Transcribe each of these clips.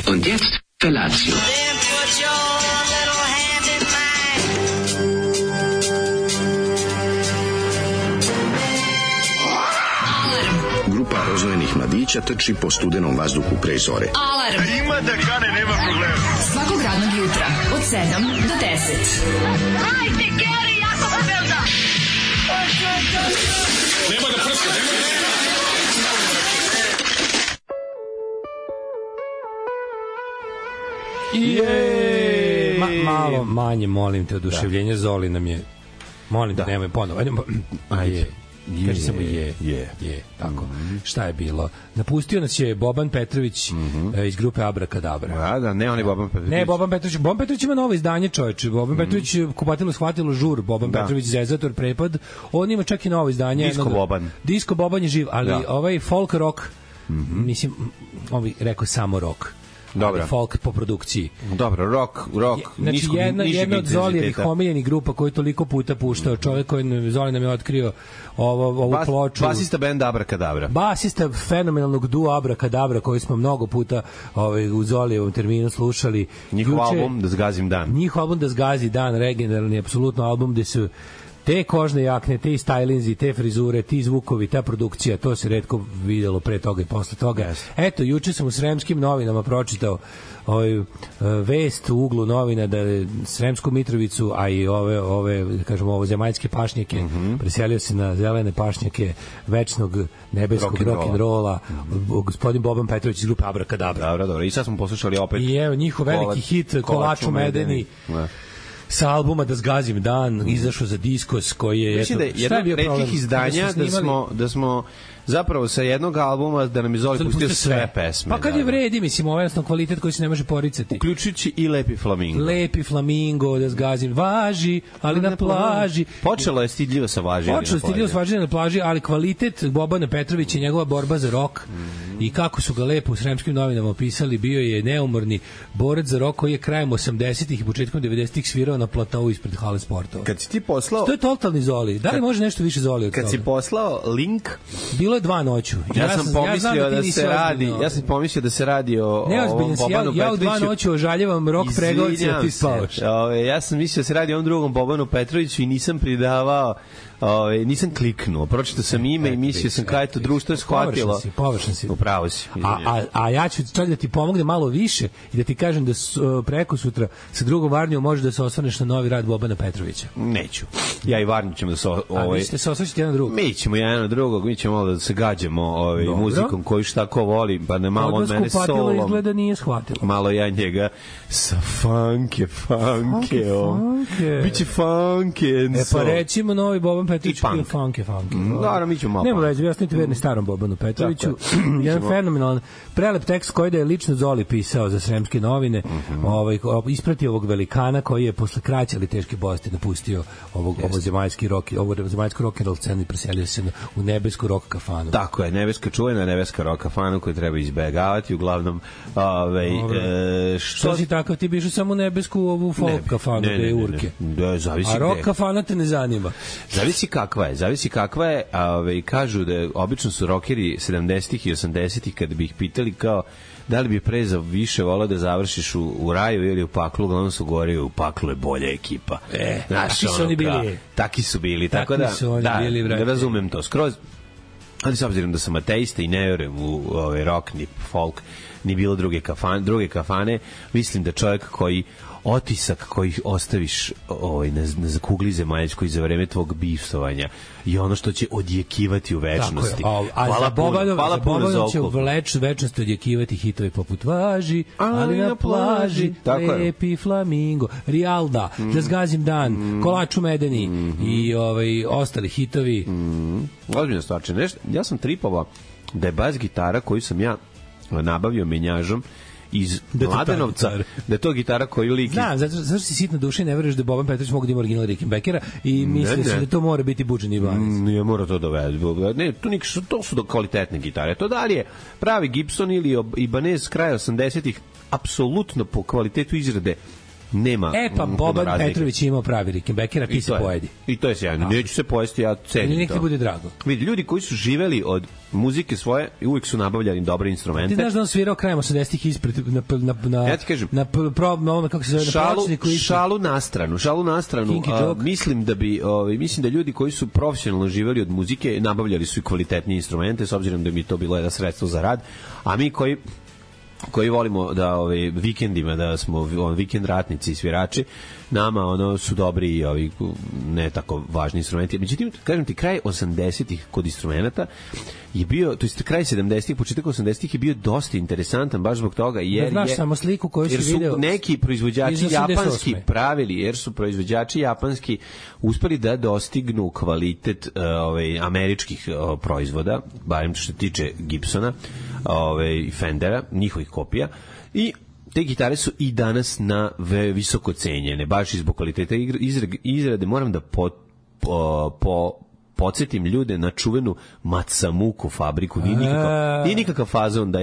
Und jetzt Felatio. Grupa rozvojenih mladića trči po studenom vazduhu pre zore. Alarm! Ima da kane, nema problema. Svakog radnog jutra, od 7 do 10. Hajde, Geri, jako se velda! Nema da prska, nema da prska! Malo manje, molim te, oduševljenje. Zoli nam je, molim te, nemoj ponovo. Ajde. Kaži samo je, tako. Šta je bilo? Napustio nas je Boban Petrović iz grupe Abrakadabra. Da, ne, on je Boban Petrović. Ne, Boban Petrović ima novo izdanje, čoveče. Boban Petrović kupatilo shvatilo žur, Boban Petrović Zezator prepad. On ima čak i novo izdanje. Disco Boban je živ, ali ovaj folk rock, mislim, rekao samo rock. Dobro. Folk po produkciji. Dobro, rock. Znači, jedna od Zolijevih omiljenih grupa koju toliko puta puštao, čovjek koji Zoli nam je otkrio ovu ploču. Basista benda Abrakadabra. Basista fenomenalnog dua Abrakadabra koji smo mnogo puta u Zolijevom terminu slušali. Njihov album Da zgazim dan. Njihov album Da zgazi dan, regionalni, apsolutno album gde su te kožne jakne, te stylinzi, te frizure, ti zvukovi, ta produkcija, to se retko videlo pre toga i posle toga. Yes. Eto, juče sam u Sremskim novinama pročitao vest u uglu novina da je Sremsku Mitrovicu, a i ove zemaljske pašnjake preselio se na zelene pašnjake večnog nebeskog rock'n'rolla gospodin Boban Petrović iz grupe Abrakadabra. Dobro. I sad smo poslušali opet i evo njihov veliki hit Kolaču Medeni. Sa albuma Da zgazim dan, izašao za Diskos koji je... Mislim da je jedno od retkih izdanja da smo zapravo sa jednog albuma da nam je Zoli pustio sve pesme. Pa kad je vredi, mislim, ovo je jednostavno kvalitet koji se ne može poricati. Uključujući i Lepi Flamingo. Lepi Flamingo, Da zgazim, važi, ali na plaži. Počelo je stidljivo sa važi, na plaži, ali kvalitet Bobana Petrovića i njegova borba za rok i kako su ga lepo u Sremskim novinama opisali, bio je neumorni borac za rok koji je krajem 80-ih i početkom 90-ih svirao na platou ispred hale sportova. Kad si ti poslao... To je totalni Zoli. Da li može nešto više Zoli od toga? Kad si poslao link... Bilo je 2 noću. Ja sam pomislio da se radi o ovom Bobanu Petroviću. Ja u 2 noću ožaljevam rok pregovorica, a ti spavaš. Ja sam mislio da se radi o ovom drugom Bobanu Petroviću i nisam pridavao, nisam kliknuo. Pročitao sam ime i mislio sam kada je to društvo je shvatilo. Površan si. Upravo si. A ja ću čak da ti pomogne malo više i da ti kažem da preko sutra sa drugom Varnjom možeš da se osvrneš na novi rad Bobana Petrovića. Neću. Ja i Varnju ćemo da se... A vi ćete se osvršiti jedan drugog? Mi ćemo jedan na drugog, mi ćemo malo da se gađamo muzikom koju šta ko voli, pa ne malo od mene solom. Odnosku patilo izgleda nije shvatilo. Malo ja njega sa funke. Biće funke. Pa recimo novi Boban Petrović bio funke. Naravno, mi ćemo malo. Nemo reći, ja sam ti verni starom Bobanu Petroviću. Jedan fenomenalan prelep tekst koji da je lično Zoli pisao za Sremske novine, ispratio ovog velikana koji je posle kraće ali teške bolesti napustio ovo zemaljski rock, ovo zemaljsko rock and roll scenu i preselio se u nebesku rock kafanu. Tako je, čuvena nebeska rock kafanu koju treba izbegavati, uglavnom što si takav, ti biš samo u nebesku ovu folk kafanu gde je urke. A rock kafana te ne zanima. Zavisi kakva je, kažu da obično su rockeri 70-ih i 80-ih kad bi ih pitali kao da li bi pre za više volao da završiš u raju ili u paklu, uglavnom su govorili u paklu je bolja ekipa. Taki su oni bili. Taki su bili, tako da razumem to skroz. Ali s obzirom da sam ateista i ne verujem u rock, ni folk, ni bilo druge kafane, mislim da čovjek koji otisak koji ostaviš na kugli zemaljskoj za vreme tvog bivstvovanja i ono što će odjekivati u večnosti. Hvala puno za će u večnosti odjekivati hitovi poput Važi, ali na plaži, Lepi flamingo, Rijalda, Da zgazim dan, Kolač u medeni i ostali hitovi. Ozbiljno stvarče. Ja sam tripovao da je bas gitara koju sam ja nabavio menjažom iz Mladenovca, da je to gitara koju liki. Znam, zato si sitna duša i ne veruješ da Boban Petrović mogu da ima original Rickenbackera i misliš da to mora biti Buđan Ibanez. Nije mora to dovede. Ne, to su kvalitetne gitare. To da li je pravi Gibson ili Ibanez kraja 80-ih, apsolutno po kvalitetu izrade nema. Pa Boban Petrović je imao pravi Rickenbackera, ti se pojedi. I to je sjajno. Neću se pojesti, ja cenim to. Nek ti bude drago. Vidi, ljudi koji su živeli od muzike svoje i uvijek su nabavljali dobre instrumente. Ti znaš da on svirao krajem 80-ih ispred ja ti kažem, na kako se zove, šalu na stranu. Mislim da ljudi koji su profesionalno živeli od muzike nabavljali su i kvalitetnije instrumente, s obzirom da mi to bilo jedno sredstvo za rad, a mi koji volimo da vikendima da smo vikend ratnici i svirači, nama su dobri i ovi ne tako važni instrumenti. Međutim, kažem ti, kraj 80-ih kod instrumenta je bio, to jest kraj 70-ih, početak 80-ih je bio dosta interesantan baš zbog toga jer samo sliku koju si video. Jer su neki proizvođači japanski uspeli da dostignu kvalitet američkih proizvoda, barem što se tiče Gibsona, Fendera, njihovih kopija, i te gitare su i danas na visoko cenjene, baš zbog kvaliteta izrade. Moram da podsjetim ljude na čuvenu Matsamuku fabriku. Nije nikakav fazon da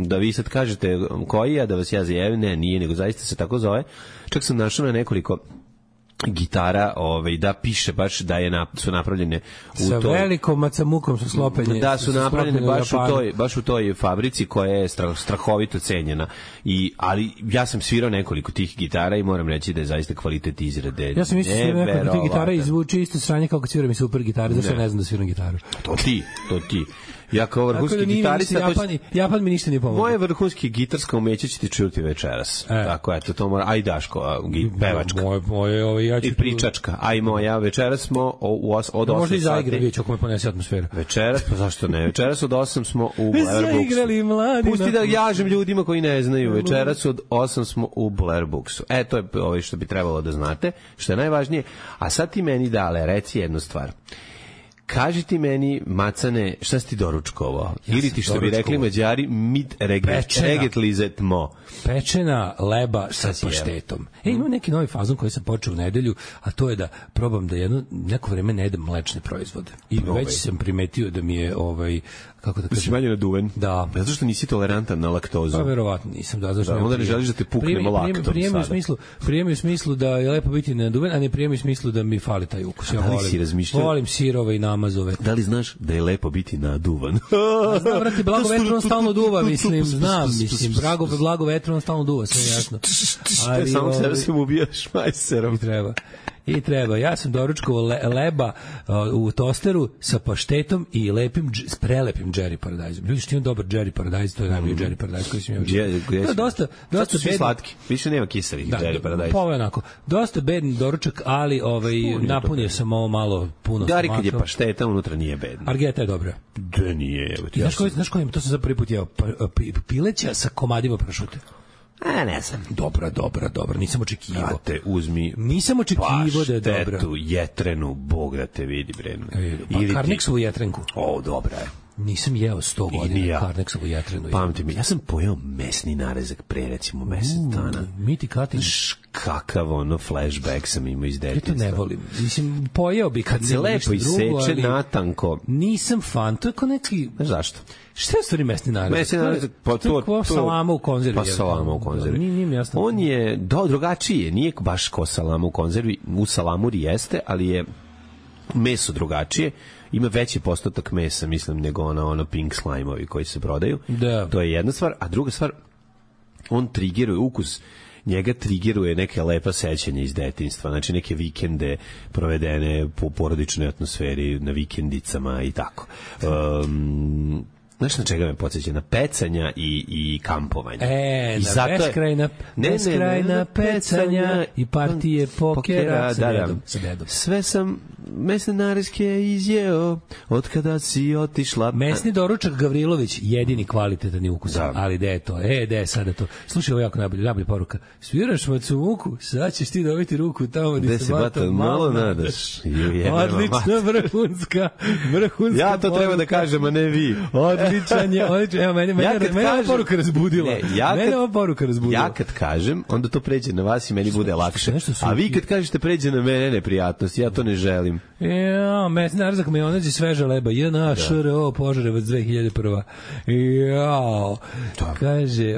da vi sad kažete koji je, da vas ja zajevim, ne, nije, nego zaista se tako zove. Čak sam našao na nekoliko gitara, da piše baš da su napravljene sa velikom Matsamukom su sklopljene. Da, su napravljene baš u toj fabrici koja je strahovito cenjena. Ali ja sam svirao nekoliko tih gitara i moram reći da je zaista kvalitet izrade. Ja sam mislio da nekoliko tih gitara i zvuči isto sranje kao kad sviram i super gitare, zašto ne znam da sviram gitaru. To ti. Ja kao vrhunski gitarista... Japan mi ništa nije pomogao. Moje vrhunski gitarska umeće će ti čuti večeras. Tako, eto, to mora... Aj Daško, pevačka. I pričačka. Aj moja, večeras smo od 8 sati... Možda i zaigra, vidjeti ako me ponese atmosfera. Večeras, pa zašto ne? Večeras od 8 smo u Blair Booksu. Pusti da jažem ljudima koji ne znaju. Večeras od 8 smo u Blair Booksu. To je što bi trebalo da znate, što je najvažnije. A sad ti meni, Dale, reci jednu stvar. Kaži ti meni, Macane, šta si ti doručkovao? Ili ti, što bi rekli Mađari, mit regetlizet mo. Pečena leba sa paštetom. Imam neki novi fazon koji sam počeo u nedelju, a to je da probam da neko vreme ne jedem mlečne proizvode. I već sam primetio da mi je kako da kažem, si manje naduven. Da. Zato što nisi tolerantan na laktozu. Pa verovatno nisam, da. Onda ne želiš da te puknemo laktom sada. Prijemi u smislu da je lepo biti naduven, a ne prijemi u smislu da mi fali taj ukus. Ja volim sirove i namazove. Da li znaš da je lepo biti naduvan? Znam, vrati, blago vetro on stalno duva, mislim. Blago vetro on stalno duva, sve jasno. Samo sebe se mu ubijaš majserom. I treba. Ja sam doručkovao leba u tosteru sa paštetom i prelepim Jerry Paradise. Ljudi, što imam dobar Jerry Paradise, to je najbolji Jerry Paradise koji sam imao. To je dosta bedni. Slatki. Više nema kiselih Jerry Paradise. Pa onako. Dosta bedni doručak, ali napunio sam ovo malo puno. Gari kad je pašteta, unutra nije bedno. Argeta je dobra. Da nije. Znaš koji to sam za prvi put jeo? Pileća sa komadima prašute. Ne znam. Dobra. Nisam očekivao. Brate, uzmi. Nisam očekivao da je dobra. Paštetu, jetrenu, Bog da te vidi, bre. Pa Karniksovu jetrenku. Dobra je. Nisam jeo 100 godina Karniksovu jetrenu. Pamti mi, ja sam pojeo mesni narezak pre, recimo, mesec dana. Miti Katin. Kakav flashback sam imao iz detinjstva. Ja to ne volim. Mislim, pojeo bi kad se lepo iseče natanko. Nisam fan, to je kao neki... Znaš zašto? Šta je u stvari mesni narezak? Mesni narezak, pa to... salama u konzervi. Pa salama u konzervi. Nije mi jasno. On je drugačiji, nije baš ko salama u konzervi. U salamuri jeste, ali je meso drugačije. Ima veći postotak mesa, mislim, nego ono pink slime-ovi koji se prodaju. Da. To je jedna stvar. A druga stvar, on triggeruje ukus, njega triggeruje neke lepa sećanja iz detinjstva, znači neke vikende provedene po porodičnoj atmosferi, na vikendicama i tako. Znaš na čega me podsjeća? Na pecanja i kampovanja. Na beskrajna pecanja i partije pokera sa dedom. Sve sam mesne narezke izjeo od kada si otišla. Mesni doručak Gavrilović, jedini kvalitetan ukus. Ali gde je to? Gde je sada to? Slušaj, ovo jako najbolja poruka. Sviraš macu muku, sad ćeš ti dobiti ruku tamo gde se bata malo nadaš. Odlična, vrhunska. Ja to treba da kažem, a ne vi. Odličan je. Evo, mene ova poruka razbudila. Mene ova poruka razbudila. Ja kad kažem, onda to pređe na vas i meni bude lakše. A vi kad kažete pređe na mene neprijatnost, ja to ne želim. Mesni narezak majonez i sveža leba. JNA Požarevac 2001. Kaže,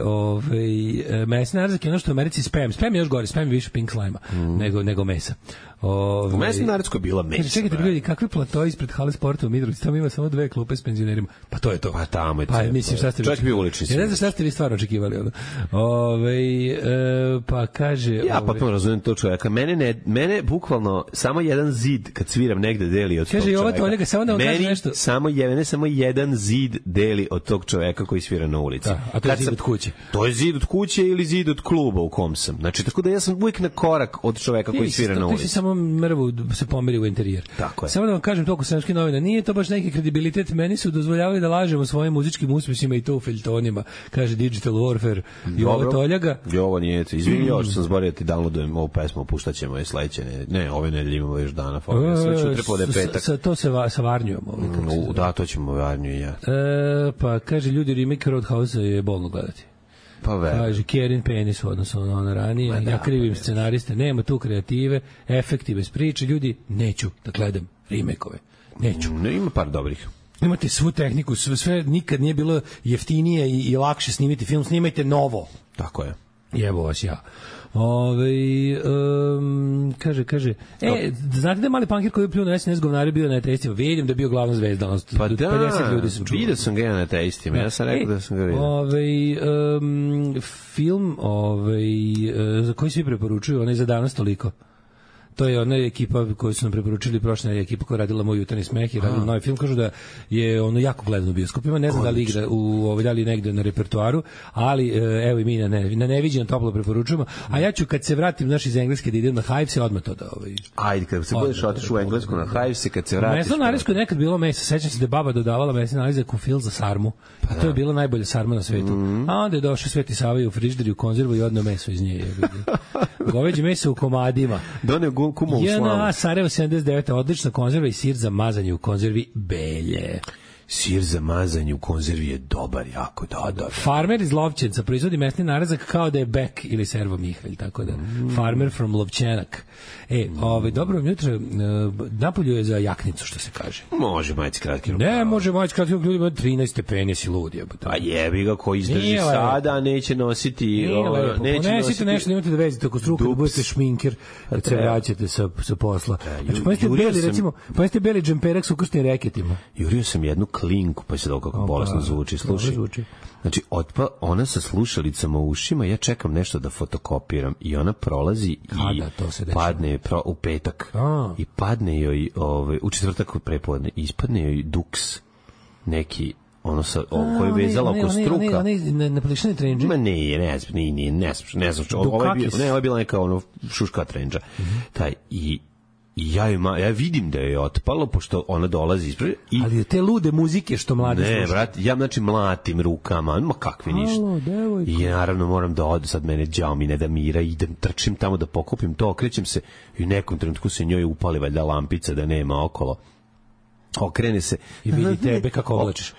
mesni narezak je ono što u Americi spam. Spam je još gori, spam je više pink slime-a nego mesa. U mesni narezku je bila mesa. Čekajte, ljudi, kakvi plato ispred hale sporta u Mitrovici, tamo ima samo 2 klupe s penzionerima. Pa to je to. Pa tamo je to. Pa mislim, šta ste čovjek bio ulični. Ja ne znam šta ste vi stvarno očekivali. Pa kaže... Ja potpuno razumem to čovjeka. Mene bukvalno samo jedan zid kad sviram negde deli od tog čovjeka. Kaže, ova Toljega, samo da vam kaže nešto. Samo jedan zid deli od tog čovjeka koji svira na ulici. A to je zid od kuće. To je zid od kuće ili zid od kluba u kom sam. Znači, tako da ja sam uvijek na korak od čovjeka koji svira na ulici. Ti si samo mrvu se pomeri u interijer. Tako je. Samo da vam kažem toliko srpskih novina, nije to baš neki kredibilitet, meni su dozvoljavali da lažemo svojim muzičkim uspjesima i to u feljtonima, kaže Digital Warfare i ovo Toljaga. Ovo nije, izvini, još sam zborio ti downloadujem ovu pesmu, puštaćemo je sledeće, ne, ove nedelje imamo još dana, sve ću trepo da je petak. To se sa Varnjom. Da, to ćemo Varnju i ja. Pa kaže, ljudi, remake Roadhouse je bolno gledati. Pa kaže, Kjerin penis u odnosu na ono ranije, ja krivim scenariste, nema tu kreative, efekti bez priče, ljudi, neću da gledam remake-ove, neću. Ne, ima par dobrih. Imate svu tehniku, sve nikad nije bilo jeftinije i lakše snimiti film, snimajte novo. Tako je. Jebo vas ja. Kaže, znate da je mali pankir koji je pljuo na SNS govnari bio na testima? Vidim da je bio glavna zvezda. Pa da, 50 ljudi sam čuo. Vidio sam ga na testima, ja sam rekao da sam ga vidio. Film za koji svi preporučuju, onaj za danas toliko. To je ona ekipa koju su nam preporučili, prošla ekipa koja radila Moj jutarnji smeh i radila novi film, kažu da je ono jako gledan u bioskopima, ne znam da li igra da li negde na repertoaru, ali evo i mi na neviđeno toplo preporučujemo, a ja ću kad se vratim iz Engleske da idem na Hives odmah to da Ajde, kad se budeš otišao u Englesku na Hives, kad se vratiš. Mesno narezko je nekad bilo meso, sećam se da je baba dodavala mesni narezak u fil za sarmu, a to je bila najbolja sarma na svetu. A onda je došao Sveti Sava u frižider u konzervu i odneo meso iz nje. Goveđe meso u komadima. Doneo kuma u slavu. JNA Sarajevo 79. Odlična konzerva i sir za mazanje u konzervi Belje. Sir za mazanje u konzervi je dobar, jako da. Farmer iz Lovćenca proizvodi mesni narezak kao da je Bek ili Servo Mihalj, tako da. Farmer from Lovćenak. Dobro jutro, napolju je za jaknicu, što se kaže. Može majice kratke rukave. Ne, može majice kratke rukave, ljudi 13 stepeni, si lud je. A jebi ga, ko izdrži sada, neće nositi... Ponesite nešto, nemate da vezite oko struka, da budete šminker, kad se vraćate sa posla. Znači, ponesite beli džemperak s ukršnim reketima. Jurio sam jednu klinku, pa se dobro kako bolesno zvuči. Slušaj, znači, ona sa slušalicama u ušima, ja čekam nešto da fotokopiram i ona prolazi i padne u petak i padne joj u četvrtak prepodne i ispadne joj duks neki ono sa koji je vezala oko struka. Ne plišani trendži? Ma ne znam. Ovo je bila neka ono šuška trendža. Taj i ja vidim da je otpalo, pošto ona dolazi ispred. Ali te lude muzike što mladi slušaju. Ne, brat, ja znači mlatim rukama, ma kakvi ništa. I naravno moram da odu, sad mene đao mi ne da mira, idem, trčim tamo da pokupim to, okrećem se i u nekom trenutku se njoj upali valjda lampica da nema okolo. Okrene se i vidi tebe kako oblačiš.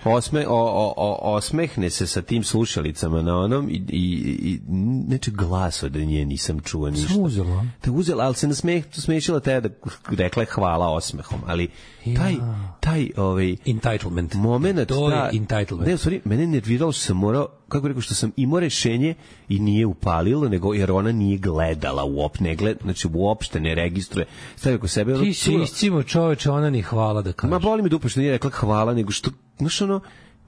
Osmehne se sa tim slušalicama na onom i neče glas od nje nisam čuo ništa. Sam uzela. Te uzela, ali se nasmešila te da rekla je hvala osmehom, ali taj entitlement. Moment, to je entitlement. Ne, u stvari, mene nerviralo što sam morao, kako rekao, što sam imao rešenje i nije upalilo, nego jer ona nije gledala znači uopšte ne registruje. Stavi oko sebe. Ti si iscimo čoveče, ona ni hvala da kaže. Ma boli me dupe što nije rekla hvala, nego što, znaš ono,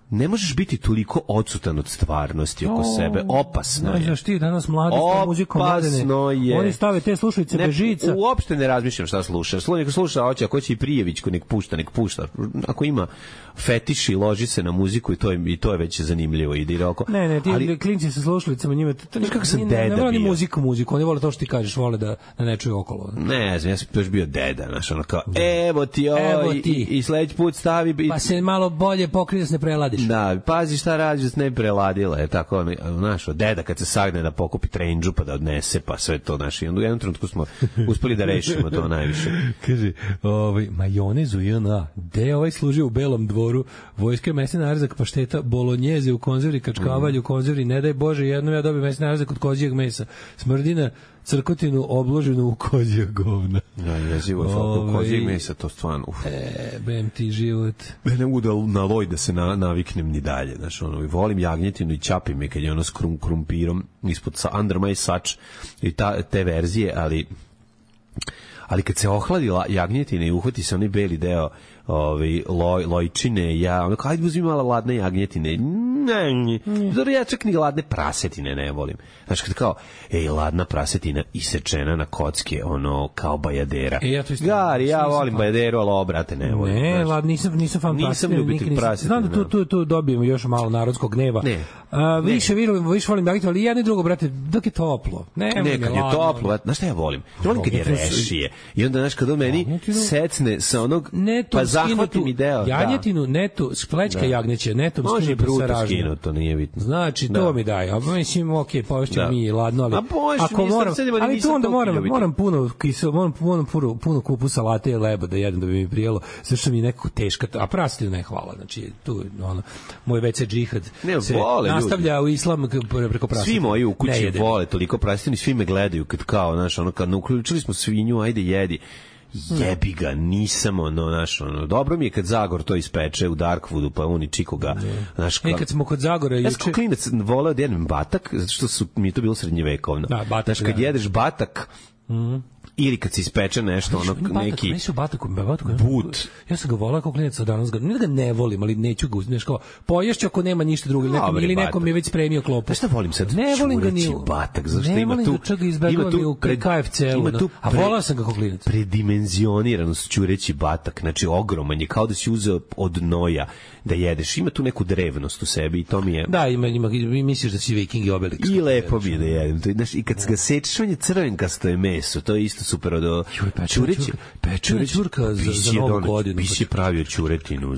ne možeš biti toliko odsutan od stvarnosti oko sebe. Opasno je. Znaš ti danas mladi s muzikom mladene. Oni stave te slušalice bez žica. Uopšte ne razmišljam šta slušaš. Neka sluša, ako će i Prijević, nek pušta. Ako ima fetiš i loži se na muziku i to je već zanimljivo. Ne, ti klinci sa slušalicama njima... Znaš kako sam deda bio. Ne vole ni muziku. Oni vole to što ti kažeš, vole da ne čuje okolo. Ne znam, ja sam još bio deda. Znaš, ono kao, evo ti i sledeći put stavi... Pa se malo bolje pokrije da se ne preladiš. Da, pazi šta radiš da se ne preladila, je tako, znaš, deda kad se sagne da pokupi trendžu pa da odnese, pa sve to, znaš, i onda u jednom trenutku smo uspeli da rešimo to najviše. Kaže, majonez u JNA, gde ovaj služio u Belom dvoru, vojske mesni narzak, pašteta, bolonjeze u konzervi, kačkavalj u konzervi, ne daj Bože, jednom ja dobijem mesni narzak od kozijeg mesa, smrdina, crkotinu obloženu u kozijeg govna. Ja, jezivo, kozijeg mesa, to stvarno, bem ti život. Ne mogu na loj da se naviknem ni dalje, znaš, ono, volim jagnjetinu i čapim me kad je ono s krumpirom ispod under my sač i te verzije, ali kad se ohladila jagnjetina i uhvati se onaj beli deo lojčine, ja ono kao, ajde uzmi malo ladne jagnjetine. Zoro ja čak ni ladne prasetine ne volim. Znaš, kad kao, ladna prasetina isečena na kocke, ono, kao bajadera. Gari, ja volim bajaderu, ali obrate ne volim. Ne, nisam fan prasetine. Nisam ljubitelj prasetine. Znam da tu dobijemo još malo narodskog gneva. Više volim jagnjetinu, ali jedno i drugo, brate, dok je toplo. Ne, kad je toplo, znaš šta ja volim? Volim kad je rešije. I onda, znaš, kad on meni secne sa onog, pa zahvati mi deo. Jagnjetinu, netu, splećka jagnjeće, netom skinuto sa ražnjom. To nije bitno. Znači, to mi daje. Mislim, okej, pošće mi ladno, ali ako moram, ali tu onda moram puno kupu salate i leba da jedem da bi mi prijelo, sve što mi je nekako teška, a prasetinu ne hvala. Znači, tu, ono, moj WC džihad se nastavlja u islam preko prasetine. Svi moji u kući vole toliko prasetinu, svi me gledaju kad kao, znaš, ono, kad uključili smo svinju, ajde jedi. Jebi ga, nisam dobro mi je kad Zagor to ispeče u Darkwoodu, pa on i čiko ga, znaš, kad smo kod Zagora juče. Ja sam klinac voleo da jedem batak, zato što mi je to bilo srednjevekovno. Znaš, kad jedeš batak, ili kad se ispeče nešto, neki but. Ja sam ga volao kao klinac, danas ne da ga ne volim, ali neću ga uzmeš kao poješću ako nema ništa drugo, ili nekom je već spremio klopu. Šta volim sad? Ne volim ga ni batak, zašto ima tu u KFC-u, a volao sam ga kao klinac. Predimenzioniranost ćureći batak, znači ogroman je, kao da si uzeo od noja da jedeš. Ima tu neku drevnost u sebi i to mi je... Da, misliš da si Viking i Obelix. I lepo mi je da jedem. Znaš, i kad ga sečeš, on je crvenkasto je meso, to je isto super od ćureći. Pečena ćurka za novu godinu. Bi si pravio ćuretinu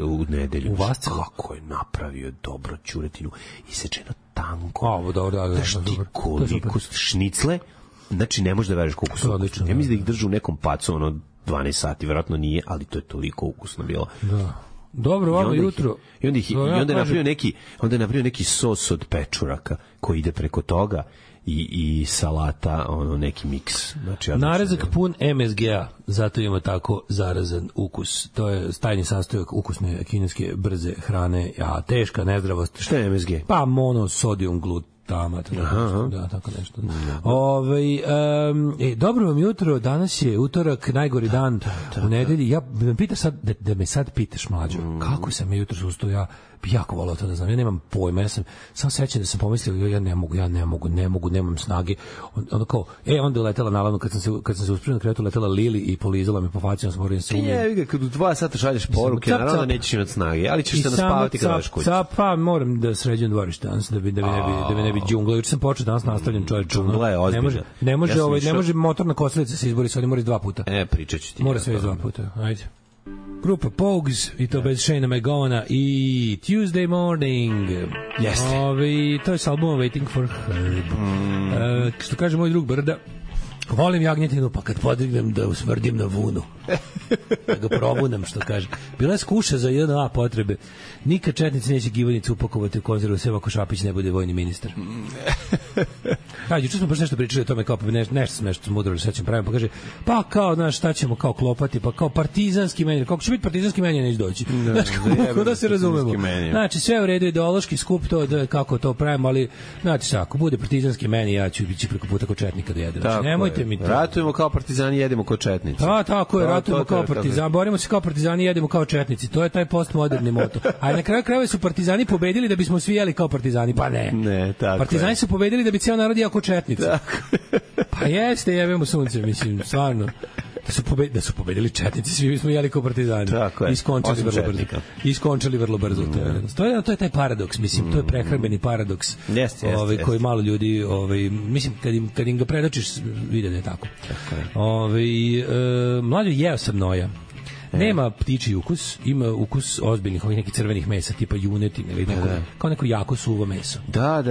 u nedelju. Kako je napravio dobro ćuretinu. Isečeno tanko. Dobro. Znaš ti koliko šnicle, znači ne možeš da veruješ koliko su ukusni. Ja mislim da ih drže u nekom pacu, 12 sati, verovatno nije, ali to je toliko ukusno bilo. Da. Dobro, ovo jutro. I onda je napravio neki sos od pečuraka koji ide preko toga i salata, neki miks. Znači, narezak pun MSG-a, zato ima tako zarazan ukus. To je tajni sastojak ukusne kineske brze hrane, a teška nezdravost. Šta je MSG? Pa monosodium glutamat. Da, tako nešto. Dobro vam jutro, danas je utorak, najgori dan u nedelji. Ja pitaš sad, da me sad pitaš, mlađo, kako sam je jutro ustao, ja bi jako volao to da znam. Ja nemam pojma, ja sam samo sećam da sam pomislio, ja ne mogu, nemam snage. Onda kao, onda je letela naravno kad sam se uspio na krevetu, letela Lili i polizala me po faci, on sam moram se umije. Kad u 2 sata šalješ poruke, naravno da nećeš imati snage, ali ćeš se naspavati kada daš kući. Pa moram da sređujem dvorište danas, da mi ne bi džungla. Juče sam počeo danas nastavljam čovjek. Džungla je ozbiljna. Ne može motorna kosilica se izbori, sad mora 2 puta. Pričat ću ti. Mora sve 2 puta, ajde. Grupa Pogues, i to bez Shayna McGowana i Tuesday Morning. Jeste. To je s albuma Waiting for Herb. Što kaže moj drug Brda, volim jagnjetinu, pa kad podignem da usmrdim na vunu. Da ga probunem, što kaže. Bila je skuša za 1A potrebe. Nikad četnici neće givanicu upakovati u konzervu, sve ako Šapić ne bude vojni ministar. Juče smo baš nešto pričali o tome, kao nešto smo mudrali, sad ćemo praviti, pa kaže, pa kao, znaš, šta ćemo kao klopati, pa kao partizanski menjer, kako će biti partizanski menjer, neće doći. Znaš, kako da se razumemo. Znači, sve u redu, ideološki skup, to, kako to pravimo, ali, znači, ako bude partizanski menjer, ja ću biti preko puta kod četnika da jedem. Znači, nemojte mi to. Ratujemo kao partizani, jedemo kod četnici. Tako je, ratujemo kao partizani, borimo se kao partizani, jedemo kao četnici. To je taj postmoderni moto. A na kraju krajeva su partizani pobedili da bismo svi jeli kao partizani, pa ne. Ne, tako. Partizani su pobedili da bi ceo narod jeo kao četnici. Pa jeste, jebemo sunce, mislim, stvarno. Da su pobedili četnici, svi bismo jeli kao partizani. Iskončali vrlo brzo. To je taj paradoks, mislim, to je prehrambeni paradoks. Koji malo ljudi, mislim, kad im ga predočiš, vide da je tako. Mlađo, jeo sam noja. Nema ptičji ukus, ima ukus ozbiljnih ovih nekih crvenih mesa, tipa junetine ili kao neko jako suvo meso. Da,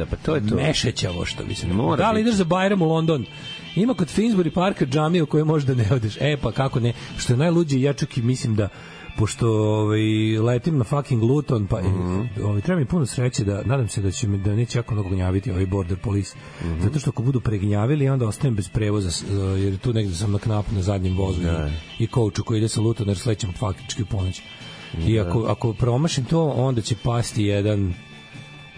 pa to je to. Mešećavo, što bi se ne. Da li ideš za Bajram u London? Ima kod Finsbury Parka džamiju u kojoj možda ne odeš. Pa kako ne? Što je najluđe, ja čak i mislim da pošto letim na fucking Luton, pa treba mi puno sreće da, nadam se da neće jako mnogo gnjaviti ovaj border police, zato što ako budu pregnjavili, onda ostajem bez prevoza, jer tu negde sam na knapu na zadnjem vozu i kouču koji ide sa Lutona, jer slećem faktički u ponoć. I ako promašim to, onda će pasti jedan,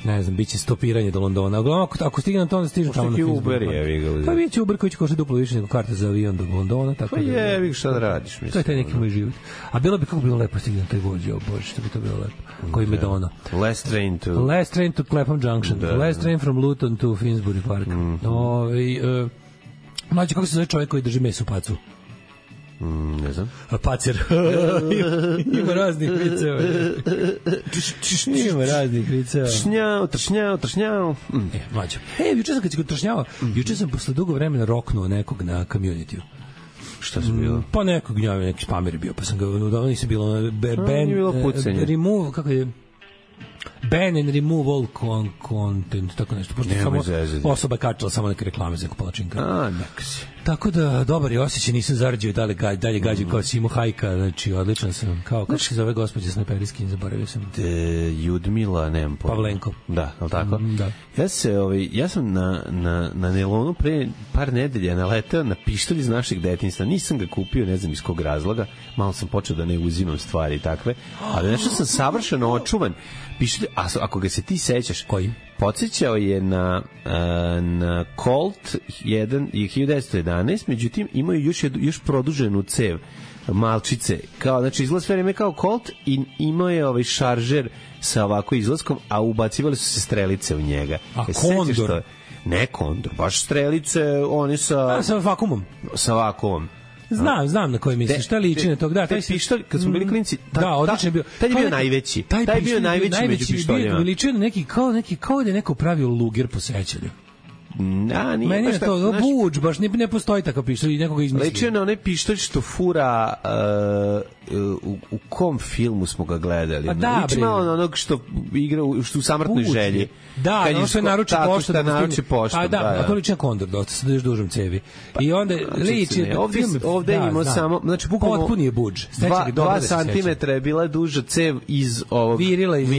ne znam, bit će stopiranje do Londona. Uglavnom, ako stigne na to, onda stižem tamo na Finsbury. Pa bit će Uber koji će košati duplo više nego karta za avion do Londona. Pa je, šta da radiš, mislim. To je taj neki moj život. A bilo bi kako bilo lepo stigne na taj vođe, bože, što bi to bilo lepo. Koji me dono. Last train to Clapham Junction. Last train from Luton to Finsbury Park. Mlađe, kako se zove čovjek koji drži meso u pacu? Ne znam. Pacer. Ima raznih viceva. Ima raznih viceva. Tršnjao. Mlađo. Juče sam kad si kod tršnjava, juče sam posle dugo vremena roknuo nekog na community-u. Šta su bilo? Pa nekog gnjavio, neki spamer je bio, pa sam ga, nisam bilo remove, kako je? Ban and remove all content, tako nešto. Pošto samo osoba kačala samo neke reklame za palačinka. Neka si. Tako da, dobar je osjećaj, nisam zarađio dalje gađu kao Simo Hajka, znači odličan sam. Kako se zove gospođa Snajperijski, zaboravio sam. Judmila, nemam pojma. Pavlenko. Da, ali tako? Da. Ja sam na nelonu pre par nedelja naletao na pištolj iz našeg detinjstva. Nisam ga kupio, ne znam iz kog razloga. Malo sam počeo da ne uzimam stvari takve. Ali nešto sam savršeno očuvan. Pištolj, ako ga se ti sećaš. Koji? Podsjećao je na Colt 1 i 1911, međutim imaju još produženu cev malčice, kao, znači izgled sve vreme kao Colt i imao je šaržer sa ovako izlaskom, a ubacivali su se strelice u njega. A Kondor? Ne Kondor, baš strelice, one sa vakuumom. Sa vakuumom. Znam na koji misliš, šta liči na tog, da, taj pištolj, kad smo bili klinci, odlično je bio. Taj je bio najveći. Taj je bio najveći među pištoljima. Ličio na neki, kao da je neko pravio luger po sećanju. Meni je to buč, baš ne postoji takav pištolj i nekoga izmislio. Ličio na onaj pištolj što fura u kom filmu smo ga gledali? Liči malo onog što igra u Samrtnoj želji. Da, ono što je naruči pošta. Tako što naruči pošta. A da, to liči na Kondor, dosta se daš dužom cevi. I onda liči... Ovde imamo samo... Znači, bukvalno... Potpuni je budž. 2 santimetra je bila duža cev iz ovog... Virila iz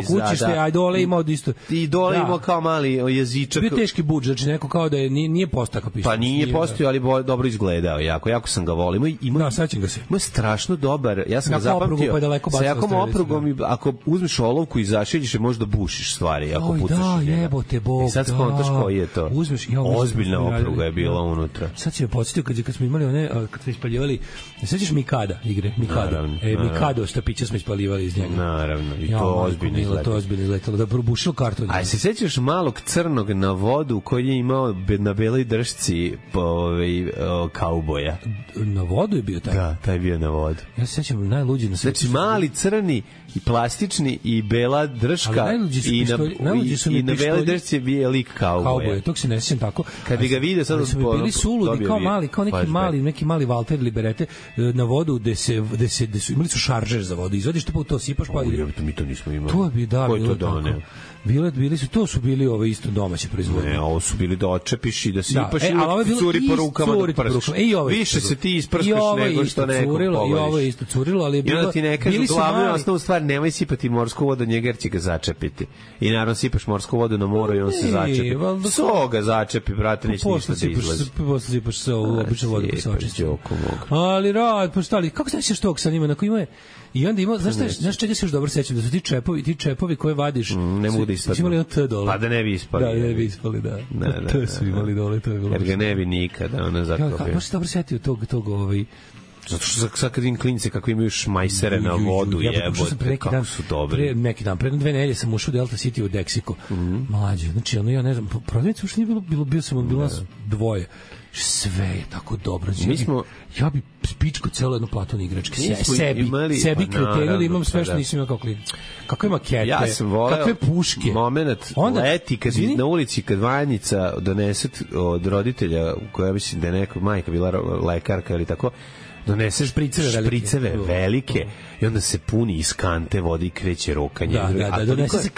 kućište, a dole imao isto... I dole imao kao mali jezičak. Bio teški budž, znači neko kao da je nije postao kao pištolj. Pa nije postao, ali dobro izgledao. Jako sam ga volio. Da, sećam ga se. Ima strašno dobar. Ja sam ga zapamtio. Sa jakom oprugom, ako uzmeš olovku i zašiljiš je, možda bušiš stvari. Ako pucaš da, jebote Bog. I sad skontaš koji je to. Ozbiljna opruga je bila unutra. Sad si me podsjetio kad smo imali one, kad smo ispaljivali, sećaš Mikada igre? Mikado. Mikado štapića smo ispaljivali iz njega. Naravno. I to ozbiljno izletalo. To ozbiljno izletalo. Da probušilo karton. A se sećaš malog crnog na vodu koji je imao na beloj držci kauboja? Na vodu je bio taj? Da, taj je bio na vodu. Ja se sećam najluđi na svetu. Znači mali crni i plastični i bela držka i na beloj držci je bio lik kauboja. Tog se ne sećam tako. Kad bi ga vidio sad bili suludi kao neki mali Walter Liberete na vodu gde su imali su šaržer za vodu. Izvadiš to pa to sipaš pa mi to nismo imali. To bi da bilo tako. To su bili isto domaće proizvodnje. Ne, ovo su bili da očepiš i da sipaš i curi po rukama do prska. Više se ti isprskaš nego što neko pogodiš. I ovo je isto curilo, ali je bilo... I onda ti ne kažu glavnu osnovu stvar, nemoj sipati morsku vodu, njega jer će ga začepiti. I naravno sipaš morsku vodu na moru i on se začepi. So ga začepi, brate, neće ništa da izlazi. Posle sipaš so u običnu vodu pa se očisti. Ali rad, pa šta li, kako se nećeš tog sa njima, na koji ima je... I onda ima, znaš čega se još dobro sećam, da su ti čepovi koje vadiš... Ne mogu da ispadnu. Imali ono T dole. Pa da ne bi ispali. Da, ne bi ispali, da. T su imali dole, to je bilo. Jer ga ne bi nikada, ona zakopio. Baš se dobro setio tog Zato što sad kad vidim klinice kako imaju šmajsere na vodu, jebote, kako su dobri. Neki dan, pre 2 nedelje sam ušao u Delta City u Deksiko. Mlađe, znači ono, ja ne znam, prodavnice uopšte nije bilo nas dvoje. Sve je tako dobro. Ja bi spičko celo jedno platno igračke. Sebi kriteriju da imam sve što nisam imao kao klinac. Kakve makete, kakve puške. Moment leti kad na ulici, kad Vanjica donese od roditelja, koja mislim da je neka majka bila lekarka ili tako, doneseš špriceve velike i onda se puni iz kante vode i kreće rokanje. Da, donese se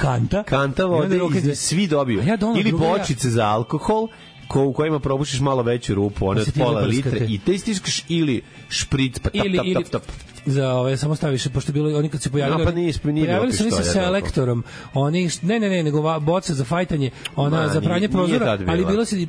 kanta vode i svi dobiju. Ili bočice za alkohol, u kojima probušiš malo veću rupu, one od pola litre i te stiskaš ili špric, pa tap. Za ove samo staviš, pošto bilo oni kad se pojavili, pojavili su se selektorom, oni nego boca za fajtanje, ona za pranje prozora, ali bilo se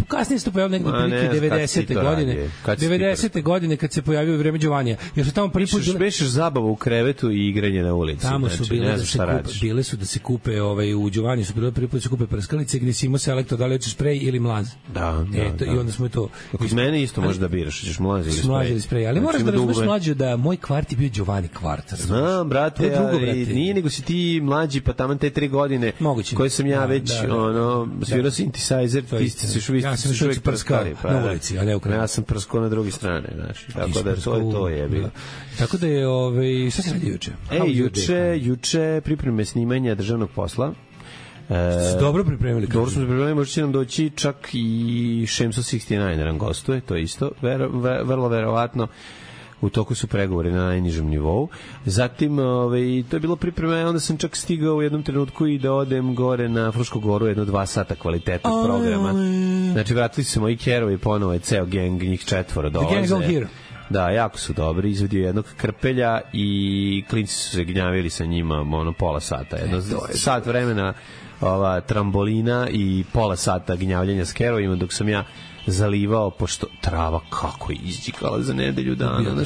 kasnije se to pojavilo negde prilike 90. godine. 90. godine kad se pojavio u vreme Đovanija. Jer su tamo prvi put bešeš zabavu u krevetu i igranje na ulici. Tamo su bile da se kupe u Đovaniji su bile prvi put da se kupe prskalice gde si imao selektor, da li hoćeš sprej ili mlaz. Da. I onda smo to. Kod mene isto možeš da biraš, hoćeš mlaz ili sprej. Ali moraš da razumeš mlađe da moj kvart je bio Giovanni kvart. Znam, brate, nije nego si ti mlađi, pa taman te 3 godine koje sam ja već svirao synthesizer, ti ste se još uvijek prskali na ulici, a ne u kraju. Ja sam prskao na drugi strane, znaš, tako da to je bilo. Tako da je, šta se radi juče? Juče pripreme snimanja državnog posla. Dobro pripremili. Dobro smo pripremili, možda će nam doći čak i Šemso 69 nam gostuje, to je isto, vrlo verovatno. U toku su pregovori na najnižem nivou. Zatim, to je bilo pripreme, onda sam čak stigao u jednom trenutku i da odem gore na Frušku goru, 2 sata kvalitetnog programa. Znači, vratili su se moji kerovi, ponovo je ceo geng, njih 4 dolaze. Da, jako su dobri, izvedio jednog krpelja i klinci su se gnjavili sa njima pola sata. Sat vremena trambolina i pola sata gnjavljenja s kerovima, dok sam ja zalivao, pošto trava kako je izđikala za nedelju dana.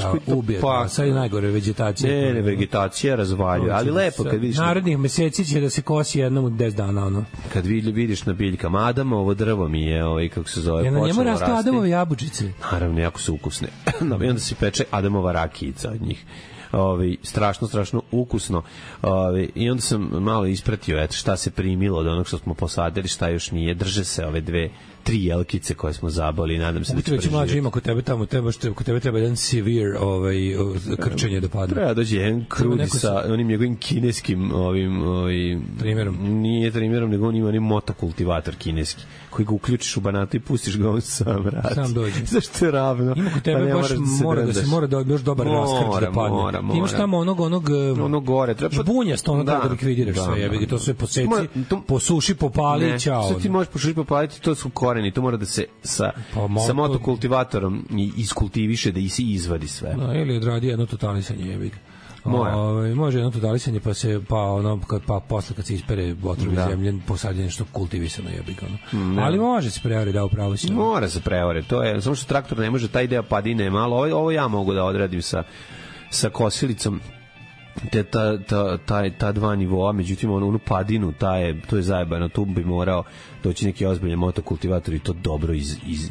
Sad je najgore vegetacija. Ne, vegetacija razvaljuje, ali lepo kad vidiš... Narednih meseci će da se kosi jednom u 10 dana, Kad vidiš na biljkama, Adamovo drvo mi je, kako se zove, počelo rasti. Na njemu rastu Adamove jabučice. Naravno, jako su ukusne. I onda se peče Adamova rakijica od njih. Strašno ukusno. I onda sam malo ispratio šta se primilo od onog što smo posadili, šta još nije. Drže se ove 3 jelkice koje smo zaboli, nadam se da će preživjeti. Mlađe ima kod tebe tamo, kod tebe treba jedan severe krčenje da padne. Treba dođe jedan krudi sa onim njegovim kineskim trimerom. Nije trimerom, nego on ima onim motokultivator kineski, koji ga uključiš u banatu i pustiš ga on sam radi. Sam dođe. Zašto je ravno? Ima kod tebe baš mora da još dobar raskrč da padne. Ti imaš tamo onog gore. Bunjasto ono da likvidiraš sve. Jebi to sve poseci, posuši, popali i ćao. Sve ti možeš posušiti, popaliti, to su koreni. To mora da se sa motokultivatorom iskultiviše, da i si izvadi sve. Ili odradi jedno totalisanje, jebi ga. Može jedno totalisanje pa posle kad se ispere otrovi zemlje posadje nešto kultivisano jebi ga. Ali može se prevari da upravo si. Mora se prevari, to je samo što traktor ne može, taj deo padine malo. Ovo ja mogu da odradim sa kosilicom. Ta dva nivoa, međutim onu padinu, to je zajebano, tu bi morao doći neki ozbiljan motokultivator i to dobro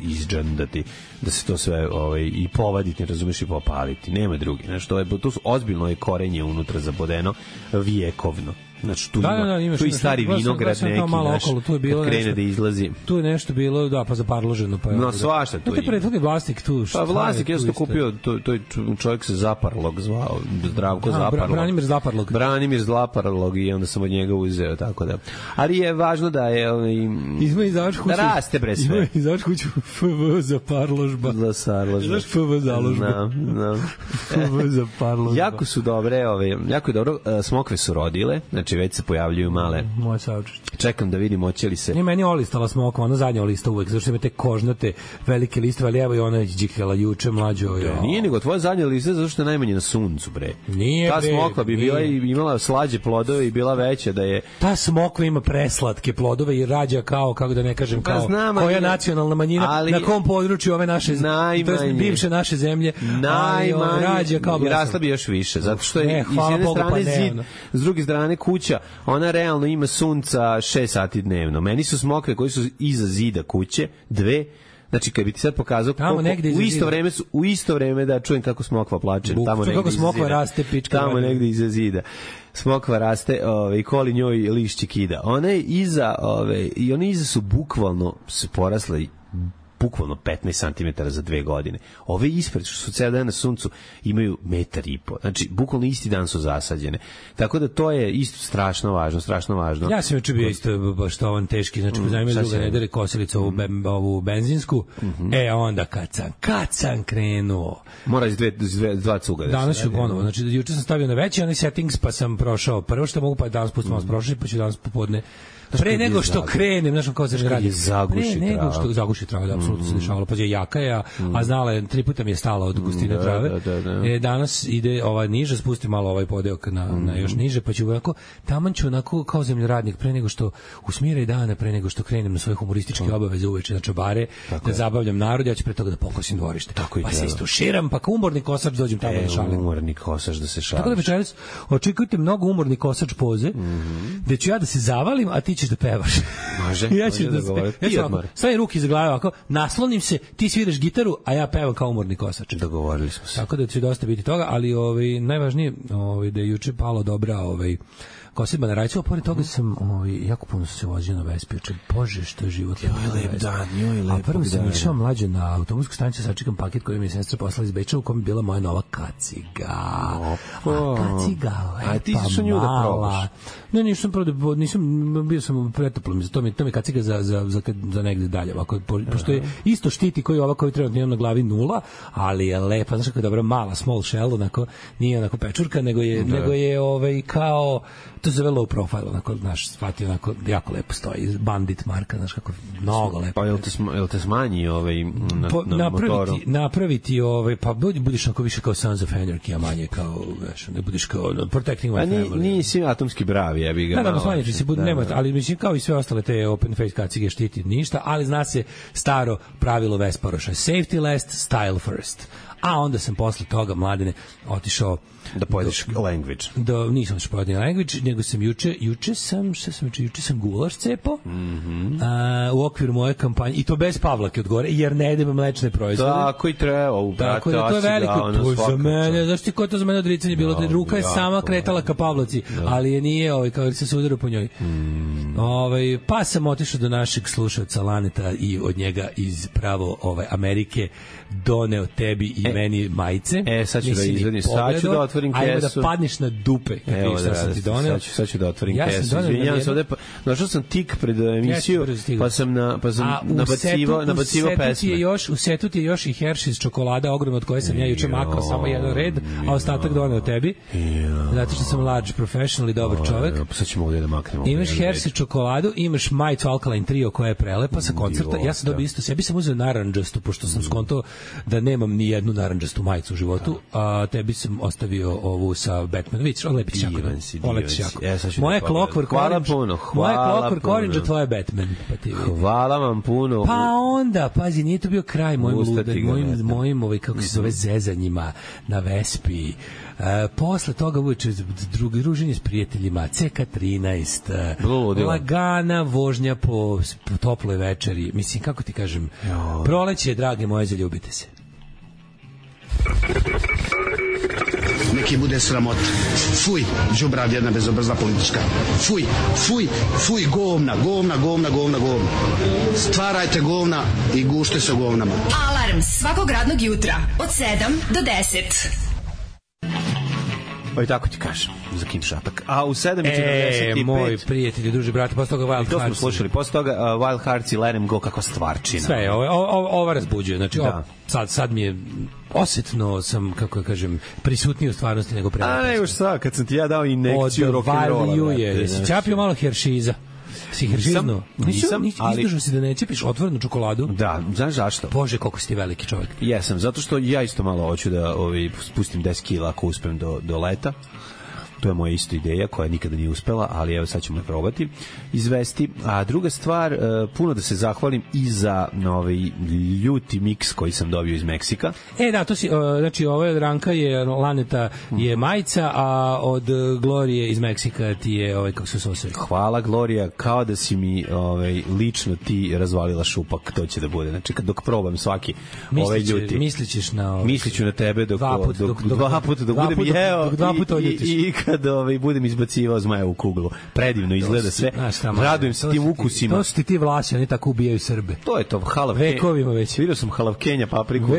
izđandati, da se to sve i povaditi, ne razumeš, i popaliti, nema drugi, znači to su ozbiljno je korenje unutra zabodeno vijekovno. Znači tu tu i stari vinograd neki naš, kad krene da izlazi. Tu je nešto bilo, pa zaparloženo. No, svašta tu ima. Prethodni vlasnik tu. Pa vlasnik je to kupio, to je čovjek se Zaparlog zvao, Zdravko Zaparlog. Branimir Zaparlog i onda sam od njega uzeo, tako da. Ali je važno da je da raste bre sve. Izaš kuću FV Zaparložba. Znaš FV založba. FV Zaparložba. Jako su dobre, jako je dobro, smokve su rodile, znači već se pojavljuju male. Moje saučešće. Čekam da vidim hoće li se. Nije meni olistala smokva, ona zadnja olista uvek, zato što ima te kožnate velike listove, ali evo i ona đikala juče mlađo. Nije nego tvoja zadnja lista zato što je najmanje na suncu, bre. Nije, ta smokva bi bila i imala slađe plodove i bila veća da je. Ta smokva ima preslatke plodove i rađa kao, kako da ne kažem, kao koja nacionalna manjina na kom području ove naše zemlje, bivše naše zemlje, rađa kao rasla bi još više, zato što je iz jedne strane zid, s druge strane kuća, ona realno ima sunca 6 sati dnevno. Meni su smokve koji su iza zida kuće, dve. Znači kad bi ti sad pokazao u isto vreme da čujem kako smokva plače, tamo negde kako smokva raste pička. Tamo negde iza zida. Smokva raste, i koli njoj lišće kida. Ona je iza, i one iza su bukvalno se porasle bukvalno 15 cm za 2 godine. Ove ispred, što su ceo dan na suncu, imaju 1,5 m. Znači, bukvalno isti dan su zasađene. Tako da to je isto strašno važno. Ja sam juče bio isto baš to ovan teški, znači pozajmio druga nedere kosilicu ovu benzinsku, onda kad sam krenuo. Mora iz dva cuga. Danas ću ponovo, znači juče sam stavio na veći onaj settings, pa sam prošao prvo što mogu, pa danas pustimo prošli, pa ću danas popodne pre nego što krenem, znaš kao se radi. Zaguši trava, da, apsolutno se dešavalo. Pa je jaka je, a znala je, 3 puta mi je stala od gustine trave. Danas ide ova niže, spusti malo ovaj podeok na još niže, pa ću onako, taman ću onako kao zemljoradnik, pre nego što usmiraj dana, pre nego što krenem na svoje humorističke obaveze uveče na čabare, da zabavljam narod, ja ću pre toga da pokosim dvorište. Pa se istuširam, pa kao umorni kosač dođem tamo da šalim. Umorni kosač da se šališ. Tako da večeras očekujte mnogo umorni kosač poze, gde ću ja da se zavalim, a ti ćeš da pevaš. Može. Ja ću stavim ruke za glavu, ako naslonim se, ti sviraš gitaru, a ja pevam kao umorni kosač. Dogovorili smo se. Tako da će dosta biti toga, ali najvažnije da je juče palo dobra kosidba na rajcu, a pored toga sam jako puno se vozio na Vespi. Bože, što je život. Lep dan. A prvo sam išao mlađe na autobusku stanicu, sačekam paket koji mi je sestra poslala iz Beča, u kom je bila moja nova kaciga. Kaciga, a ti si nju da probaš? Ne, bio sam pretoplom, to mi je kaciga za negde dalje. Pošto je isto štiti koji ova koju trenutno imam na glavi 0, ali je lepa, znaš kako je dobra mala small shell, nije onako pečurka, nego je kao to se low profile, onako, znaš, shvatio, onako, jako lepo stoji, Bandit marka, znaš, kako, mnogo lepo. Pa jel te smanji na motoru? Napraviti, pa budiš onako više kao Sons of Anarchy, a manje kao, znaš, ne budiš kao Protecting My Family. Nisi atomski bravi, ja bih ga malo. Da, smanjiš se, nema, ali mislim, kao i sve ostale te open face kacige štiti ništa, ali zna se staro pravilo Vesparoša, safety last, style first. A onda sam posle toga, Mladene, otišao da pojedeš language. Nisam otišao pojedin language, nego sam juče sam gulaš cepao u okviru moje kampanje, i to bez Pavlake od gore, jer ne jedem mlečne proizvode. Tako i treba, tako da to je veliko, to za mene, znaš ti ko to za mene odricanje bilo, da ruka je sama kretala ka Pavlaci, ali je nije, kao se sudarao po njoj. Pa sam otišao do našeg slušalca Laneta i od njega iz pravo Amerike doneo tebi i meni majice. Sad ću da izvedim, sad ću da otvorim kesu. Ajmo da padneš na dupe. Evo sad ću da otvorim kesu. Izvinjam se, ovde našao sam tik pred emisiju, pa sam nabacivo pesme. U setu ti je još i Hershey's čokolada ogromna, od koje sam ja juče makao samo jedan red, a ostatak doneo tebi. Zato što sam large professional i dobar čovek. Sad ćemo ovdje da maknemo. Imaš Hershey čokoladu, imaš majicu Alkaline Trio koja je prelepa sa koncerta. Ja sam dobio isto, sebi sam uzeo narandžastu, pošto sam skontao da nemam ni jednu narandžastu majicu u životu, a tebi sam ostavio ovu sa Batman. Vidiš, oletiš jako. Moje Clockwork Orange, a tvoje Batman. Hvala vam puno. Pa onda, pazi, nije to bio kraj mojim kako se zove, zezanjima na Vespi. Posle toga uveče druženje s prijateljima, CK13, lagana vožnja po toploj večeri. Mislim, kako ti kažem, proleće, drage moje, zaljubite se. Neki bude sramot. Fuj, đubrav jedna bezobrazna politička. Fuj, govna. Stvarajte govna i gušte se govnama. Alarm svakog radnog jutra od 7 do 10. Pa i tako ti kažem, za Kim Šapak. A u 7:45... Moj prijatelji, druži, brate, posle toga Wild Hearts. To smo slušali, posle toga Wild Hearts i Let 'em Go, kako stvarčina. Sve, ova razbuđuje. Znači, sad mi je osetno sam, kako ja kažem, prisutniji u stvarnosti nego pre. A nego šta, kad sam ti ja dao injekciju rock'n'rolla. Jesi čapio malo Hersheyza? Si Hersheyzno? Nisam, izdržao si da ne ćepiš otvorenu čokoladu? Da, znaš zašto? Bože, koliko si ti veliki čovjek. Jesam, zato što ja isto malo hoću da spustim 10 kila ako uspem do leta. To je moja isto ideja koja nikada nije uspela, ali evo sad ćemo je probati izvesti. A druga stvar, puno da se zahvalim i za ljuti miks koji sam dobio iz Meksika. Da, to si, znači ova ranka je Laneta je majica, a od Glorije iz Meksika ti je kako se zove. Hvala Glorija, kao da si mi lično ti razvalila šupak, to će da bude. Znači dok probam svaki ljuti. Misliću na tebe dok dva puta budem jeo i kad budem izbacivao zmaja u kuglu. Predivno izgleda sve. Radujem se tim ukusima. To su ti vlasi, oni tako ubijaju Srbe. To je to, vekovima već. Vidio sam halavkenja, papriku,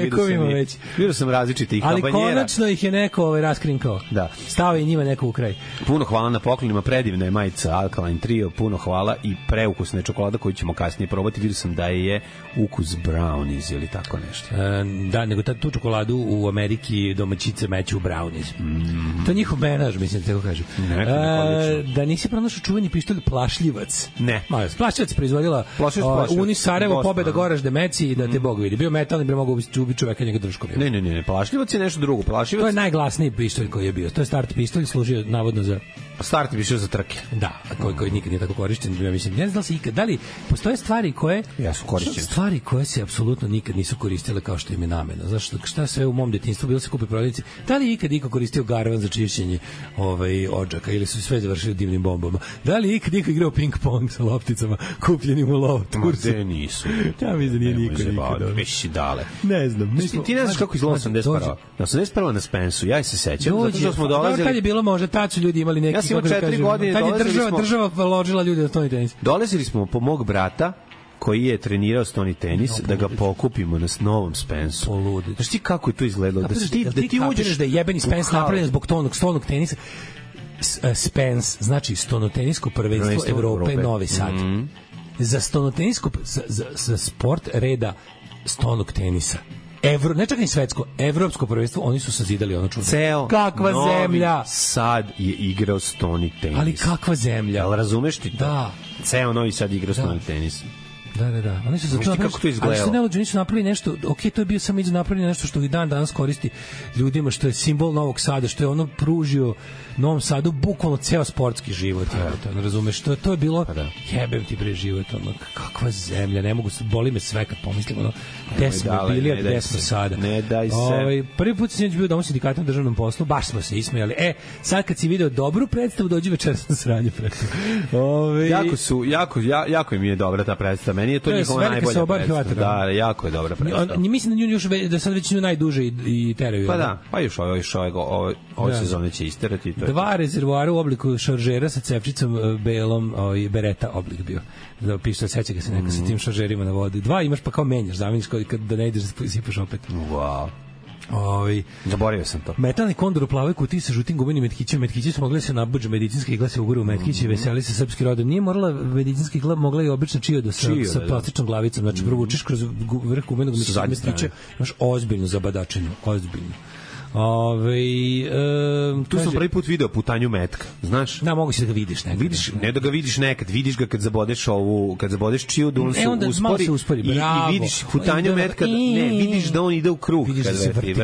vidio sam različite i habanjera. Ali konačno ih je neko raskrinkao. Da. Stao je njima neko u kraj. Puno hvala na poklonima, predivna je majica Alkaline Trio, puno hvala i preukusna je čokolada koju ćemo kasnije probati. Vidio sam da je ukus brownies ili tako nešto. Da, nego tu čokoladu u Ameriki domaćice meću u brownies. To je njihov menaž, mislim, tako kažem. Da nisi pronašao čuveni pištolj Plašljivac. Ne. Plašljivac proizvodila Uni Sarajevo, Pobeda, Goraž, Demeci i da te Bog vidi. Bio metalni, bi mogao ubiti čoveka njega drškom. Ne, Plašljivac je nešto drugo. To je najglasniji pištolj koji je bio. To je start pištolj, služio navodno za... Start pištolj za trke. Da, koji nikad nije tako korišten. Ja mislim, ne znam da li postoje stvari koje... Stvari koje se apsolutno nikad nisu koristile kao što im je namena. Znaš, šta sve u mom detinjstvu bilo se kupi prodavnici. Da li ikad iko koristio garvan za čišćenje odžaka ili su sve završili dimnim bombama? Da li ikad iko igrao ping-pong sa lopticama kupljenim u Lovotursu? Ma, nisu. Ja mislim da nije niko nikad. Već dale. Ne znam. Ti ne znaš kako izgleda 81. 81. na Spensu, ja se sećam. Zato što smo dolazili... Tad je bilo možda, tad su ljudi imali neki... Ja sam imao 4 godine. Tad je država ložila ljudi na stoni tenis. Dolazili smo po mog brata, koji je trenirao stoni tenis, da ga pokupimo na novom Spensu. Poludi. Znaš ti kako je to izgledalo? Da ti uđeš da je jebeni Spens napravljen zbog stolnog tenisa. Spens, znači stonotenisko prvenstvo Evrope Novi Sad. Za stonotenisko, za sport reda stonog tenisa. Ne čak ni svetsko, evropsko prvenstvo, oni su sazidali ono čudo. Kakva zemlja! Novi Sad je igrao stoni tenis. Ali kakva zemlja! Ali razumeš ti to? Da. Ceo Novi Sad igrao stoni tenis. Da. Oni su za to kako to izgledalo. Ali su neluđi, nisu napravili nešto, to je bio samo napravljeno nešto što i dan danas koristi ljudima, što je simbol Novog Sada, što je ono pružio Novom Sadu bukvalno ceo sportski život. Razumeš, to je bilo, jebem ti bre život, ono, kakva zemlja, ne mogu, boli me sve kad pomislim, ono, gde smo bili, a gde smo sada. Ne daj se. Prvi put sam bio Dom sindikata na državnom poslu, baš smo se ismejali. Sad kad si video dobru predstavu, dođi večeras na sranje predstavu. Jako mi je dobra ta predstava. Meni je to njihova najbolja predstava. Da, jako je dobra predstava. Mislim da nju još da sad već najduže i teraju. Pa da, pa još ove sezone će isterati. 2 rezervoara u obliku šaržera sa cevčicom belom i bereta oblik bio. Da piše, seća ga se neka sa tim šaržerima na vodi. 2 imaš pa kao menjaš, zameniš da ne ideš da sipaš opet. Wow. Zaboravio sam to. Metalni kondor u plavoj kutiji sa žutim gumenim metkićima. Metkići su mogli se nabuđe medicinske igle se ugure u metkići i veseli se srpski rodom. Nije morala medicinska igla, mogla i obična čioda sa plastičnom glavicom. Znači, provučeš kroz vrh gumenog metkića, imaš ozbiljnu zabadačenju. Ozbiljnu. Tu sam prvi put video putanju metka, znaš? Da, mogu si da ga vidiš nekad. Ne da ga vidiš nekad, vidiš ga kad zabodeš čiju, on se uspori i vidiš putanju metka, ne, vidiš da on ide u krug. Vidiš da se vrti.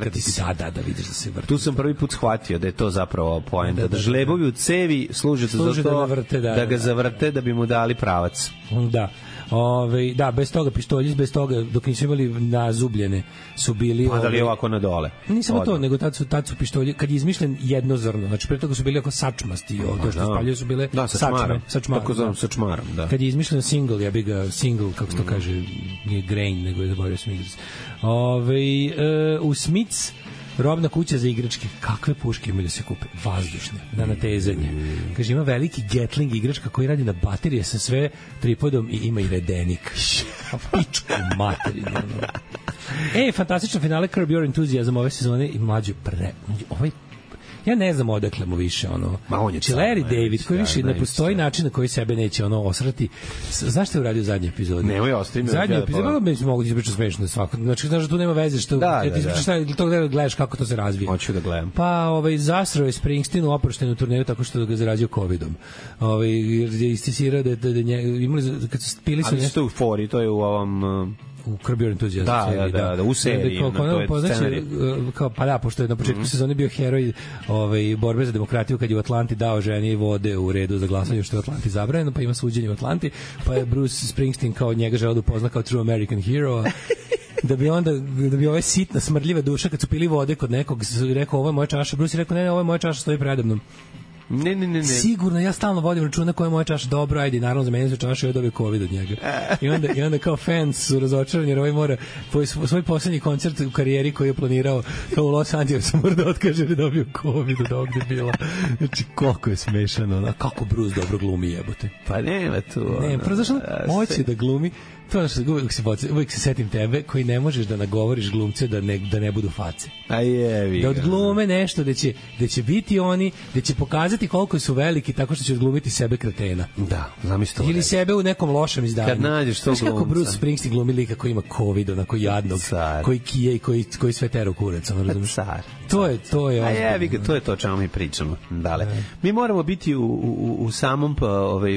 Da, vidiš da se vrti. Tu sam prvi put shvatio da je to zapravo poenta, da žlebovi u cevi služe za to da ga zavrte, da bi mu dali pravac. Da. Da, bez toga pištolji, bez toga dok nisu imali nazubljene su bili padali ovako na dole. Nisam to, nego tad su pištolji, kad je izmišljen jednozorno, znači pre toga su bili oko sačmasti, to što spaljaju su bile sačmarom. Tako zovem sačmarom, da. Kad je izmišljen single, ja bih ga single, kako se to kaže, nije grain, nego je zaboravio sam igric. U Smiths robna kuća za igračke. Kakve puške imaju da se kupe? Vazdušne, na natezanje. Kaže, ima veliki Gatling igračka koji radi na baterije sa sve tripodom i ima i redenik. Pičku materinu. Fantastično finale Curb Your Enthusiasm ove sezone i mlađe ja ne znam odakle mu više Larry David koji više ne postoji način na koji sebe neće osrati. Znaš što je uradio zadnji epizod? Nemoj ostaviti. Zadnji epizod mi mogu ti ispričati smešno svako. Znači znaš da tu nema veze što ti ispričaš to gledaš kako to se razvija. Hoću da gledam. Pa zasrao je Springsteen u oproštenu turneju tako što ga zarazio covidom. Jer je istisirao da imali kad su pili su nešto u fori, to je u ovom u Curb Your Enthusiasm. Da, u seriji. Pa da, pošto je na početku sezone bio heroj borbe za demokratiju kad je u Atlanti dao ženi vode u redu za glasanje što je u Atlanti zabranjeno, pa ima suđenje u Atlanti, pa je Bruce Springsteen kao njega želeo da upozna kao true American hero, da bi ova sitna, smrdljiva duša kad su pili vode kod nekog rekao ovo je moja čaša, Bruce je rekao ne, ovo je moja čaša, stoji predamnom. Ne. Sigurno, ja stalno vodim računa koja je moja čaša, dobro, ajde, naravno za mene se čaša i odobio COVID od njega. I onda kao fans su razočarani jer ovaj mora svoj poslednji koncert u karijeri koji je planirao kao u Los Angelesu mora da otkaže jer je dobio COVID od ovdje bila. Znači, koliko je smešano, kako Bruce dobro glumi jebote. Pa nema tu. Ne, prozašao, hoće da glumi. To je što uvijek se setim tebe koji ne možeš da nagovoriš glumce da ne budu face. Da odglume nešto da će biti oni, da će pokazati koliko su veliki tako što će odglumiti sebe kretena. Da, zamisli to. Ili sebe u nekom lošem izdanju. Kad nađeš to glumca. Znaš kako Bruce Springsteen glumi lika koji ima COVID, onako jadnog, koji kije i koji sve tera u kurac. To je to je to čemu mi pričamo. Mi moramo biti u samom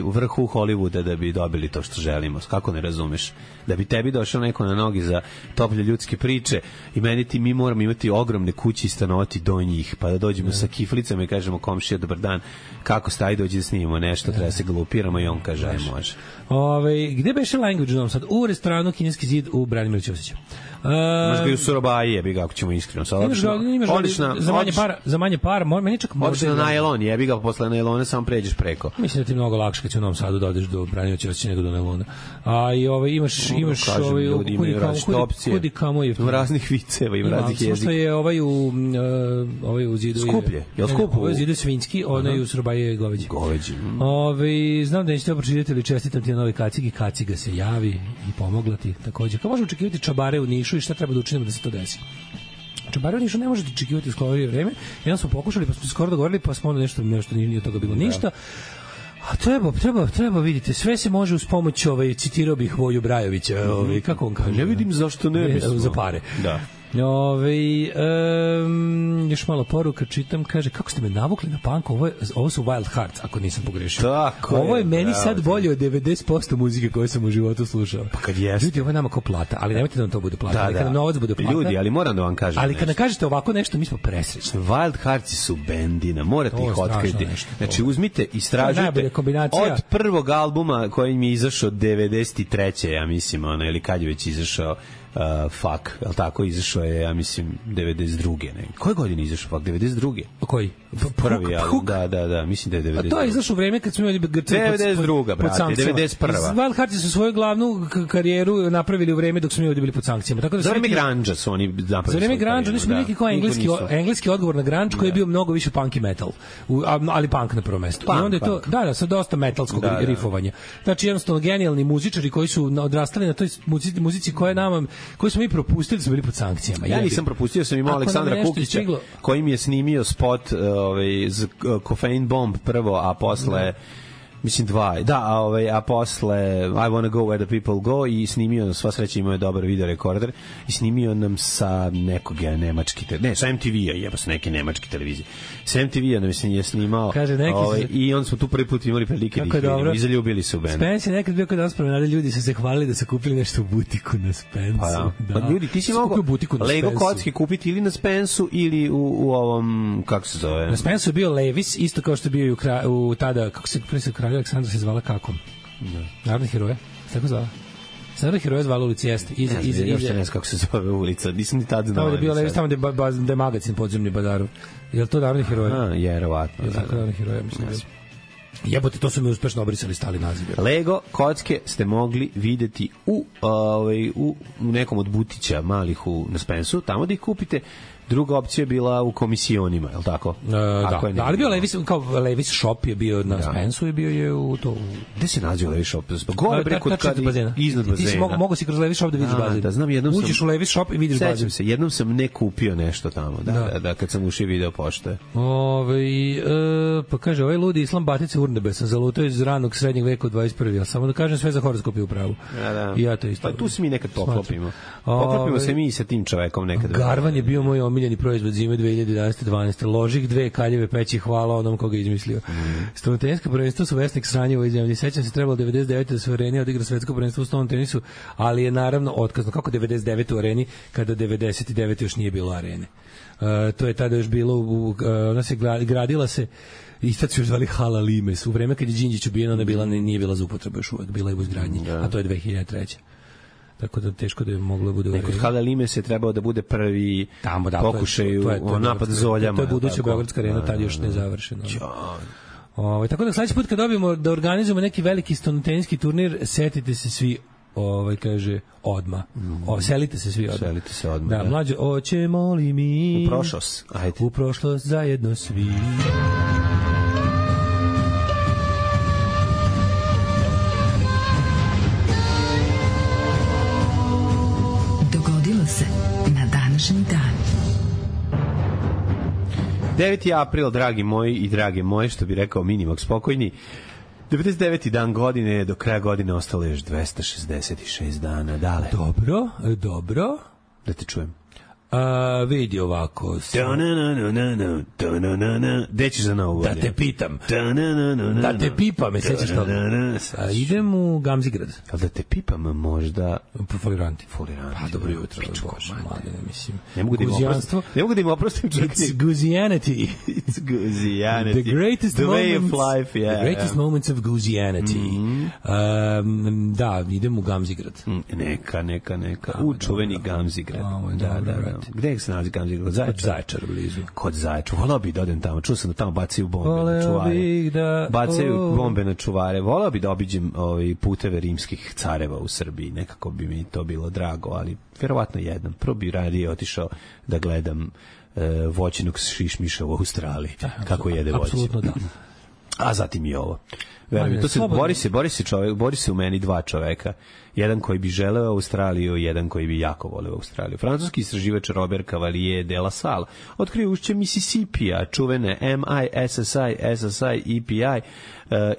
u vrhu Hollywooda da bi dobili to što želimo. Kako ne razumeš? Da bi tebi došao neko na nogi za toplje ljudske priče i mi moramo imati ogromne kuće i stanovati do njih, pa da dođemo sa kiflicama i kažemo komšija dobar dan, kako staj, dođi da snimimo nešto, treba se glupiramo i on kaže aj može. Gde beše Language u Novom Sadu? U restoranu Kineski zid u Branimira Ćosića. Možda i u Surabaji jebi ga ako ćemo iskreno. Za manje para, meni čak možda na najlon, jebi ga posle najlona samo pređeš preko. Mislim da ti mnogo lakše kad će u Novom Sadu da odeš do Branimira Ćosića nego do najlona. A i imaš kudi kamo je raznih viceva i raznih jezika. Što je ovaj u zidu skuplje. Jel skupo? Ovaj zidu svinjski, onaj u Surabaji je goveđi. Znam da nećete pročitati ili čestitam ti na novoj kacigi, kaciga se javi i pomogla ti takođe. Kako možemo očekivati čabare u Nišu i šta treba da učinimo da se to desi? Čabare u Nišu ne možete očekivati u skorije vreme. Jedan smo pokušali, pa smo se skoro dogovorili, pa smo onda nešto nije od toga bilo ništa. A treba vidite, sve se može uz pomoć citirao bih Voju Brajovića, kako on kaže. Ne vidim zašto ne bismo. Za pare. Da. Još malo poruka čitam, kaže, kako ste me navukli na punk, ovo su Wild Hearts, ako nisam pogrešio. Tako ovo je meni sad bolje od 90% muzike koje sam u životu slušao. Pa kad jeste. Ljudi, ovo je nama kao plata, ali nemojte da nam to bude plata, ali kada novac bude plata. Ljudi, ali moram da vam kažem ali kada kažete ovako nešto, mi smo presrećni. Wild Hearts su bendina, morate ih otkriti. Znači, uzmite, istražujte od prvog albuma koji mi je izašao 93. ja mislim, ili kad je već izašao Fuck, jel tako, izašao je, ja mislim, 92. Ne? Koje godine izašao Fuck? 92. Koji? Prvi album, da, mislim da je 92. A to je izašao u vreme kad smo imali 92. brate, 91. Wild Hearts su svoju glavnu karijeru napravili u vreme dok smo mi ovdje bili pod sankcijama. Tako da za vreme grunge su oni napravili. Za vreme grunge, oni su neki kao engleski odgovor na grunge koji je bio mnogo više punk i metal, ali punk na prvo mesto. I onda je to, sa dosta metalskog rifovanja. Znači, jednostavno, genijalni muzičari koji su odrastali na toj muzici koji smo mi propustili da smo bili pod sankcijama. Ja nisam propustio, sam imao Aleksandra Kukića koji mi je snimio spot Coffeine Bomb prvo, a posle mislim a posle I Wanna Go Where the People Go i snimio, sva sreća imao je dobar video rekorder i snimio nam sa nekog nemački, sa MTV-a, sa neke nemačke televizije. Sa MTV-a nam je snimao i onda smo tu prvi put imali prilike da ih vidimo i zaljubili se u bend. Spence je nekad bio kod nas promenade, ljudi su se hvalili da su kupili nešto u butiku na Spensu. Pa ljudi, ti si mogo Lego kocke kupiti ili na Spensu ili u ovom, kako se zove? Na Spensu je bio Levis, isto kao što je bio u tada, kako se Kralja Aleksandra se zvala kako? Narodni heroje? Tako zvala? Narodni heroje zvala ulici, jeste. Još ne znam kako se zove ulica, nisam ni tad znao. Tamo je bio Levis, tamo gde je magazin podzemni Badarov. Je li to Narodni heroje? Jerovatno. Je tako Narodni heroje, mislim. Jebote, to su mi uspešno obrisali, stali naziv. Lego kocke ste mogli videti u nekom od butića malih na Spensu, tamo da ih kupite. Druga opcija je bila u komisionima, je li tako? Ali bio Levis, kao Levis shop je bio na Spensu i bio je u to. Gde se nađe Levis shop? Gore bre kod iznad bazena. Ti si mogu si kroz Levis shop da vidiš bazen. Da, znam, jednom sam uđeš u Levis shop i vidiš bazen. Sećam se, jednom sam ne kupio nešto tamo, da kad sam ušao video pošte. Pa kaže, ovaj ludi Islam Batice Urnebe sam zalutao iz ranog srednjeg veka u 21. Samo da kažem, sve za horoskop je u pravu. I ja to isto. Pa tu se mi nekad poklopimo. Poklopimo se mi sa tim čovekom nekad. Garvan je bio moj omiljeni proizvod zime 2011-12. Ložih 2 kaljeve peći, hvala onom koga je izmislio. Stolno teniska prvenstvo su vesnik sranje u ovoj zemlji. Sećam se, trebalo 99. da se u Areni odigra svetsko prvenstvo u stolnom tenisu, ali je naravno otkazno. Kako 99. u Areni, kada 99. još nije bilo Arene. To je tada još bilo, ona se gradila se i sad su još zvali Hala Limes. U vreme kad je Đinđić ubijen, ona nije bila za upotrebu još uvek, bila je u izgradnji, a to je 2003. Tako da teško da je moglo bude u Areni. Kod Hala Limes je trebao da bude prvi pokušaj u napad zoljama. To je buduća Beogradska arena, tad još ne završeno. Tako da sledeći put kad dobijemo da organizujemo neki veliki stolnoteniski turnir, setite se svi, kaže, odma. Selite se svi odma. Selite se odma. Da, mlađe, hoćemo li mi u prošlost zajedno svi. Dogodilo se na današnji dan. 9. april, dragi moji i drage moje, što bi rekao Minimog spokojni. 99. dan godine, do kraja godine ostalo još 266 dana. Dale. Dobro. Da te čujem. Vidi ovako. Gde ćeš za novu godinu? Da te pitam. Da te pipam, me sećaš toga. Idem u Gamzigrad. Da te pipam možda... Foliranti. Pa dobro jutro. Mladine, mislim. Ne mogu da im oprostim. It's Guzianity. It's Guzianity. The greatest the moments. Way of life, yeah. The greatest moments of Guzianity. Da, idem u Gamzigrad. Neka. U čuveni Gamzigrad. Da. Gde se nalazi Gamzigrad? Kod Zaječara blizu. Kod Zaječara. Volao bi da odem tamo. Čuo sam da tamo bacaju bombe na čuvare. Bacaju bombe na čuvare. Volao bi da obiđem puteve rimskih careva u Srbiji. Nekako bi mi to bilo drago, ali verovatno jednom. Prvo bi radije otišao da gledam voćinog šišmiša u Australiji. Kako jede voće. Apsolutno da. A zatim i ovo. Bori se u meni dva čoveka. Jedan koji bi želeo Australiju, jedan koji bi jako voleo Australiju. Francuski istraživač Robert Cavalier de la Salle otkrio ušće Mississippija, čuvene MISSI EPI,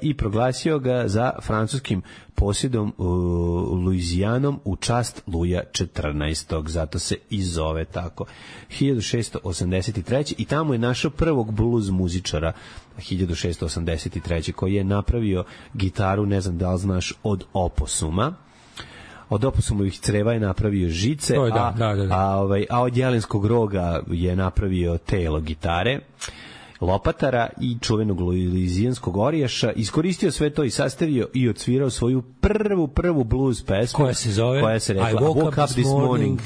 i proglasio ga za francuskim posjedom Luizijanom u čast Luja 14. Zato se i zove tako. 1683. I tamo je našao prvog blues muzičara 1683. koji je napravio gitaru, ne znam da li znaš, od oposuma. Od oposumovih creva je napravio žice, a od jelenskog roga je napravio telo gitare, lopatara i čuvenog luizijanskog orijaša. Iskoristio sve to i sastavio i odsvirao svoju prvu blues pesmu koja se rekla I woke up this morning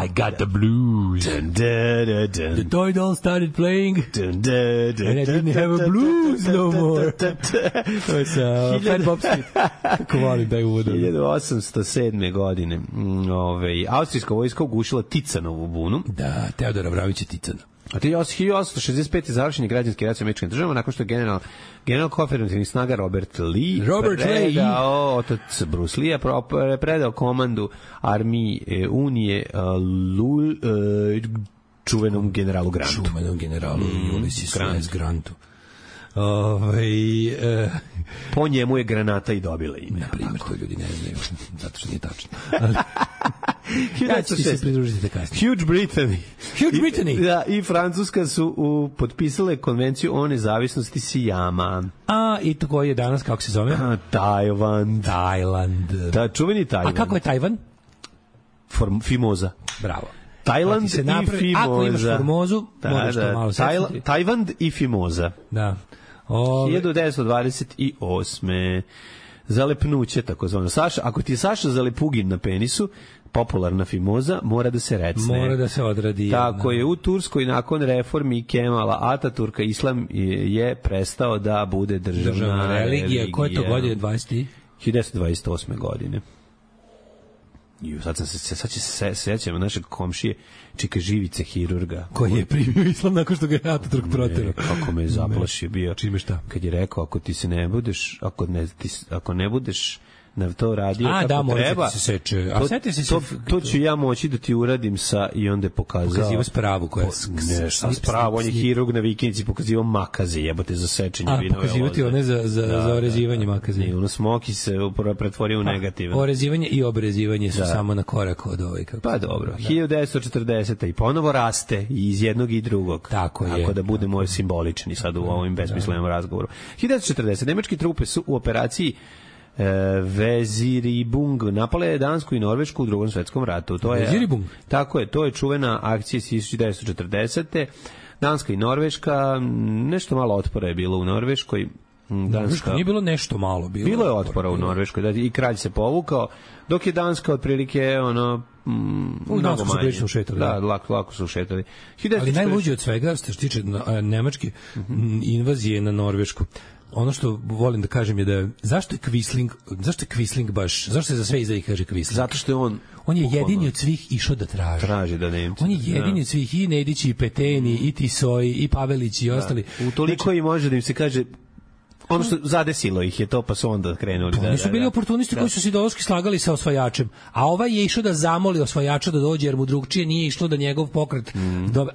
I got the blues the toy doll started playing and I didn't have a blues no more. To je sa Fat Bob Street. Kako volim da je uvodom. 1807. godine austrijska vojska ugušila Ticanovu bunu. Da, Teodora Vravića Ticana. A 1865. završen je građanski rat sa Američkim državama nakon što je general konfederativnih snaga Robert Lee otac Bruce Lee predao komandu armiji Unije čuvenom generalu Grantu. Ulysses Grantu. Po njemu je granata i dobila ime. Na primjer, to ljudi ne znaju, zato što nije tačno. Ja ću se pridružiti da kasnije. Huge Brittany. Da, i Francuska su potpisale konvenciju o nezavisnosti Sijama. I to koji je danas, kako se zove? Tajland. Da, čuveni Tajland. A kako je Tajvan? Fimoza. Bravo. Tajland i Fimoza. Ako imaš Formozu, moraš to malo setiti. Tajland i Fimoza. Da. 1928. Zalepnuće, takozvano. Ako ti je Saša Zalepugin na penisu, popularna Fimoza, mora da se recne. Mora da se odradi. Tako je, u Turskoj nakon reformi Kemala Ataturka islam je prestao da bude državna religija. Koje to godine? 1928. godine. Sad se sećamo našeg komšije Čika Živice, hirurga. Koji je primio islam nakon što ga je Ataturk proterao. Kako me zaplašio bio. Čime šta? Kad je rekao, ako ne budeš na to radio kako treba. Se seče. To ću ja moći da ti uradim sa i onda je pokazao. Pokazivo spravu koja ne, spravu, on je hirurg na vikendici pokazivo makaze, jebote za sečenje vinove loze. Pokazivati one za orezivanje makaze. I ono smoki se pretvorio u negativan. Orezivanje i obrezivanje su samo na korak od kako. Pa dobro. 1940. i ponovo raste i iz jednog i drugog. Tako da budemo simbolični sad u ovim besmislenom razgovoru. 1940. Nemačke trupe su u operaciji Veziribung napale Dansku i Norvešku u Drugom svetskom ratu. Veziribung? Tako je, to je čuvena akcija 1940. Danska i Norveška, nešto malo otpora je bilo u Norveškoj. Nije bilo nešto malo. Bilo je otpora u Norveškoj i kralj se povukao, dok je Danska otprilike u Dansku su prilično ušetali. Da, lako su ušetali. Ali najluđe od svega, što se tiče nemačke invazije na Norvešku, ono što volim da kažem je da zašto je Quisling baš, zašto se za sve iza ih kaže Quisling? Zato što je on je jedini od svih išao da traži da Nemci. On je jedini od svih, i Nedić, i Peteni, i Tisoji, i Pavelić, i ostali. Utoliko i može da im se kaže ono što zadesilo ih je to, pa su onda krenuli. Oni su bili oportunisti koji su se ideološki slagali sa osvajačem, a ovaj je išao da zamoli osvajača da dođe, jer mu drugčije nije išlo da njegov pokret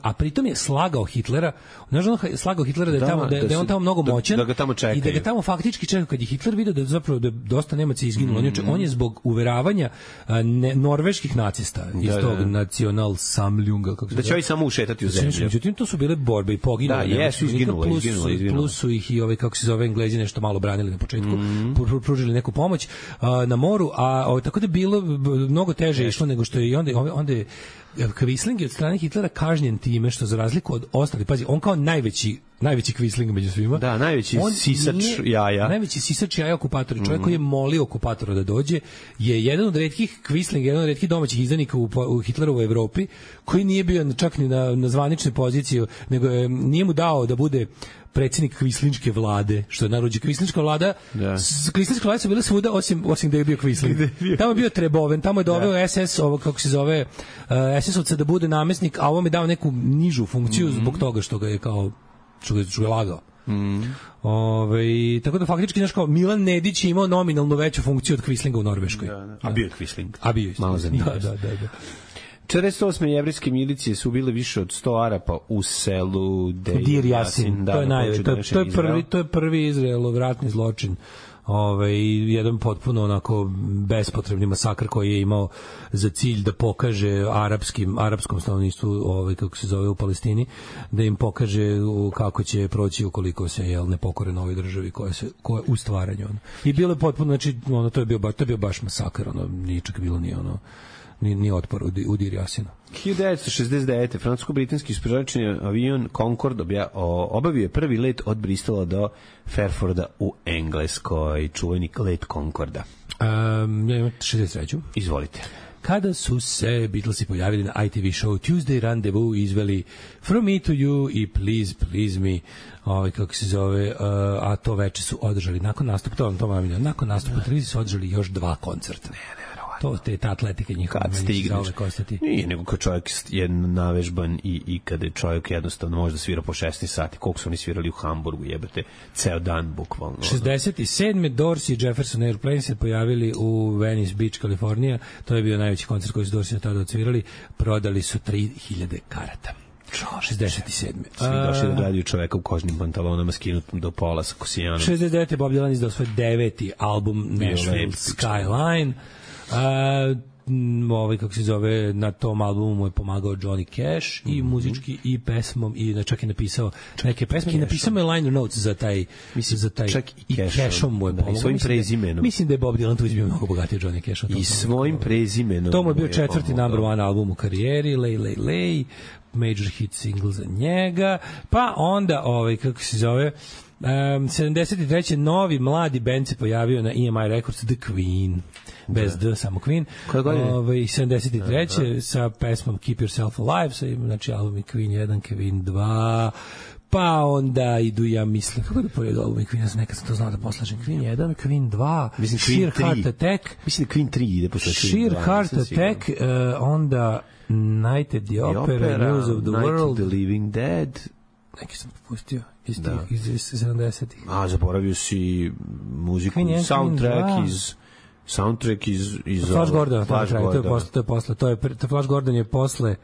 a pritom je slagao Hitlera. Znaš, on slagao Hitlera da je on tamo mnogo moćan da ga tamo čekaju. I da ga tamo faktički čekaju. Kad je Hitler video da zapravo da dosta Nemaca izginulo, on je zbog uveravanja norveških nacista iz tog Nacional Samljunga, kako se da će oni samo ušetati u zemlju. Međutim, to su bile borbe i poginuli. Da, jesu izginuli. Plus su ih i kako se zove, Englezi nešto malo branili na početku, pružili neku pomoć na moru, a tako da je bilo mnogo teže išlo nego što je. I onda je Quisling od strane Hitlera kažnjen time što, za razliku od ostalih, pazi, on kao najveći Quisling među svima. Da, najveći sisač jaja. Najveći sisač jaja okupatora, čovjek koji je molio okupatora da dođe, je jedan od retkih Quisling, jedan od retkih domaćih izdanika u Hitlerovoj Evropi, koji nije bio čak ni na zvaničnoj poziciji, nego nije mu dao da bude predsjednik Kvislinške vlade, što je narođe Kvislinška vlada. Kvislinška vlada su bile svuda osim da je bio Quisling. Tamo je bio Treboven, tamo je doveo SS, ovo kako se zove, SS-ovca da bude namjesnik, a ovom je dao neku nižu funkciju zbog toga što ga je kao što ga lagao. Tako da faktički znaš, kao Milan Nedić je imao nominalno veću funkciju od Quislinga u Norveškoj. A bio je Quisling. Malo zanimljivo. Da. 48. jevrijske milicije su bile više od 100 Arapa u selu Dir Jasin. To je prvi Izraelov ratni zločin. jedan potpuno onako bespotrebni masakr koji je imao za cilj da pokaže arapskom stanovništvu, kako se zove u Palestini, da im pokaže kako će proći ukoliko se ne pokore novoj državi koja u stvaranju. I bilo je potpuno, znači, to je bio baš masakr, nije čak bilo ni otpor u Dir Jasinu. 1969. francusko-britanski istraživački avion Concorde obavio je prvi let od Bristola do Fairforda u Engleskoj, čuveni let Concorda. Ja imam 63. Izvolite. Kada su se Beatlesi pojavili na ITV show Tuesday Rendezvous izveli From Me to You i Please Please Me, kako se zove, a to veče su održali nakon nastupa, nakon nastupa televizije su održali još 2 koncerta. Ta atletika njihova. Kad stigneš. Nije, nego kad čovjek je navežban i kada je čovjek jednostavno može da svira po 16 sati, koliko su oni svirali u Hamburgu, jebate, ceo dan bukvalno. 67. Dorsey i Jefferson Airplane se pojavili u Venice Beach, Kalifornija. To je bio najveći koncert koji su Dorsey tada odsvirali. Prodali su 3000 karata. 67. Svi došli da gledaju čoveka u kožnim pantalonama skinutom do pola sa kosijanom. 69. Bob Dylan izdao svoj 9. album Nashville Skyline. Kako se zove, na tom albumu mu je pomagao Johnny Cash i muzički i pesmom i čak je napisao neke pesme i napisao je liner notes za taj čak i Cashom mu je pomagao. I svojim prezimenom. Mislim da je Bob Dylan tu bio mnogo bogatiji od Johnny Casha. I svojim prezimenom. To mu je bio 4. number 1 album u karijeri, Lay, major hit single za njega, pa onda kako se zove 73. novi mladi bend se pojavio na EMI Records, The Queen, bez D, samo Queen. 73. sa pesmom Keep Yourself Alive, znači albumi Queen 1, Queen 2, pa onda idu, ja mislim, kako da poredu albumi Queen, nekad sam to znao da poslažem, Queen 1, Queen 2, Sheer Heart Attack, mislim da Queen 3 ide posle Queen 2, Sheer Heart Attack, onda Nighted the Opera, News of the World, Night of the Living Dead, neki sam propustio iz 70-ih. Zaboravio si muziku, soundtrack iz Flash Gordon, to je posle, Flash Gordon je posle,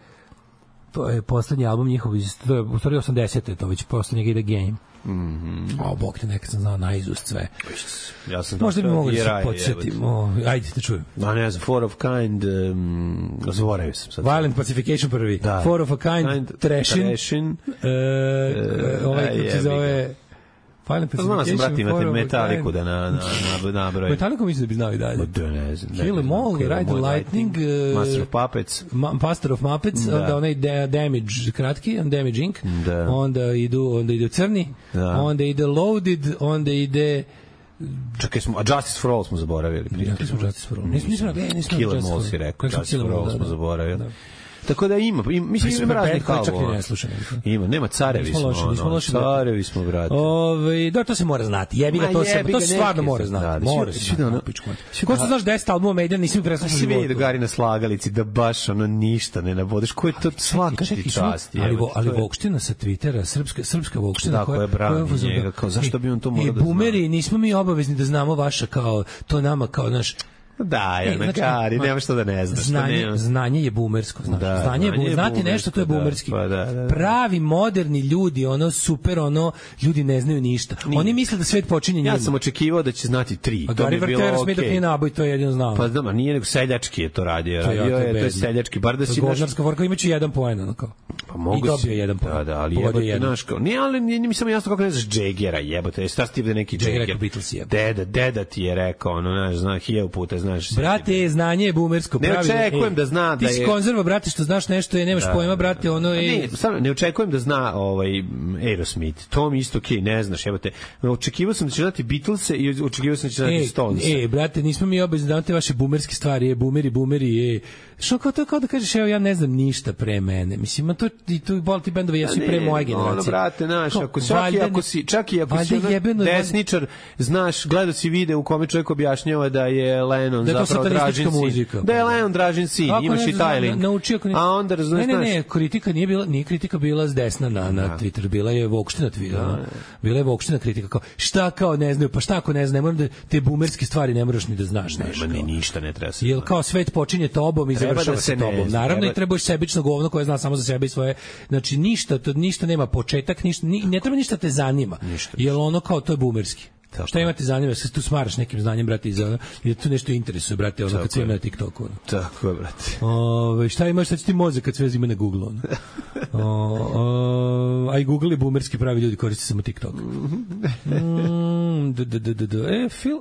to je poslednji album njihov, to je u stvari 80. to već posle njega ide Game. Bog te, nekad sam znao naizust sve. Ja sam možda bi mogo da se podsjetim. Ajde, te čujem. Ne znam, Four of Kind, zaboravio sam sad. Violent Pacification prvi. Da. Four of a Kind, Trashin. Kako se zove... Znao sam, brati, imate Metaliku da nabrojim. Metaliku mislim da bi znao i dalje. Ne znam. Kill Em All, Ride the Lightning, Master of Muppets, onda onaj Damage kratki, Damage Inc. Onda idu crni, onda ide Loaded, onda ide... Čekaj, a Justice for All smo zaboravili. Rekli smo Justice for All. Nismo Kill Em All si rekao, Justice for All smo zaboravili. Tako da mislim ima raznih albuma. Ima, nema carevi smo, brate. Da, to se mora znati. Jebi ga, to se stvarno mora znati. Mora se znati. Ko što znaš 10 albuma Maiden, nisi mi preslušao životu. Svi Gari na slagalici, da baš ništa ne navodiš. Ko je to svaka ti čast? Ali Vokština sa Twittera, srpska Vokština, koja je brani njega, kao zašto bi on to morao da zna? Bumeri, nismo mi obavezni da znamo vaša, kao to nama, kao naš... Da, Gari, nema što da ne znaš. Znanje je bumersko. Znati nešto, to je bumerski. Pravi, moderni ljudi, super, ljudi ne znaju ništa. Oni misle da svet počinje njima. Ja sam očekivao da će znati 3. A Gari Vertera sme dok nije naboj, to je jedino znao. Pa znam, nije nego seljački je to radio. To je seljački, bar da si... Govnarska vorka imaće 1 poen, kao. Pa mogu si. I dobio 1 poen. Da, ali jebote, znaš kao... Nije, ali nije mi samo jasno kako ne znaš Jaggera, jebote. Šta si ti da neki Jagger? Deda ti je rekao, znaš, 1000 puta, znaš. Brate, znanje je bumersko. Ne očekujem da zna da je... Ti si konzerva, brate, što znaš nešto, nemaš pojma, brate, je... Ne očekujem da zna Aerosmith. To mi isto okej, ne znaš, jebote. Očekivao sam da će znati Beatlese i očekivao sam da će znati Stonese. Brate, nismo mi obavezni da te vaše bumerske stvari, bumeri, Što kao da kažeš, evo, ja ne znam ništa pre mene. Mislim, tu boli ti bendovi, jesu i pre moje generacije. Brate, znaš, čak i ako si desničar, znaš, gledao si video u kome čovjek objašnjava da je Lennon zapravo Dražin sin. Da je Lennon Dražin sin, imaš i taj link. A onda razumiješ... Ne, kritika nije kritika bila s desna na Twitter, bila je Vokština Twitter. Bila je Vokština kritika, kao, šta kao ne znaju, pa šta ako ne znaju, moram da te bumerske stvari ne moraš ni da znaš. Nema, ništa ne treba se. Jel kao svet počinje tobom i završava se tobom. Naravno i trebaš sebično govno koje zna samo za sebe i svoje. Znači ništa nema početak, ne treba ništa te zanima. Jel kao to je bumerski. Šta imate zanima, se tu smaraš nekim znanjem, brate, i tu nešto interesuje, brate, ono kad sve ima na TikToku. Ono. Tako je, brate. Šta imaš, šta će ti mozak kad sve ima na Google, ono. A i Google je boomerski, pravi ljudi koriste samo TikTok. Phil,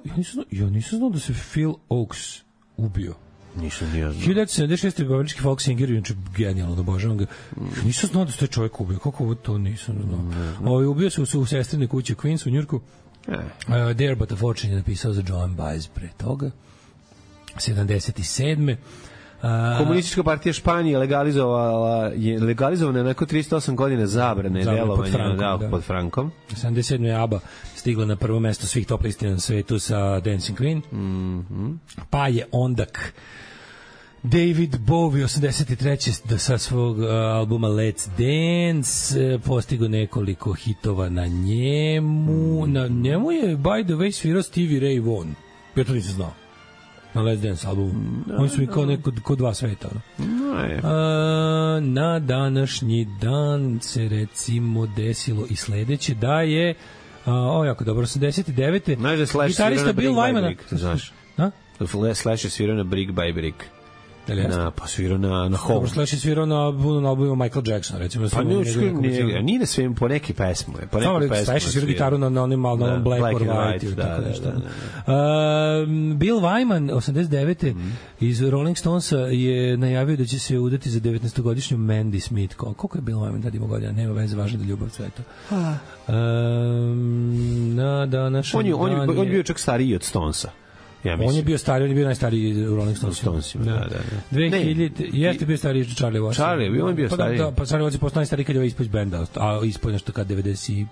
ja nisam znao da se Phil Oaks ubio. Nisam nije znao. 1976. američki folk singer, inače genijalno, obožavam ga. Nisam znao da se taj čovjek ubio. Kako ovo to nisam znao? Ubio se u sestrinoj kući u Queens u Njurku. There But a Fortune je napisao za Joan Baez pre toga. 77. Komunistička partija Španije legalizovana je nakon 308 godina zabrane delovanja pod Frankom. 77. je ABBA stigla na prvo mesto svih top listi na svetu sa Dancing Queen. Pa je ondak David Bowie 83. sa svog albuma Let's Dance postigao nekoliko hitova na njemu. Na njemu je, by the way, svirao Stevie Ray Vaughan. Ja to nisam znao. Na Let's Dance albumu. Oni su mi kao neko kod dva sveta. Na današnji dan se recimo desilo i sledeće da je jako dobro, 89. Gitarista Bill Wyman. Znaš? Slash je svirao na Brick by Brick. Pa svirao na Home. Slash je svirao na albumu Michael Jackson, recimo. Pa nije na svim, po neki pesmu. Slash je svirao gitaru na onim Black or White ili tako nešto. Bill Wyman, 89. iz Rolling Stonesa je najavio da će se udati za 19-godišnju Mandy Smith. Koliko je Bill Wyman tad imao godina? Nema veze, važno da ljubav cveta. On je bio čak stariji od Stonesa. On je bio stariji, on je bio najstariji u Rolling Stonesima. Da. 2000, jeste bio stariji Charlie Watts. On je bio stariji. Pa Charlie Watts je postao najstariji kad je ispod benda, a ispod nešto kad 90...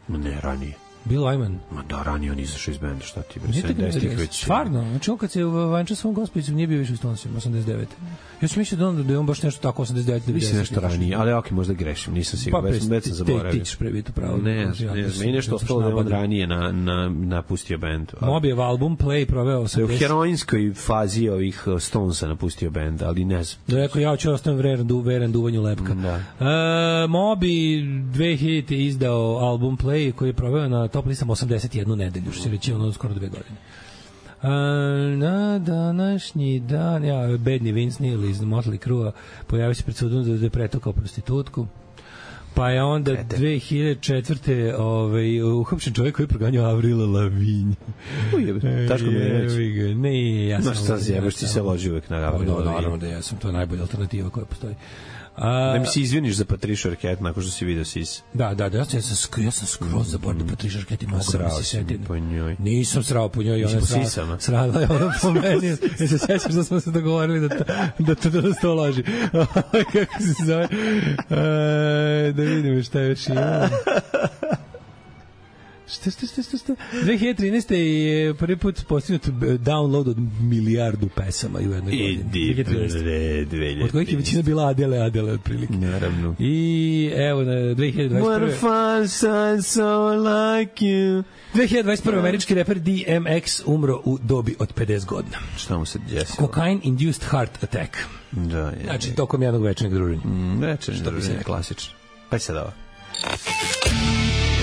Ne, ranije. Bill Wyman. Ma da, ranije on izašao iz benda, šta ti bre, 70-ih već. Stvarno, znači on kad se vanča svom gospojicom nije bio više u Stonesima, 89. Ja sam mislio da je on baš nešto tako 89. Mislim nešto ranije, ali ok, možda grešim, nisam siguran, već sam zaboravio. Ti ćeš prebiti pravo. Ne, meni nešto ostalo da je on ranije napustio bend. Mobijev album Play proveo 80. Da je u heroinskoj fazi ovih Stonesa napustio bend, ali ne znam. Da rekao, ja ću ostavim veren duvanju lepka. Mobi 2000 izdao album Play koji je proveo na top listama 81 nedelju, što se reći ono skoro 2 godine. Na današnji dan, bedni Vince Neil iz Motley Crue pojavio se pred sudom da je pretukao prostitutku. Pa je onda 2004. Uhapšen čovjek koji je proganjao Avrila Lavigne. Taško mi je reći. Ne, ja sam... Znaš šta zjebaš, ti se loži uvek na Avrila Lavigne. Naravno da ja sam, to je najbolja alternativa koja postoji. Da mi se izviniš za Patricia Arquette nakon što si vidio Sis. Da, ja sam skroz zaboravio Patricia Arquette i mogu da se setim. Po njoj. Nisam srao po njoj, ona srala je ona po meni. Ja se sećaš da smo se dogovorili da to loži. Kako se zove? Da vidimo šta još ima. Šta? 2013. je prvi put postignut download od 1 milijardu pesama u jednoj godini. Od kojih je većina bila Adele otprilike. Naravno. I evo na 2021. What a fun son so like you. 2021. američki reper DMX umro u dobi od 50 godina. Šta mu se desilo? Cocaine induced heart attack. Da, znači tokom jednog večernjeg druženja. Večernjeg druženja, klasično. Pa sad ovo.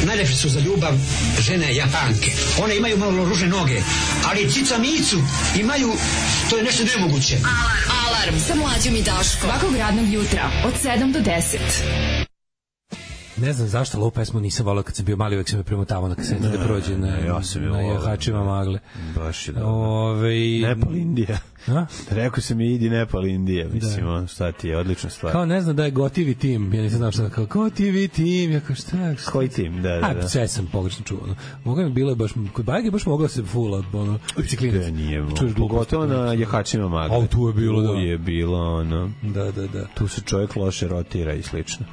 Najlepše su za ljubav žene Japanke. One imaju malo ružne noge, ali cica micu imaju, to je nešto nemoguće. Alarm sa mlađom i Daškom. Svakog radnog jutra od 7 do 10. Ne znam zašto ovu pesmu nisam volao kad sam bio mali, uvek sam je premotavao na kaseti da prođe na jahačima magle. Baš je dobro. Nepal Indija. Rekao sam i idi Nepal Indija, mislim, šta ti je, odlična stvar. Kao ne znam da je gotivi tim, ja nisam znao šta, kao gotivi tim, ja kao šta? Koji tim, da. Sve sam pogrešno čuo. Mogu mi bilo je baš, kod Bajage baš mogla se fula, biciklinac. Nije, pogotovo na jahačima magle. A tu je bilo, da. Tu je bilo, ono. Da. Tu se čovjek loše rotira i slično.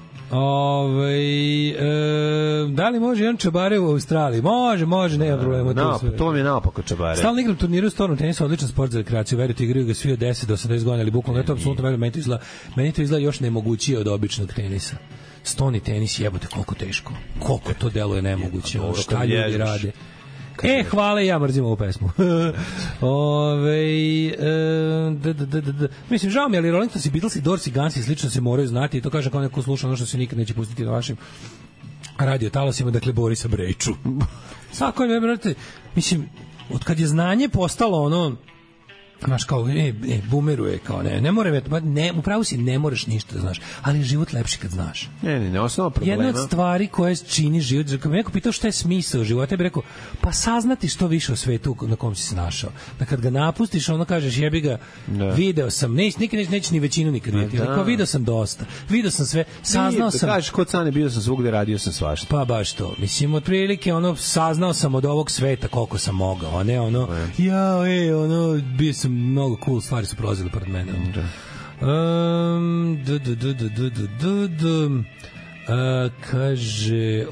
Da li može jedan čabare u Australiji? Može, nema problema. To mi je naopako čabare. Stalno igram turniru u stornom tenisu, odličan sport za rekreaciju, verujte, igraju ga svi od 10 do 80 godina, ali bukvalno je to apsolutno verujem, meni to izgleda još nemogućije od običnog tenisa. Stoni tenis, jebote, koliko teško. Koliko to deluje nemoguće. Šta ljudi rade? Hvala, ja mrzim ovu pesmu. Mislim, žao mi, ali Rolling Stones i Beatles i Doors i Guns i slično se moraju znati i to kaže kao neko sluša ono što se nikad neće pustiti na vašim radio talasima, dakle Borisa Brejču. Svako je, brate, mislim, od kad je znanje postalo ono, znaš, kao, bumeruje, kao, ne mora, upravo si, ne moraš ništa da znaš, ali je život lepši kad znaš. Ne, osnovno problema. Jedna od stvari koje čini život, kad me neko pitao šta je smisao života, ja bih rekao, pa saznati što više o svetu na kom si se našao. Da kad ga napustiš, ono kažeš, jebi ga, video sam, nikad neće ni većinu nikad vidjeti, kao video sam dosta, video sam sve, saznao sam. Da kažeš, kod Cane, bio sam svugde, radio sam svašta. Pa baš to, mislim, otprilike, ono, saznao sam od ovog sveta koliko sam mogao, a ne ono, bio sam mnogo cool stvari su prolazile pored mene. Kaže,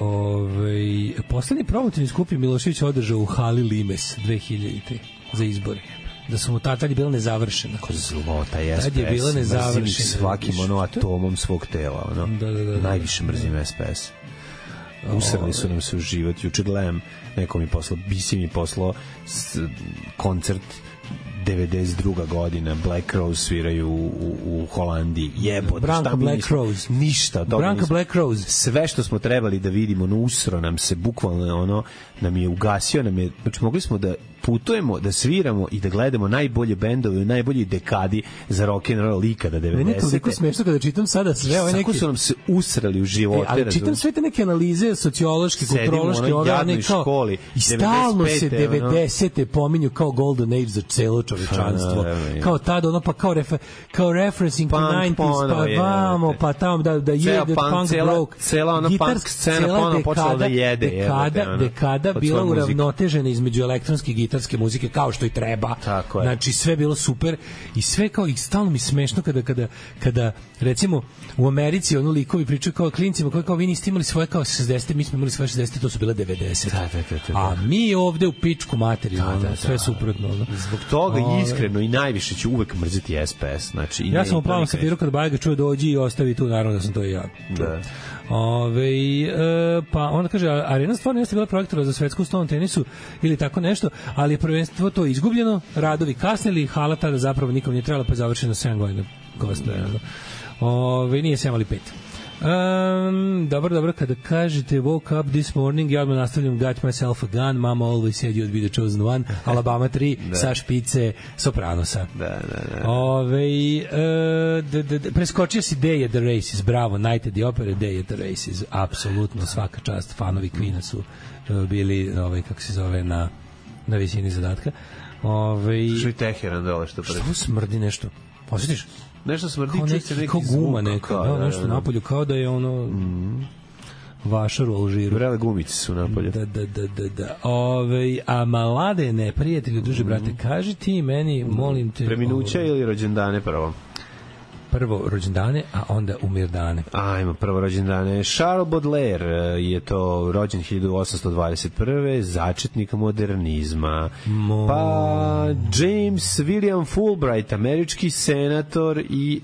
poslednji promotivni skup je Milošević održao u hali Limes 2000 za izbore. Da su mu tad je bila nezavršena. Ko zlota je SPS. Tad je bila nezavršena. Mrzim svakim atomom svog tela. Najviše mrzim SPS. Usrali su nam se u život. Juče gledam, neko mi poslao, Bisi mi poslao koncert 92. godina, Black Rose sviraju u Holandiji. Jebote, Branka Black Rose. Ništa. Branka Black Rose. Sve što smo trebali da vidimo, usro nam se, bukvalno nam je ugasio, znači mogli smo da putujemo, da sviramo i da gledamo najbolje bendove u najboljoj dekadi za rock and roll ikada 90. Meni je toliko smešno kada čitam sada sve ove neke... Kako su nam se usrali u živote. Ali čitam sve te neke analize sociološke, kulturološke, ove kao... školi, i stalno se 90. pominju kao golden age za celo čovečanstvo. Kao tada, pa kao referencing to 90s, pa vamo, pa tamo da je punk broke. Cela ona punk scena ponovno počela da jede. Dekada bila uravnotežena između elektronske gitarske muzike kao što i treba. Znači sve bilo super i sve kao i stalno mi smešno kada recimo u Americi ono likovi pričaju kao klincima koji kao vi niste imali svoje kao 60, mi smo imali svoje 60, to su bile 90. A mi ovde u pičku materiju, sve suprotno. Zbog toga iskreno i najviše ću uvek mrziti SPS. Znači, ja sam u plavom safiru kad Bajga čuje dođi i ostavi tu, naravno da sam to i ja. Pa onda kaže, Arena stvarno jeste bila projektora za svetsku stolnom tenisu ili tako nešto, ali je prvenstvo to izgubljeno, radovi kasnili, hala tada zapravo nikom nije trebala, pa je završeno 7 godina gostoja. Nije 7, ali 5. Dobro, kada kažete woke up this morning, ja odmah nastavljam got myself a gun, mama always said you'd be the chosen one, Alabama 3, sa špice Sopranosa. Preskočio si Day at the Races, bravo, Night at the Opera, Day at the Races, apsolutno svaka čast, fanovi Queena su bili, kako se zove, na visini zadatka. Što i Teheran dole što prvi. Što smrdi nešto? Osjetiš? Nešto smrdi, čuće neki kao guma neka, nešto napolju, kao da je ono vašar u Alžiru. Vrele gumice su napolju. Da. A Mladene, prijatelju, duže brate, kaži ti meni, molim te... Preminuća ili rođendane prvo? Prvo rođendane, a onda umirdane. Ajmo, prvo rođendane. Charles Baudelaire je to rođen 1821. začetnik modernizma. Pa James William Fulbright, američki senator i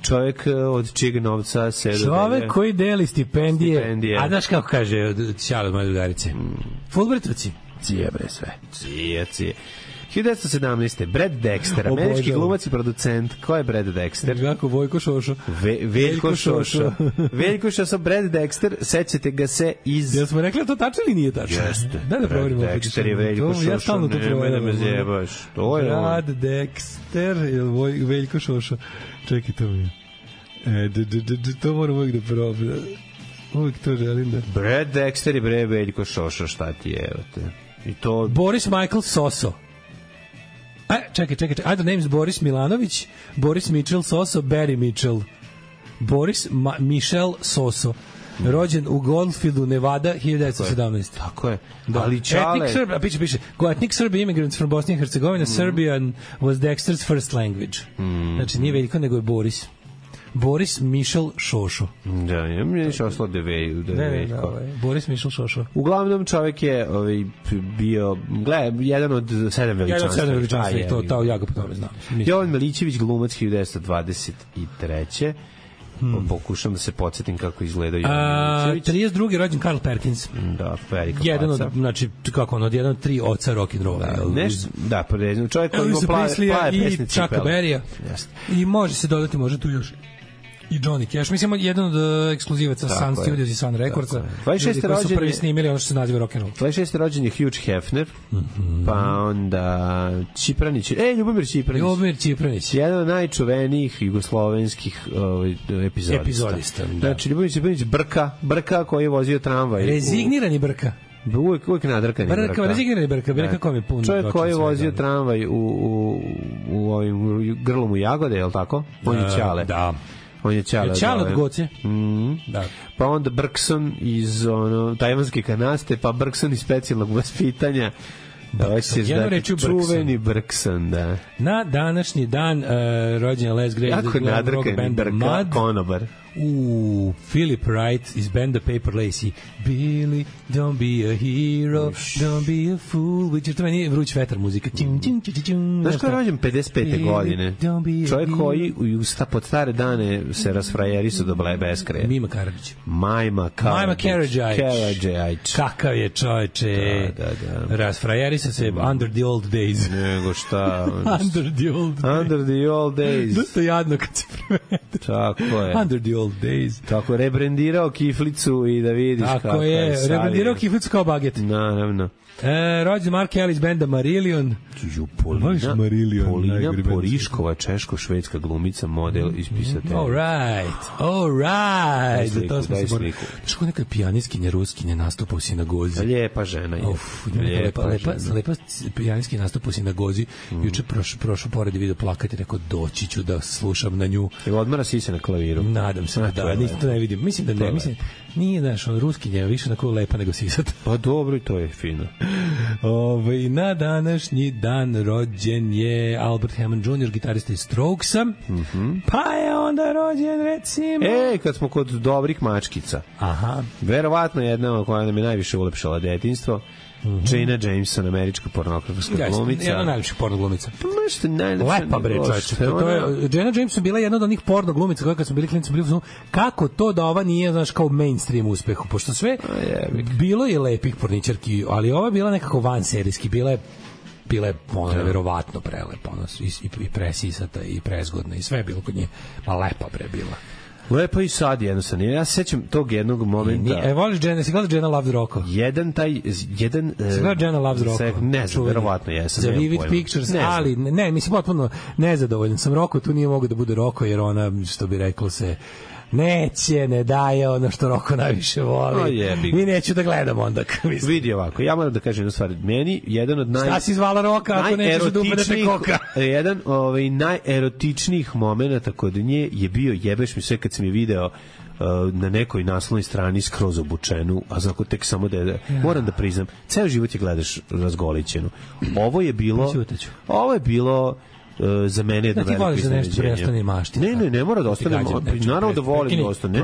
čovjek od čijeg novca se dodelje. Čovjek koji deli stipendije. A znaš kako kaže Ćale od moje drugarice? Fulbrightovci. Cije bre sve. Cije. 1917. Brad Dexter, američki glumac i producent. Ko je Brad Dexter? Kako, Vojko Šošo. Veljko Šošo. Veljko Šošo, Brad Dexter, sećate ga se iz... Jel smo rekli da to tačno ili nije tačno? Jeste. Da proverimo. Brad Dexter je Veljko Šošo. Ja stalno to proverim. Ne me zebaš. Brad Dexter ili Veljko Šošo. Čekaj, to mi je. To moram uvijek da proverim. Uvijek to želim da... Brad Dexter i bre Veljko Šošo, šta ti je, evo te. I to... Boris Michael Soso. Čekaj. Other names Boris Milanović, Boris Mitchell Soso, Barry Mitchell. Boris Michel Soso. Rođen u Goldfieldu, Nevada, 1917. Tako je. Ali Čale... Ethnic Serb, piše. Ethnic Serb immigrants from Bosnia and Herzegovina, Serbian was Dexter's first language. Znači, nije Veljko, nego je Boris. Boris Michel Šošo. Da, ja mi je šoslo da Boris Michel Šošo. Uglavnom čovjek je bio, jedan od 7 veličanstva. Jedan od 7 veličanstva, to ja ga po tome znam. Jovan Milićević, glumac 1923. Pokušam da se podsjetim kako izgleda Jovan Milićević. 32. rođen Carl Perkins. Da, velika jedan od, znači, kako ono, jedan od 3 oca rock'n'rolla. Da, čovjek koji ima plave pesnice. I Chucka Berrya. I može se dodati, može tu još i Johnny Cash. Mislim, jedan od ekskluzivaca Sun Studios i Sun Recordsa. 26. koji su prvi snimili ono što se naziva rock'n'roll. 26. rođen je Hugh Hefner, pa onda Čipranić. Ljubomir Čipranić. Jedan od najčuvenijih jugoslovenskih epizodista. Znači, Ljubomir Čipranić Brka koji je vozio tramvaj. Rezignirani Brka. Uvijek nadrkani Brka. Rezignirani Brka, kako mi pun. Čovjek koji je vozio tramvaj u ovim grlom u Jagode, je li tako? On je Ćale. Da. On je Ćale. Ćale od Goce. Da. Pa onda Brkson iz tajvanske kanaste, pa Brkson iz specijalnog vaspitanja. Čuveni Brkson, da. Na današnji dan rođen Les Gray. Jako nadrkani Brka, konobar. Philip Wright iz benda Paper Lacy. Billy, don't be a hero, don't be a fool. Which to meni je vruć vetar muzika. Znaš ko je rođen 55. godine? Čovjek koji pod stare dane se rasfrajerisao do beskraja. Mima Karadžić. Majma Karadžić. Kakav je čovječe. Da. Rasfrajerisao se under the old days. Nego šta? Under the old days. Dosta jadno kad se prevede. Tako je. Under the old days. Tako je, rebrendirao kiflicu i da vidiš kako je. Tako je, rebrendirao kiflicu kao baget. Naravno. Rođen Mark Ellis benda Marillion. Polina Poriškova, češko-švedska glumica, model iz pisatelja. All right. To smo se borili. Znaš ko neka pijaniskinja ruskinja nastupa u sinagozi? Lijepa žena je. Lepa pijaniskinja nastupa u sinagozi. Juče prošao pored i vidio plakati, rekao doći ću da slušam na nju. Evo odmara sise na klaviru. Nadam se da, to ne vidim. Mislim da ne, nije, znaš, ruskinja više onako lepa nego sisata. Pa dobro, i to je fino. Na današnji dan rođen je Albert Hammond Jr., gitarista iz Strokesa. Pa je onda rođen, recimo... kad smo kod dobrih mačkica. Aha. Verovatno jedna koja nam je najviše ulepšala detinjstvo. Jana Jameson, američka pornografska glumica. Jedna najlepših pornoglumica. Lepa bre, čovječe. Jana Jameson bila jedna od onih pornoglumica koja kad smo bili klinici bili kako to da ova nije, znaš, kao mainstream uspehu, pošto sve bilo je lepih porničarki, ali ova bila nekako vanserijski, bila je ona verovatno prelepa, i presisata i prezgodna i sve je bilo kod nje, ma lepa bre bila. Lepo i sad jednostavno. Ja se sećam tog jednog momenta. Voliš Jenna, si gledao Jenna Loves Rocco? Si gledao Jenna Loves Rocco? Ne znam, verovatno jesam. Za Vivid Pictures, ali ne, mislim, potpuno nezadovoljan sam Rocco, tu nije mogu da bude Rocco, jer ona, što bi reklo se, ne daje ono što Rocco najviše voli. I neću da gledam onda. Vidi ovako, ja moram da kažem jednu stvar. Meni jedan od Šta si zvala Rocca ako nećeš da upadete koka? Jedan najerotičnijih momenata kod nje je bio, jebeš mi sve kad sam je video na nekoj naslovnoj strani skroz obučenu, a znako tek samo da moram da priznam, ceo život je gledaš razgolićenu. Ovo je bilo za mene je da veliko iznenađenje. Ti voliš da nešto prestane mašti. Ne mora da ostane. Naravno da volim da ostane.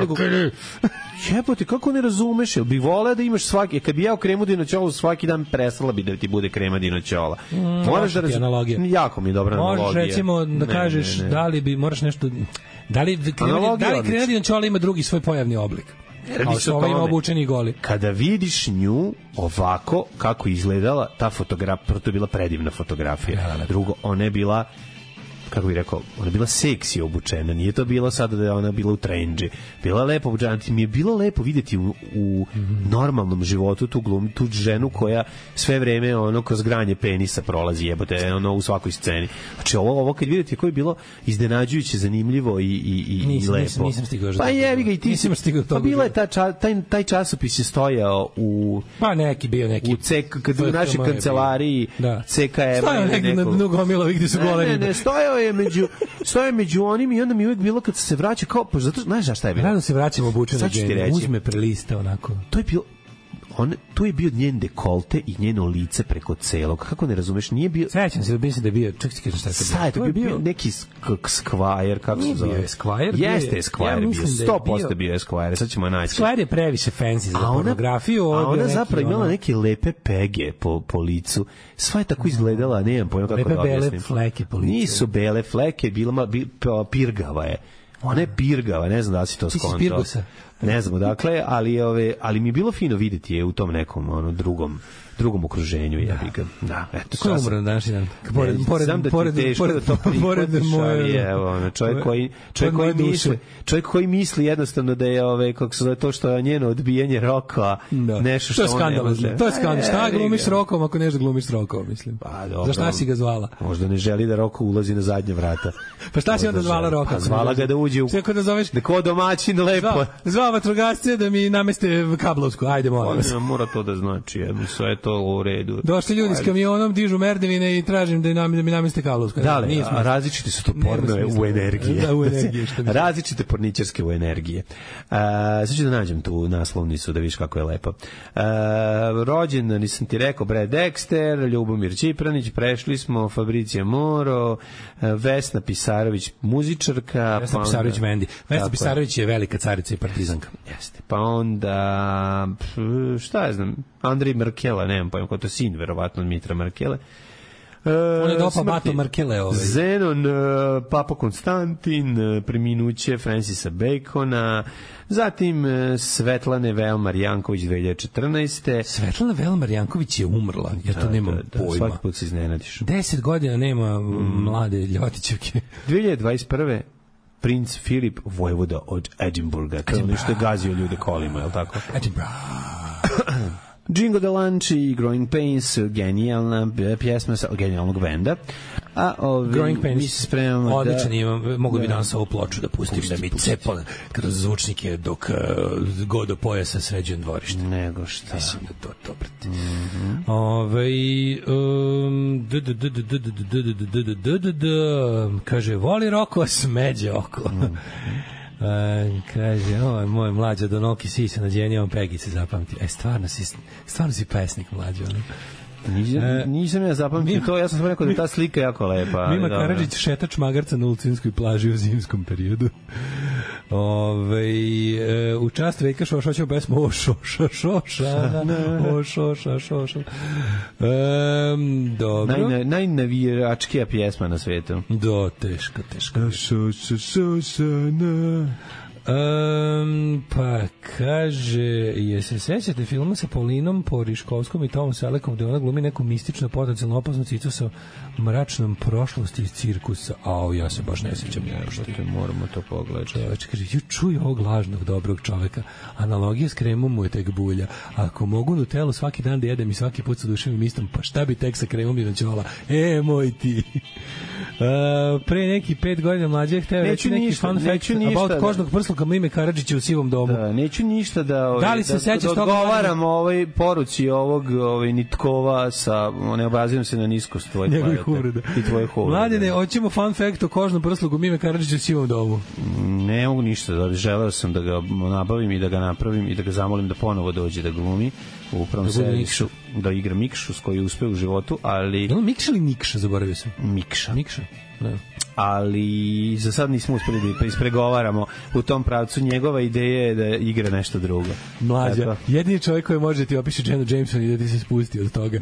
Jebote, kako ne razumeš? Jel bi voleo da imaš svaki, kad bi jeo kremu dinoćolu svaki dan, prestala bi da ti bude krema dinoćola. Moraš da razumeš. Jako mi je dobra analogija. Možeš recimo da kažeš da li bi, moraš nešto, da li krema dinoćola ima drugi svoj pojavni oblik? Kao što ovo ima obučeni goli. Kada vidiš nju ovako kako izgledala ta fotografija, to je bila predivna fotografija. Drugo, ona je bila, kako bih rekao, ona je bila seksi obučena, nije to bilo sada da je ona bila u trendži, bila je lepo obučena, mi je bilo lepo vidjeti u normalnom životu tu ženu koja sve vreme ono kroz granje penisa prolazi, jebote, ono u svakoj sceni. Znači ovo kad vidite koje je bilo iznenađujuće, zanimljivo i lepo. Nisam stigao. Pa jebi ga i ti nisam stigao toga. Pa bila je taj časopis je stojao u u našoj kancelariji CKM. Stojao negdje na Nogomilovi gdje su gole ribe. Ne, stojao je među onim i onda mi uvijek bilo kad se vraća kao, pa zato, znaš šta je bilo? Rado se vraćamo obučeno žene, uzme preliste onako. To je bio njen dekolte i njeno lice preko celog. Kako ne razumeš, nije bio... Sećam se, mislim da je bio... Čak ti kažem šta je to bio. To je bio neki Esquire, kako se zove? Nije bio Esquire. Jeste Esquire bio, 100% bio Esquire, sad ćemo naći. Esquire je previše fancy za pornografiju. A ona zapravo imala neke lepe pege po licu. Sva je tako izgledala, nemam pojma kako da objasnim. Lepe bele fleke po licu. Nisu bele fleke, pirgava je. Ona je pirgava, ne znam da li si to skontao. Ti si Pirgusa. Ne znam odakle, ali mi je bilo fino videti je u tom nekom drugom okruženju, ja bih ga. Da, eto. Ko je umro na današnji dan? Pored moje, evo, čovjek koji misli jednostavno da je kako se zove to što je njeno odbijanje roka, nešto što on ne može. To je skandal. Šta glumiš s rokom ako nešto glumiš s rokom, mislim. Pa dobro. Za šta si ga zvala? Možda ne želi da Roko ulazi na zadnje vrata. Pa šta si onda zvala Roka? Pa zvala ga da uđe u... Sve da zoveš... Da ko domaćin lepo. Zvala vatrogasce da mi nameste kablovsku. Ajde, molim vas. Mora to da znači, sve je to u redu. Došli ljudi s kamionom, dižu merdevine i tražim da mi nameste kablovsku. Da li, različiti su to pornove u energiji. Da, u energiji. Različite porničarske u energije. Sad ću da nađem tu naslovnicu da vidiš kako je lepo. Rođen, nisam ti rekao, Brad Dexter, Ljubomir Čipranić, prešli smo, Fabricija Moro, Vesna Pisarović, muzičarka. Vesna Pisarović Vendi. Vesna Pisarović je velika carica i partizanka. Jeste. Pa onda, šta ja znam, Andrej Markela, nemam pojma, ko to sin, verovatno, od Mitra Markele. On je dopa Bato Markele. Zenon, Papa Konstantin, preminuće Francisa Bacona, zatim Svetlane Velmar Janković 2014. Svetlana Velmar Janković je umrla, ja to nemam pojma. Svaki put se iznenadiš. 10 godina nema mlade Ljotićevke. 2021. princ Filip vojvoda od Edinburgha, to je nešto je gazio ljude kolima, je li tako? Edinburgh. Jingo Delanci i Growing Pains, genijalna pjesma sa genijalnog benda. A Growing Pains, mi se spremamo odličan imam, mogu bi danas ovu ploču da pustim, da mi cepa kroz zvučnike dok god do pojasa sređujem dvorište. Nego šta. Mislim da to dobro. Kaže, voli Roko, smeđe oko. Kaže, moj mlađa Donoki sisa nađenje, on Pegice zapamti. Stvarno si pesnik mlađa. Nisam ja zapamtio to, ja sam samo rekao da je ta slika jako lepa. Mima Karadžić, šetač magarca na Ulcinskoj plaži u zimskom periodu. U čast Vejka Šošoćeva pesmu o Šošana, o Šoša. Dobro. Najnaviračkija pjesma na svetu. Teška. Šošana. Pa kaže, se sećate filma sa Paulinom Poriškovskom i Tomom Selekom gde ona glumi neku mističnu potencijalno opasnu cicu sa mračnom prošlosti iz cirkusa? Ja se baš ne sećam. Moramo to pogledati. Kaže, čuj ovog lažnog dobrog čoveka. Analogija s kremom mu je tek bulja. Ako mogu Nutellu svaki dan da jedem i svaki put sa duševim istom, pa šta bi tek sa kremom i noćola? Moj ti. Pre neki 5 godina mlađe hteo reći neki fun fact about kožnog prsluka Mime Karadžića u sivom domu. Neću ništa da odgovaram ovoj poruci ovog Nitkova sa ne obrazivam se na niskost tvojih uvreda i tvojih uvreda. Mladine, hoćemo fun fact o kožnom prsluku Mime Karadžića u sivom domu. Ne mogu ništa, želeo sam da ga nabavim i da ga napravim i da ga zamolim da ponovo dođe da glumi u prvom seriju, da igra Mikšu s koji je uspeo u životu, ali... Je li Mikša ili Nikša, zaboravio sam? Mikša. Da. Ali za sad nismo uspeli da ispregovaramo u tom pravcu. Njegova ideja je da igra nešto drugo. Mlađa, jedini čovjek koji može ti opiše Jennu Jameson i da ti se spusti od toga.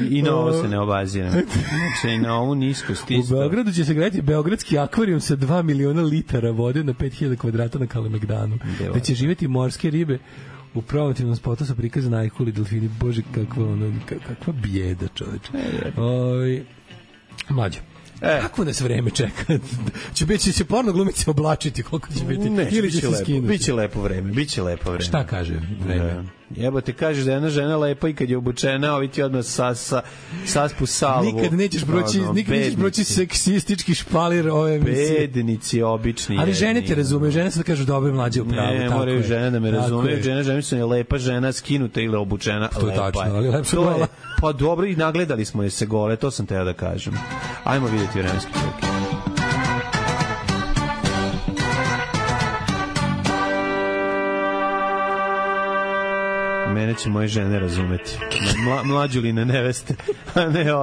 I na ovo se ne obazira. Znači, na ovu niskost isto. U Beogradu će se gledati beogradski akvarijum sa 2 miliona litara vode na 5000 kvadrata na Kalemegdanu. Gde će živjeti morske ribe. U promotivnom spotu su prikazani ajkuli, delfini. Bože, kakva bijeda, čoveče. Mlađo. Kako nas vreme čeka? Će porno glumice oblačiti, koliko će biti? Ili će se skinuti? Biće lepo vreme. Šta kaže vreme? Jebote, kažeš da je jedna žena lepa i kad je obučena, ovi ti odmah saspu salvu. Nikad nećeš proći seksistički špalir ove emisije. Bednici, obični. Ali žene te razumeju, žene se da kažu dobro mlađe u pravu. Ne, moraju žene da me razumeju. Žene je lepa žena, skinuta ili obučena. To je tačno, ali lepša gola. Pa dobro, i nagledali smo je se gole, to sam teo da kažem. Ajmo vidjeti vremenski prilike. Mene će moje žene razumeti. Mlađuline neveste, a ne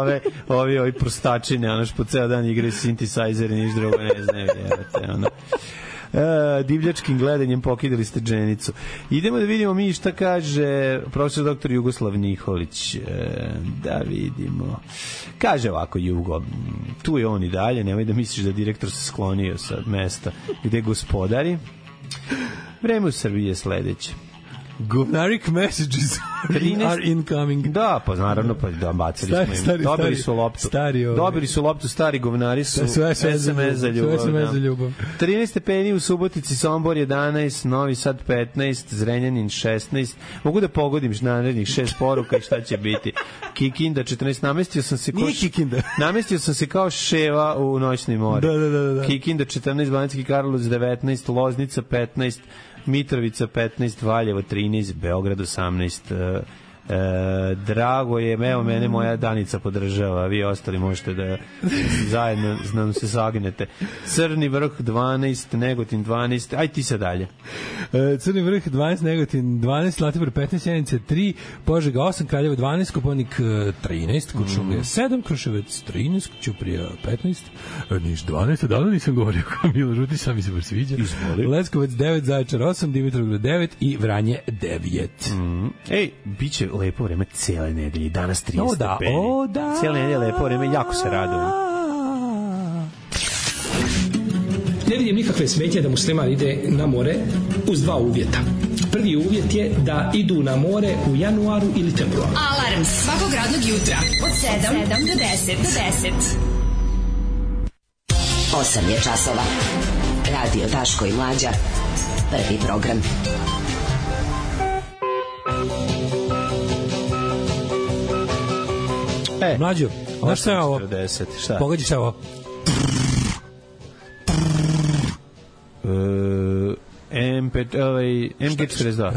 ovi prostačine, ono što po ceo dan igraju synthesizer i niš drugo ne znaju. Divljačkim gledanjem pokidali ste dženicu. Idemo da vidimo mi šta kaže profesor doktor Jugoslav Nikolić. Da vidimo. Kaže ovako Jugo, tu je on i dalje, nemoj da misliš da direktor se sklonio sa mesta gde gospodari. Vreme u Srbiji je sledeće. Govnarik messages are incoming. Da, pa naravno, pa da, bacili smo im. Dobili su loptu. Dobili su loptu, stari govnari su SMS za ljubav. 13 stepeni u Subotici, Sombor 11, Novi Sad 15, Zrenjanin 16. Mogu da pogodim narednih 6 poruka i šta će biti. Kikinda 14, namestio sam se kao ševa u noćni more. Da. Kikinda 14, Banacki Karlovac 19, Loznica 15, Mitrovica 15, Valjevo 13, Beograd 18. Drago je, evo mene moja Danica podržava, vi ostali možete da zajedno nam se sagnete. Crni vrh 12, Negotin 12, aj ti sad dalje. Crni vrh 12, Negotin 12, Zlatibor 15, Sjenica 3, Požega 8, Kraljevo 12, Kopaonik 13, Kuršumlija 7, Kruševac 13, Ćuprija 15, Niš 12, odavno nisam govorio kao Milo Žuti, sam mi se baš sviđa. Leskovac 9, Zaječar 8, Dimitrovgrad 9 i Vranje 9. Ej, bit će lepo vreme cele nedelje, danas 30 stepeni. Da. Cele nedelje lepo vreme, jako se radujem. Ne vidim nikakve smetnje da musliman ide na more uz dva uvjeta. Prvi uvjet je da idu na more u januaru ili februaru. Alarm svakog radnog jutra od 7 do 10. 8 je časova. Radio Daško i Mlađa. Prvi program. Mlađo, znaš šta je ovo? Pogodi šta je ovo? MG42.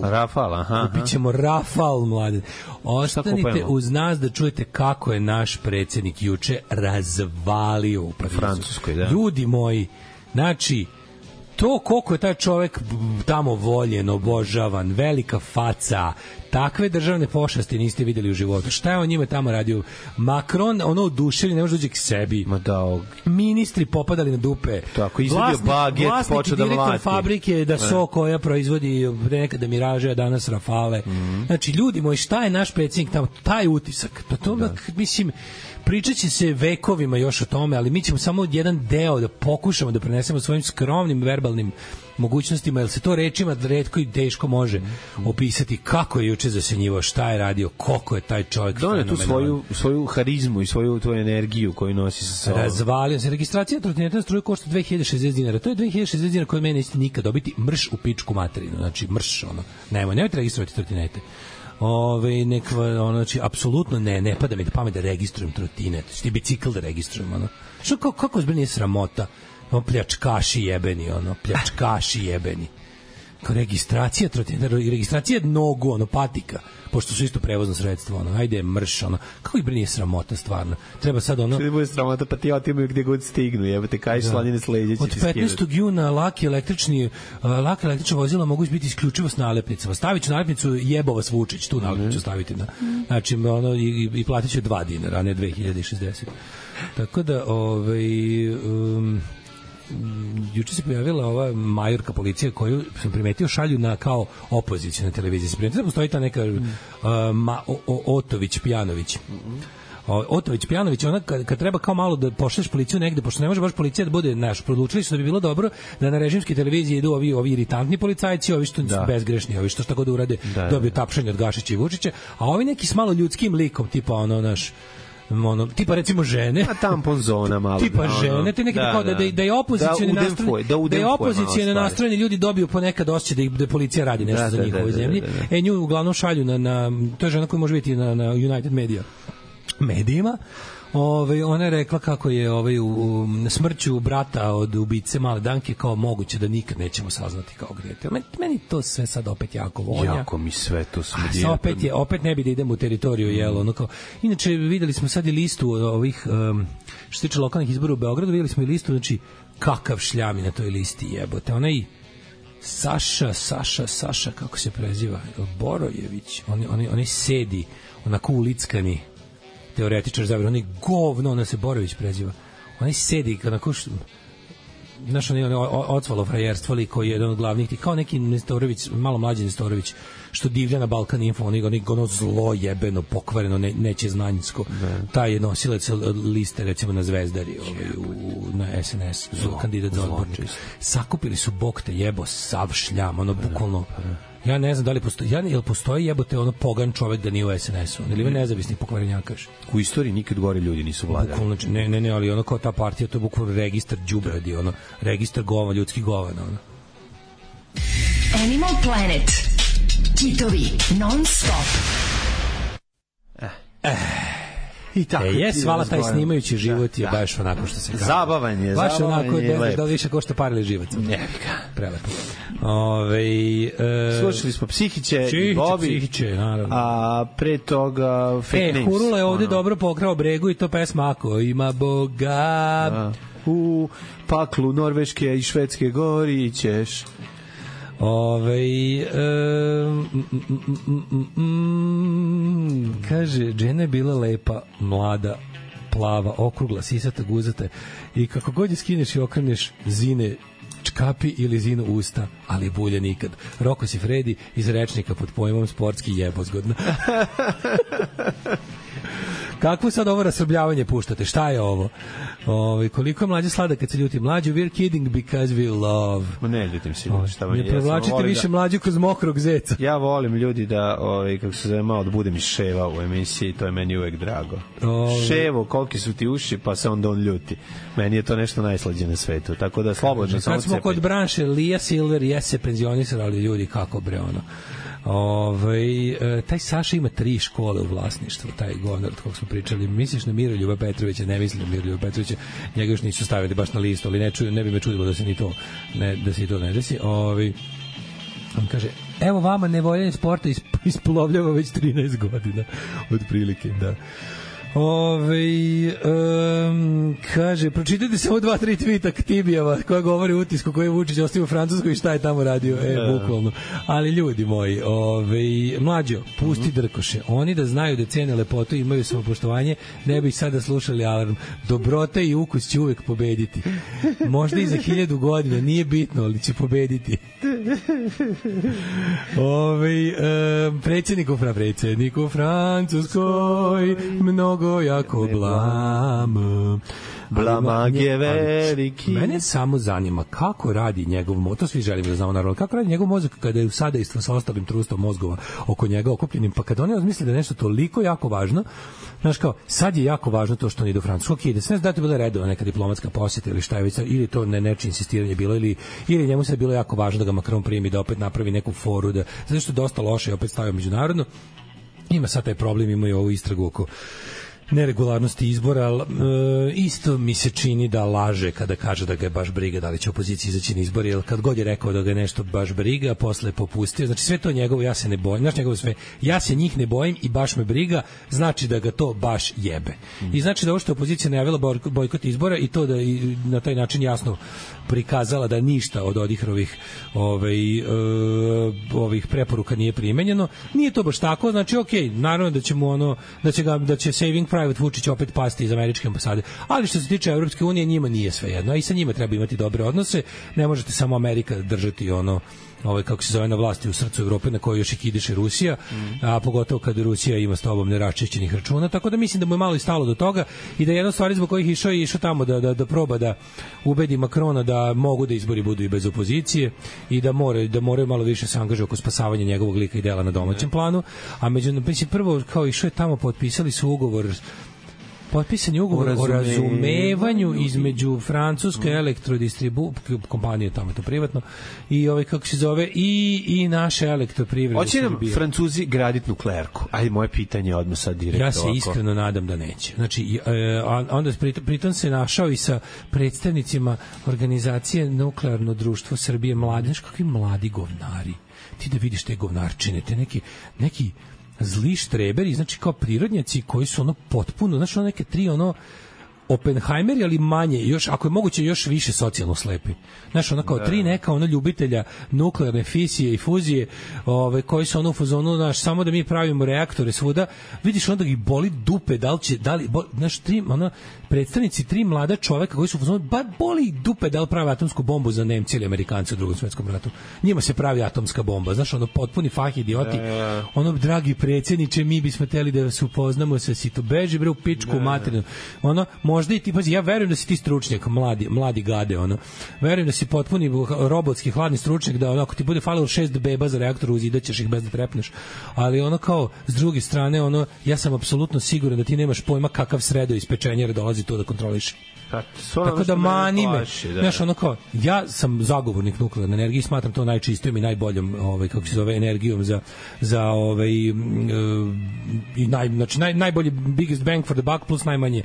Rafal, aha. Kupit ćemo Rafal, mlade. Ostanite uz nas da čujete kako je naš predsjednik juče razvalio u Parizu. Francuskoj, da. Ljudi moji, znači, to koliko je taj čovek tamo voljen, obožavan, velika faca, takve državne pošasti niste videli u životu. Šta je on njima tamo radio? Macron, ono oduševljen, ne može dođi k sebi. Ministri popadali na dupe. Tako, izvadio baget, počeo da mlati. Direktor fabrike Dassault koja proizvodi nekada Miraže, a danas Rafale. Znači, ljudi moji, šta je naš predsjednik tamo? Taj utisak. Mislim, pričat će se vekovima još o tome, ali mi ćemo samo jedan deo da pokušamo da prenesemo svojim skromnim verbalnim mogućnostima, jer se to rečima retko i teško može opisati kako je juče zasenjivo, šta je radio, koliko je taj čovjek fenomenalan. Tu svoju harizmu i svoju energiju koju nosi sa sobom. Razvalio se. Registracija trotineta na struju košta 2060 dinara. To je 2060 dinara koje mene nećete nikad dobiti. Mrš u pičku materinu. Znači, mrš, ono. Nemojte registrovati trotinete. Znači, apsolutno ne pada mi da pamet da registrujem trotinet. Ti bicikl da registrujem, ono. Što, kako zbog nije sramota? Pljačkaši jebeni. Kao registracija trotineta, registracija nogu, patika, pošto su isto prevozno sredstvo, ajde mrš, kako ih nije sramota stvarno. Treba sad Što ne bude sramota, pa ti otimaju gde god stignu, jebate, kaj slanine sledeće će od 15. juna laka električna vozila mogu biti isključivo s nalepnicama. Stavit ću nalepnicu jebo vas Vučić, tu nalepnicu staviti na. Znači, i platit ću 2 dinara, a ne 2060. Tako da, juče se pojavila ova majorka policije koju sam primetio šalju na kao opoziciju na televiziji. Se primetio da postoji ta neka Otović-Pjanović. Otović-Pjanović, ona kad treba kao malo da pošleš policiju negde, pošto ne može baš policija da bude odlučili su da bi bilo dobro da na režimskoj televiziji idu ovi iritantni policajci, ovi što su bezgrešni, ovi što šta god urade, dobiju tapšanje od Gašića i Vučića, a ovi neki s malo ljudskim likom, tipa tipa recimo žene, a tampon zona malo, tipa žene, te neki da je opozicione nastrojeni ljudi dobiju ponekad osjećaj da policija radi nešto za njihovoj zemlji. Nju uglavnom šalju na to je žena koja može biti na United medijima. Ona je rekla kako je u smrću brata od ubice Male Danke kao moguće da nikad nećemo saznati kao grete. Meni to sve sad opet jako vonja. Jako mi sve to smrdi. Opet ne bi da idemo u teritoriju, Inače, videli smo sad i listu ovih, što se tiče lokalnih izbora u Beogradu, videli smo i listu, znači, kakav šljami na toj listi jebote. Onaj Saša, kako se preziva? Borojević, onaj sedi, onako ulickani teoretičar zavere, onaj govno, ona se Borović preziva. Onaj sedi, onako znaš, ocvalo frajerstvo li koji je jedan od glavnih, kao neki Nestorović, malo mlađi Nestorović, što divlja na Balkan Info, ono zlo jebeno, pokvareno, neće znanjsko. Taj je nosilac liste, recimo, na Zvezdari, na SNS, kandidat za odbornika. Sakupili su bok te jebo, sav šljam, ono, bukvalno. Ja ne znam da li postoji, jel postoji jebote ono pogan čovek da nije u SNS-u, ili je nezavisni pokvarenjakaš. U istoriji nikad gore ljudi nisu vladali. Bukvalno, ne, ali ono kao ta partija, to je bukvalno registar đubradi, ono, registar gova, ljudskih govana, ono. Animal Planet. Kitovi, non stop. I tako hvala, taj snimajući život je baš onako što se kaže. Zabavan je, baš onako da više košta pare ili život. Prelepo. Slušali smo Psihiće i Bobi, naravno. a pre toga Fake Names. Hurula je ovde dobro pokrao bregu i to pesma ako ima Boga. U paklu Norveške i Švedske gori ćeš. Kaže, žena je bila lepa, mlada, plava, okrugla, sisata, guzata i kako god je skineš i okreneš, zine čkapi ili zinu usta, ali bulje nikad. Roko si Fredi iz rečnika pod pojmom sportski jebozgodno. Kakvo sad ovo rasrbljavanje puštate? Šta je ovo? Koliko je mlađe slada kad se ljuti? Mlađe, we're kidding because we love. Ne ljutim se. Ne provlačite više mlađu kroz mokrog zeca. Ja volim ljudi da, kako se zove, malo da budem iz ševa u emisiji, to je meni uvek drago. Ševo, koliki su ti uši, pa se onda on ljuti. Meni je to nešto najslađe na svetu, tako da slobodno samo kad smo kod branše, Lija Silver se penzionisala, ali ljudi kako bre ono. Taj Saša ima 3 škole u vlasništvu, taj govnar od kog smo pričali. Misliš na Miroljuba Petrovića? Ne mislim na Miroljuba Petrovića, njega još nisu stavili baš na listu, ali ne bi me čudilo da se ni to ne desi. On kaže, evo vama nevoljenje sporta isplovljava već 13 godina otprilike, da. Kaže, pročitajte samo 2-3 tvita Ktibijeva koja govori utisku koji je Vučić ostavio u Francuskoj i šta je tamo radio, bukvalno. Ali ljudi moji, mlađo, pusti drkoše, oni da znaju da cene lepotu, imaju samopoštovanje, ne bi sada slušali alarm. Dobrota i ukus će uvek pobediti, možda i za 1000 godina, nije bitno, ali će pobediti. Predsjednik u Francuskoj mnogo jako blamak je veliki. Mene samo zanima kako radi njegov mozak, to svi želimo da znamo naravno, kako radi njegov mozak kada je u sadejstvu sa ostalim trustom mozgova oko njega okupljenim, pa kada oni razmisle da je nešto toliko jako važno, znaš kao, sad je jako važno to što on ide u Francusku, ide, sve da to bila redovna neka diplomatska posjeta ili šta je već, ili to nečije insistiranje bilo, ili njemu se bilo jako važno da ga Macron primi, da opet napravi neku foru, da, zato što je dosta loše i opet stavio međunarodno. Ima sad taj problem, ima i ovu istragu oko neregularnosti izbora, isto mi se čini da laže kada kaže da ga je baš briga da li će opozicija izaći na izbori, jer kad god je rekao da ga je nešto baš briga, posle je popustio, znači sve to njegovo, ja se ne bojim, znači njegovo sve, ja se njih ne bojim i baš me briga, znači da ga to baš jebe. I znači da ovo što je opozicija najavila bojkot izbora i to da i na taj način jasno prikazala da ništa od Odihrovih ovih preporuka nije primenjeno, nije to baš tako, znači okej, naravno da će mu da će Saving Private Vučić opet pasti iz američke ambasade, ali što se tiče Evropske unije, njima nije svejedno, a i sa njima treba imati dobre odnose, ne možete samo Amerika držati kako se zove na vlasti u srcu Evrope na kojoj još i kidiše Rusija, a pogotovo kad Rusija ima s tobom neraščišćenih računa, tako da mislim da mu je malo i stalo do toga i da jedna stvar zbog kojih išao tamo da proba da ubedi Makrona da mogu da izbori budu i bez opozicije i da moraju malo više se angažuju oko spasavanja njegovog lika i dela na domaćem planu, a prvo kao išao je tamo, potpisali su ugovor o razumevanju između francuske kompanije, tamo je to privatno, i kako se zove, i naše elektroprivrede. Hoće nam Francuzi graditi nuklearku? Ajde, moje pitanje odmah sad direktno. Ja se iskreno nadam da neće. Znači, onda pritom se našao i sa predstavnicima organizacije Nuklearno društvo Srbije mladi. Znaš kakvi mladi govnari? Ti da vidiš te govnarčine, te neki zli štreberi, znači kao prirodnjaci koji su potpuno, znači neke 3 Oppenheimer, ali manje, još, ako je moguće, još više socijalno slepi. Znaš, ono kao tri neka ljubitelja nuklearne fisije i fuzije, koji su u fazonu, znaš, samo da mi pravimo reaktore svuda, vidiš onda ih boli dupe, znaš, predstavnici tri mlada čoveka koji su u fazonu, boli dupe da li prave atomsku bombu za Nemci ili Amerikanci u Drugom svetskom ratu. Njima se pravi atomska bomba, znaš, potpuni fah idioti. Dragi predsjedniče, mi bismo hteli da se upoznamo sa sito, beži bre u pičku materinu. Možda i ti, pazi, ja verujem da si ti stručnjak, mladi gade, verujem da si potpuni robotski hladni stručnjak, da ako ti bude falilo 6 beba za reaktor, uzidaćeš ih bez da trepneš. Ali kao, s druge strane, ja sam apsolutno siguran da ti nemaš pojma kakav sredo iz pečenjera dolazi to da kontroliš. Tako da mani me. Znaš, kao, ja sam zagovornik nuklearne energije i smatram to najčistijom i najboljom, kako se zove, energijom za i najbolji biggest bang for the buck plus najmanje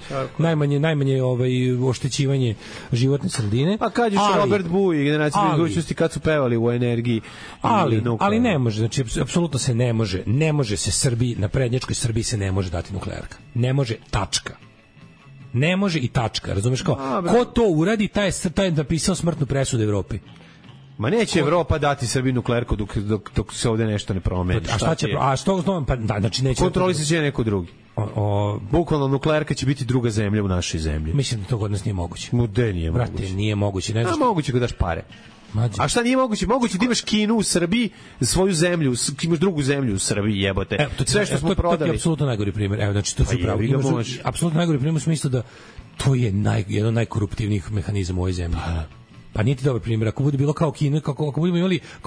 oštećivanje životne sredine. Pa kad je Robert Buj i generacija budućnosti kad su pevali u energiji, ali ne može, znači apsolutno se ne može se Srbiji, na prednjačkoj Srbiji se ne može dati nuklearka. Ne može, tačka. Ne može i tačka, razumeš kao? Ko to uradi, taj je napisao smrtnu presudu Evropi. Ma neće Evropa dati Srbiji nuklearku dok se ovde nešto ne promeni. A šta će? A što znam, pa znači neće. Kontrolisat će neko drugi. Bukvalno nuklearka će biti druga zemlja u našoj zemlji. Mislim da to kod nas nije moguće. Mude nije moguće. Brate, nije moguće, ne znam. Moguće kad daš pare. A šta nije moguće? Moguće da imaš Kinu u Srbiji, svoju zemlju, imaš drugu zemlju u Srbiji, jebote. Sve što smo prodali. To je apsolutno najgori primjer. Evo, znači, to su pravo. Apsolutno najgori primjer u smislu da to je jedan od najkoruptivnijih mehanizama u ovoj zemlji. Pa nije ti dobar primjer. Ako bude bilo kao Kinu, ako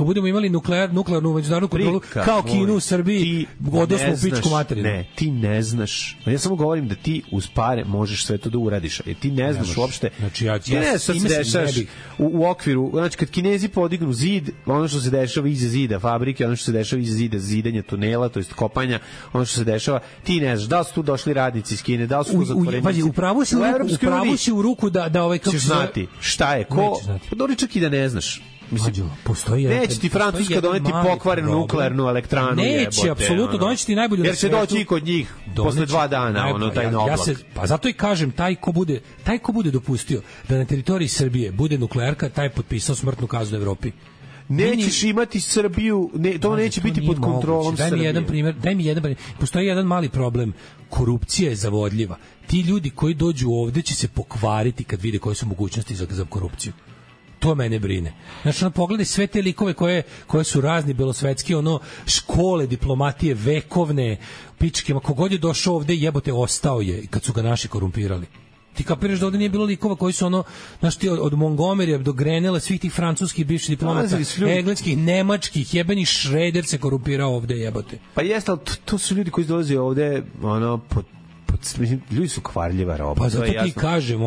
budemo imali nuklearnu međunarodnu kontrolu kao Kinu u Srbiji, odnosno u pičku materinu. Ne, ti ne znaš. Ja samo govorim da ti uz pare možeš sve to da uradiš. Jer ti ne znaš uopšte. Znači, ti ne znaš što se dešaš u okviru. Znači, kad Kinezi podignu zid, ono što se dešava iza zida fabrike, ono što se dešava iza zida zidanja tunela, to jest kopanja, ono što se dešava, ti ne znaš. Da li su tu došli radnici iz Kine, da li su tu zatvorenici. Upravo si u ruku da kako ćeš znati šta je ko. Pa dobro, čak i da ne znaš. Mislim, neće ti Francuska doneti pokvarenu nuklearnu elektranu. Neće, apsolutno, doneće ti najbolju. Jer će doći i kod njih posle 2 dana, taj oblak. Pa zato i kažem, taj ko bude dopustio da na teritoriji Srbije bude nuklearka, taj je potpisao smrtnu kaznu Evropi. Nećeš imati Srbiju, to neće biti pod kontrolom Srbije. Daj mi jedan primjer. Postoji jedan mali problem. Korupcija je zavodljiva. Ti ljudi koji dođu ovde će se pokvariti kad vide koje su mogućnosti za korupciju. To mene brine. Znači, pogledaj sve te likove koje su razni belosvetski, škole, diplomatije, vekovne, pičke, kogod je došao ovde, jebote, ostao je kad su ga naši korumpirali. Ti kapiraš da ovde nije bilo likova koji su znaš ti, od Montgomerya do Grenela, svih tih francuskih bivših diplomata, engleskih, nemačkih, jebeni Šreder se korumpirao ovde, jebote. Pa jeste, ali to su ljudi koji dolaze ovde, ljudi su kvarljiva roba. Pa zato ti kažem,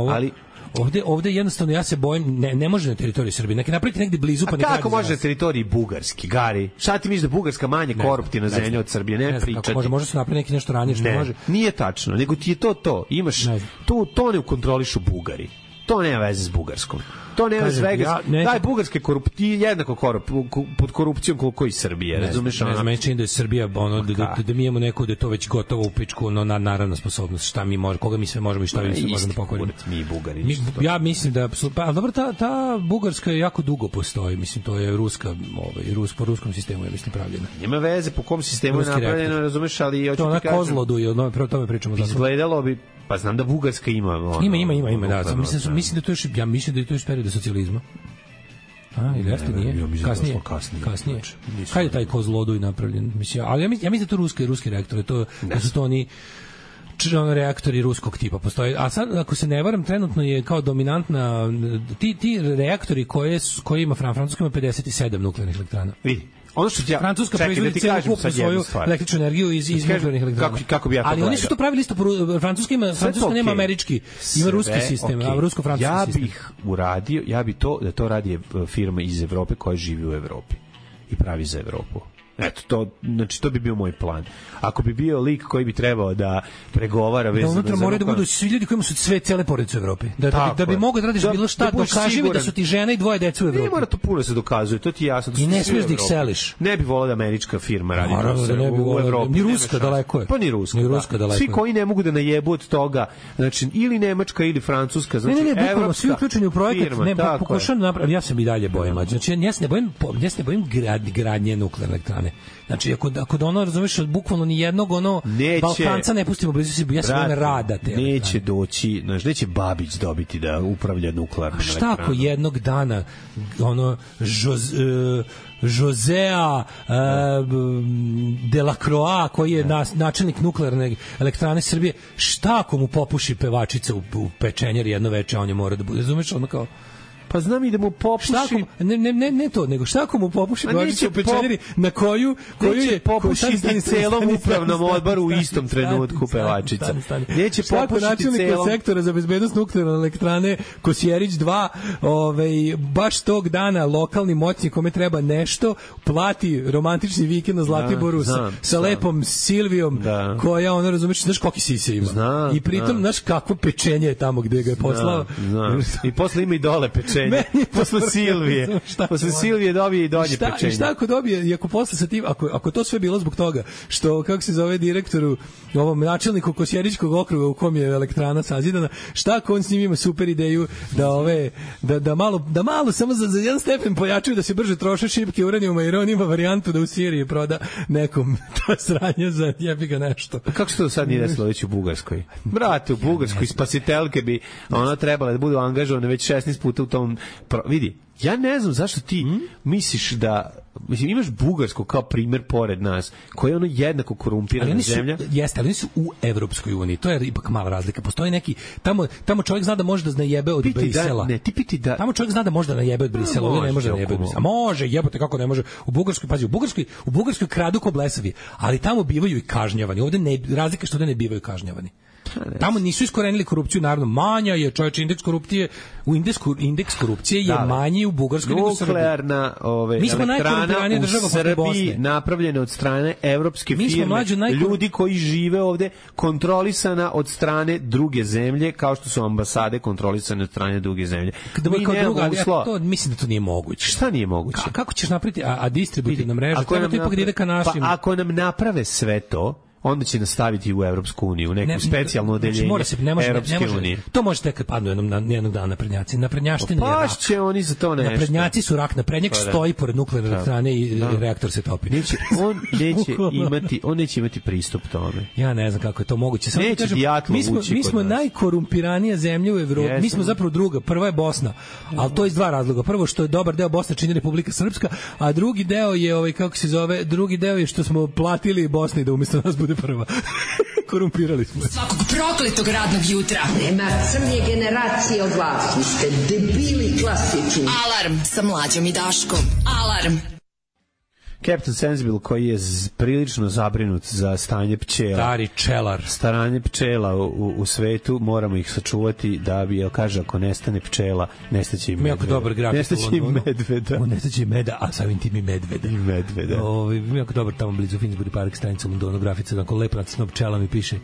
Ovde jednostavno ja se bojim, ne može na teritoriji Srbije. Neki napraviti negde blizu, pa ne kako može na teritoriji Bugarski, Gari? Šta ti misliš da Bugarska manje koruptivna zemlja od Srbije? Ne pričati. Može se napraviti neki nešto ranije što može. Nije tačno, nego ti je to. Imaš to ne kontrolišu Bugari. To nema veze s Bugarskom. To nema svega. Daj bugarske korupcije jednako pod korupcijom koliko i Srbije, razumeš? Ne znam, meni čini da je Srbija da mi imamo neko da je to već gotovo u pičku, naravna sposobnost, šta mi možemo, koga mi sve možemo i šta mi sve možemo da pokvarimo. Mi Bugari. Ja mislim da pa dobro, ta bugarska jako dugo postoji, mislim to je ruska, po ruskom sistemu je mislim pravljena. Nema veze po kom sistemu je napravljeno, razumeš, ali hoću ti kažem. To na Kozlodu je, o tome pričamo zato. Izgledalo bi. Pa znam da Bugarska ima. Ima, da. Mislim da to još, perioda socijalizma. Ili jeste nije? Kasnije. Kad je taj Kozloduj napravljen? Ali ja mislim da to ruski reaktori, da su to oni reaktori ruskog tipa postoje. A sad, ako se ne varam, trenutno je kao dominantna ti reaktori koje ima Francuska ima 57 nuklearnih elektrana. Vidi. Ono što Francuska proizvodi celokupnu svoju električnu energiju iz nuklearnih elektrana. Kako bi ja to ali oni su to pravili isto. Francuska nema američki, ima ruski sistem, a rusko-francuski sistem. Ja bi to radi firma iz Evrope koja živi u Evropi i pravi za Evropu. Eto, to, znači, to bi bio moj plan. Ako bi bio lik koji bi trebao da pregovara vezano za... Unutra moraju da budu svi ljudi kojima su sve cele porodice u Evropi. Da bi mogao da radiš bilo šta, dokaži mi da su ti žena i dvoje dece u Evropi. Ne mora to puno se dokazuje, to ti jasno. I ne smiješ da ih seliš. Ne bi volao da američka firma radi u Evropi. Ni ruska daleko je. Pa ni ruska daleko. Svi koji ne mogu da najebu od toga, znači, ili nemačka ili francuska, znači, evropska. Svi uključeni u projekat, ne, pokušam napraviti, ja sam i dalje bojim. Znači, ja se ne bojim gradnje nuklearne elektrane. Znači, ako da ono, razumiješ, bukvalno ni jednog Balkanca ne pustimo blizu se, ja se bojim rada te. Neće doći, znači, neće Babić dobiti da upravlja nuklearnom elektranom. Šta ako jednog dana, ono, Josea Delacroix, koji je načelnik nuklearne elektrane Srbije, šta ako mu popuši pevačica u pečenjeri jedno veče, on je mora da bude, razumiješ, ono kao... Pa znam i da mu popuši... Ne to, nego šta ako mu popuši pevačica u pečenjeri na koju je... popušiti celom upravnom odboru u istom trenutku pevačica. Neće popušiti celom... sektora za bezbednost nuklearne elektrane Kosjerić 2, baš tog dana lokalni moćni kome treba nešto, plati romantični vikend na Zlatiboru sa lepom Silvijom, koja, ono, razumiješ, znaš koliki sise ima. I pritom, znaš kakvo pečenje je tamo gde ga je poslao. I posle ima i dole pečenje. Posle Silvije. Posle Silvije dobije i donje pečenje. I šta ako dobije, i ako posle sa tim, ako to sve bilo zbog toga, što, kako se zove direktoru, ovom načelniku Kosjeričkog okruga u kom je elektrana sazidana, šta ako on s njim ima super ideju da malo samo za jedan stepen pojačaju, da se brže troše šipke uranijuma, jer on ima varijantu da u Siriji proda nekom to sranje za jebi ga nešto. Kako se to sad nije desilo već u Bugarskoj? Brate, u Bugarskoj spasitelke bi ona trebala da budu angažovane već 16 puta u tom... Vidi, ja ne znam zašto ti misliš da... Mislim, imaš Bugarsku kao primer pored nas, koja je ono jednako korumpirana zemlja. Jeste, ali oni su u Evropskoj uniji. To je ipak mala razlika. Postoji neki... Tamo čovjek zna da može da najebe od Brisela. Tamo čovjek zna da može da najebe od Brisela. Ovdje ne može da najebe od Brisela. Može, jebote, kako ne može. U Bugarskoj, pazi, u Bugarskoj kradu ko blesavi, ali tamo bivaju i kažnjavani. Ovdje razlika što ovdje ne bivaju kažnjavani. Tamo nisu iskorenili korupciju, naravno manja je, čovječe, indeks korupcije je manji u Bugarskoj nego u Srbiji. Nuklearna elektrana u Srbiji napravljena od strane evropske firme, ljudi koji žive ovde, kontrolisana od strane druge zemlje, kao što su ambasade kontrolisane od strane druge zemlje. Mislim da to nije moguće. Šta nije moguće? Kako ćeš napraviti, a distributivna mreža, treba to ipak da ide ka našim... Pa ako nam naprave sve to, onda će nastaviti u Evropsku uniju, u neku specijalno odeljenje Evropske unije. To može tek kad padnu jednog dana naprednjaci. Naprednjaština je rak. Pašće oni za to nešto. Naprednjaci su rak. Naprednjak stoji pored nuklearne elektrane i reaktor se topi. On neće imati pristup tome. Ja ne znam kako je to moguće. Neće dijatlo ući kod nas. Mi smo najkorumpiranija zemlja u Evropi. Mi smo zapravo druga. Prva je Bosna. Ali to iz dva razloga. Prvo što je dobar deo Bosne čini Republika Srpska, a drugi deo je kako se zove, drugi deo je što smo platili Bosni da umjesto nas bude prva. Korumpirali smo. Svakog prokletog radnog jutra. Nema crnje generacije od vas. Vi ste debili klasični. Alarm sa Mlađom i Daškom. Alarm. Captain Sensible, koji je prilično zabrinut za stanje pčela. Stari čelar. Stanje pčela u svetu, moramo ih sačuvati da bi, kaže, ako nestane pčela, nestaće i medveda. Jako dobar grafik. Nestaće i medveda. Nestaće i meda, a samim tim i medveda. I medveda. Jako dobar tamo blizu Finsbury Park stranica u Londonu, grafica, onako lepo nacrtano pčela mi piše,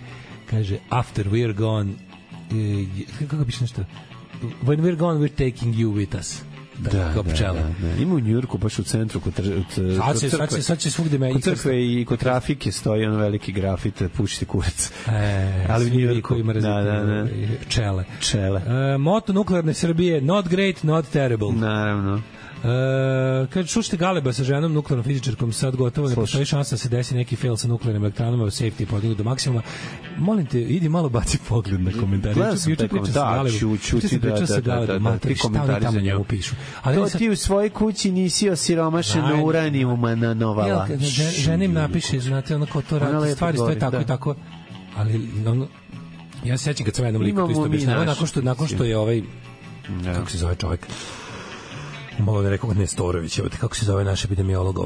kaže, after we're gone, kako piše nešto? When we're gone, we're taking you with us. Da. Ima u Njujorku, baš u centru kod crkve. Sad će svugde me. Kod crkve i kod trafike stoji ono veliki grafit, pušiti kurac. Ali u Njujorku ima čele. Moto nuklearne Srbije, not great, not terrible. Naravno. Kad čušte Galeba sa ženom nuklearnom fizičarkom, sad gotovo ne postoji šansa da se desi neki fail sa nuklearnim elektranama, safety podignu do maksimuma. Molim te, idi malo baci pogled na komentare. Ti komentari za njegu pišu. To ti u svojoj kući nisi osiromašeno uranijuma na novala. Žena im napiše, znate, ono kao to radi, stvari stoje tako i tako, ali ja se sećam kad sam jednom liku to isto objašnjava, nakon što je ovaj, kako se zove čovjek, malo ne rekao Nestorović, kako se zove naš epidemiolog,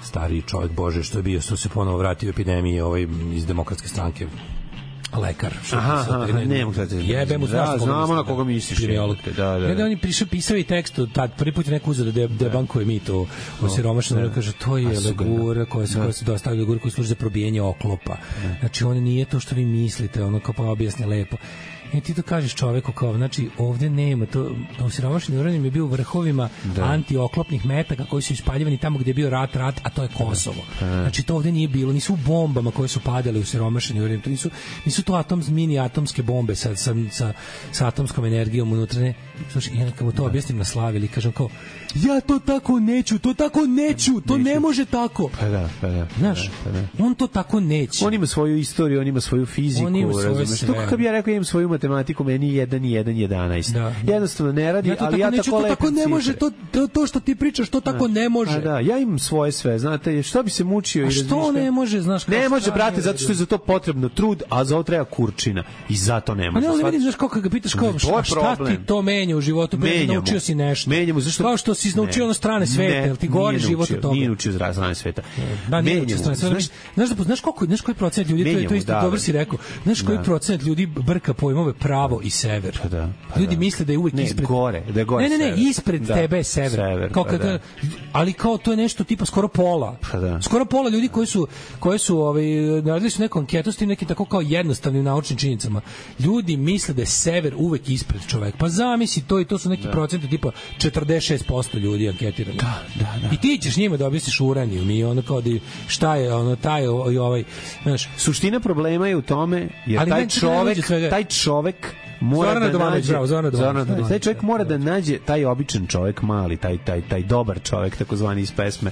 stariji čovjek, bože, što je bio, što se ponovo vratio u epidemiji iz demokratske stranke. lekar. Ne mogu da jebem u znamo na koga misliš. Da. On je pisao i tekst, tad prvi put je neko uzeo da debankuje mit o siromašnom, kaže, to je legura koja se dostavlja, legura koja služi za probijenje oklopa. Znači, on nije to što vi mislite, ono kao pa objasni lepo. I ti to kažeš čoveku kao, znači, ovde nema to, osiromašeni uranijum je bio u vrhovima antioklopnih metaka koji su ispaljivani tamo gde je bio rat, a to je Kosovo. Znači, to ovde nije bilo, nisu u bombama koje su padale u siromašeni uranijum, to nisu to mini atomske bombe sa atomskom energijom unutra, ne. Slušaj, ja kad mu to objasnim na slavi ili kažem kao, ja to tako neću, to ne može tako. Pa da. Znaš, on to tako neće. On ima svoju istoriju, on ima svoju fiziku, razumeš? To kako bi ja rekao, imam svoju matematiku, meni 1 i 1 11. Da. Jednostavno ne radi, ali ja tako lepo tako ne može, to što ti pričaš, to tako ne može. A da, ja imam svoje sve, znate, što bi se mučio i razmišljao. A što ne može, znaš kako? Ne može, brate, zato što je za to potrebno trud, a za ovo treba kurčina. I zato ne može. A ne vidiš, znaš kako ga pitaš, kao, šta ti to menja u životu? Naučio si nešto. Menjamo, zašto? Kao što si naučio na strane sveta, jel ti gore život od toga? Nije naučio strane sveta. Da, nije naučio strane sveta. Znaš koji procent ljudi, to isto dobro si rekao, znaš koji procent ljudi brka pojmove pravo i sever. Ljudi misle da je uvek ispred. Da je gore. Ne, ispred tebe je sever. Kao ali kao to je nešto tipa skoro pola. Skoro pola ljudi koji su naradili su neku anketu s tim nekim tako kao jednostavnim naučnim činjenicama. Ljudi misle da je sever uvek ispred čoveka. Pa zamisli to i to su neki procenti tipa 46% ljudi anketirani. Da. I ti ćeš njima da objasniš uranijum i ono kao da šta je ono taj i ovaj, znaš, suština problema je u tome jer taj čovek mora taj čovjek mora da nađe taj običan čovjek, mali, taj dobar čovjek, takozvani iz pesme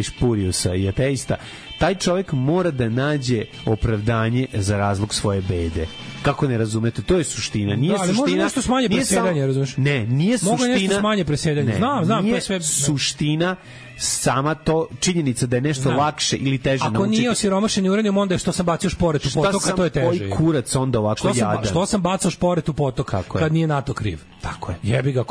Špuriusa i ateista. Taj čovjek mora da nađe opravdanje za razlog svoje bede. Kako ne razumete? To je suština. Nije suština. Može nešto smanje presedanje, razumeš? Ne, nije suština. Mogu nešto smanje presedanje. Znam, to je sve suština. Sama to činjenica da je nešto lakše ili teže naučiti. Ako nije osiromašeni uranijum, onda je što sam bacio šporet u potok, to je teže. Koji kurac onda ovako jadan? Što sam bacao šporet u potok kad nije NATO kriv? Tako je. Jebi ga,